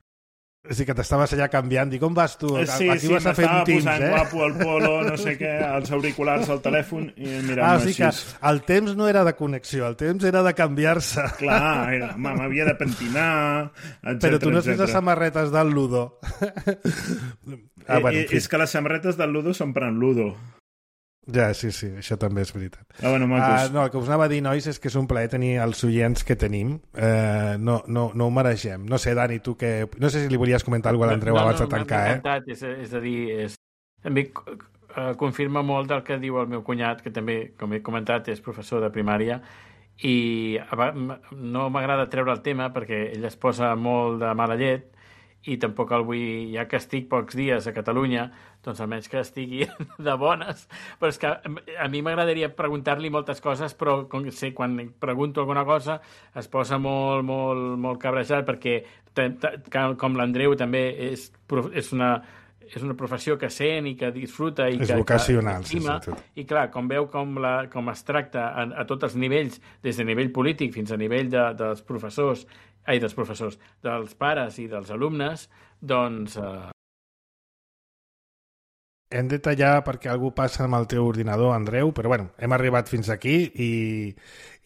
sí que t'estaves allà canviant. Dic, on vas tu? Sí, Aquí sí, vas a fer m'estava un Teams, posant eh? guapo el polo, no sé què, els auriculars al telèfon i Ah, o mirant-me sigui que així. el temps no era de connexió, el temps era de canviar-se. Clar, era, home, m'havia de pentinar, etcètera. Però tu no has vist les etcètera. samarretes del Ludo. ah, bueno, Eh, en fi. és que les samarretes del Ludo són per en Ludo. Ja, sí, sí, això també és veritat. Ah, bueno, Uh, macos. no, el que us anava a dir, nois, és que és un plaer tenir els oients que tenim. Uh, no, no, no ho mereixem. No sé, Dani, tu que... No sé si li volies comentar alguna cosa a l'Andreu abans de tancar, m'ha eh? encantat, és, és a dir, és, també eh, confirma molt del que diu el meu cunyat, que també, com he comentat, és professor de primària, i a va- m- no m'agrada treure el tema perquè ell es posa molt de mala llet i tampoc el vull, ja que estic pocs dies a Catalunya, doncs almenys que estigui de bones. Però és que a mi m'agradaria preguntar-li moltes coses, però com sé, quan pregunto alguna cosa es posa molt, molt, molt cabrejat perquè, te- te- com l'Andreu també és, prof- és una és una professió que sent i que disfruta i És que, vocacional, que sí, estima, sí, tot. i clar, com veu com, la, com es tracta a, a tots els nivells, des de nivell polític fins a nivell de, dels professors, ai, dels professors, dels pares i dels alumnes, doncs eh, Hem de tallar perquè algú passa amb el teu ordinador, Andreu, però bueno, hem arribat fins aquí i,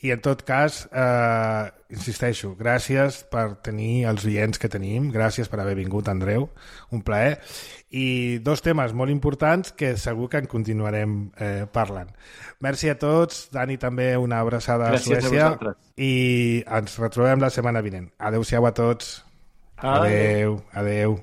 i en tot cas, eh, insisteixo, gràcies per tenir els oients que tenim, gràcies per haver vingut, Andreu, un plaer. I dos temes molt importants que segur que en continuarem eh, parlant. Merci a tots, Dani també una abraçada Gràcies a Suècia a vosaltres. i ens retrobem la setmana vinent. Adéu-siau a tots. Adéu. Adéu, adéu.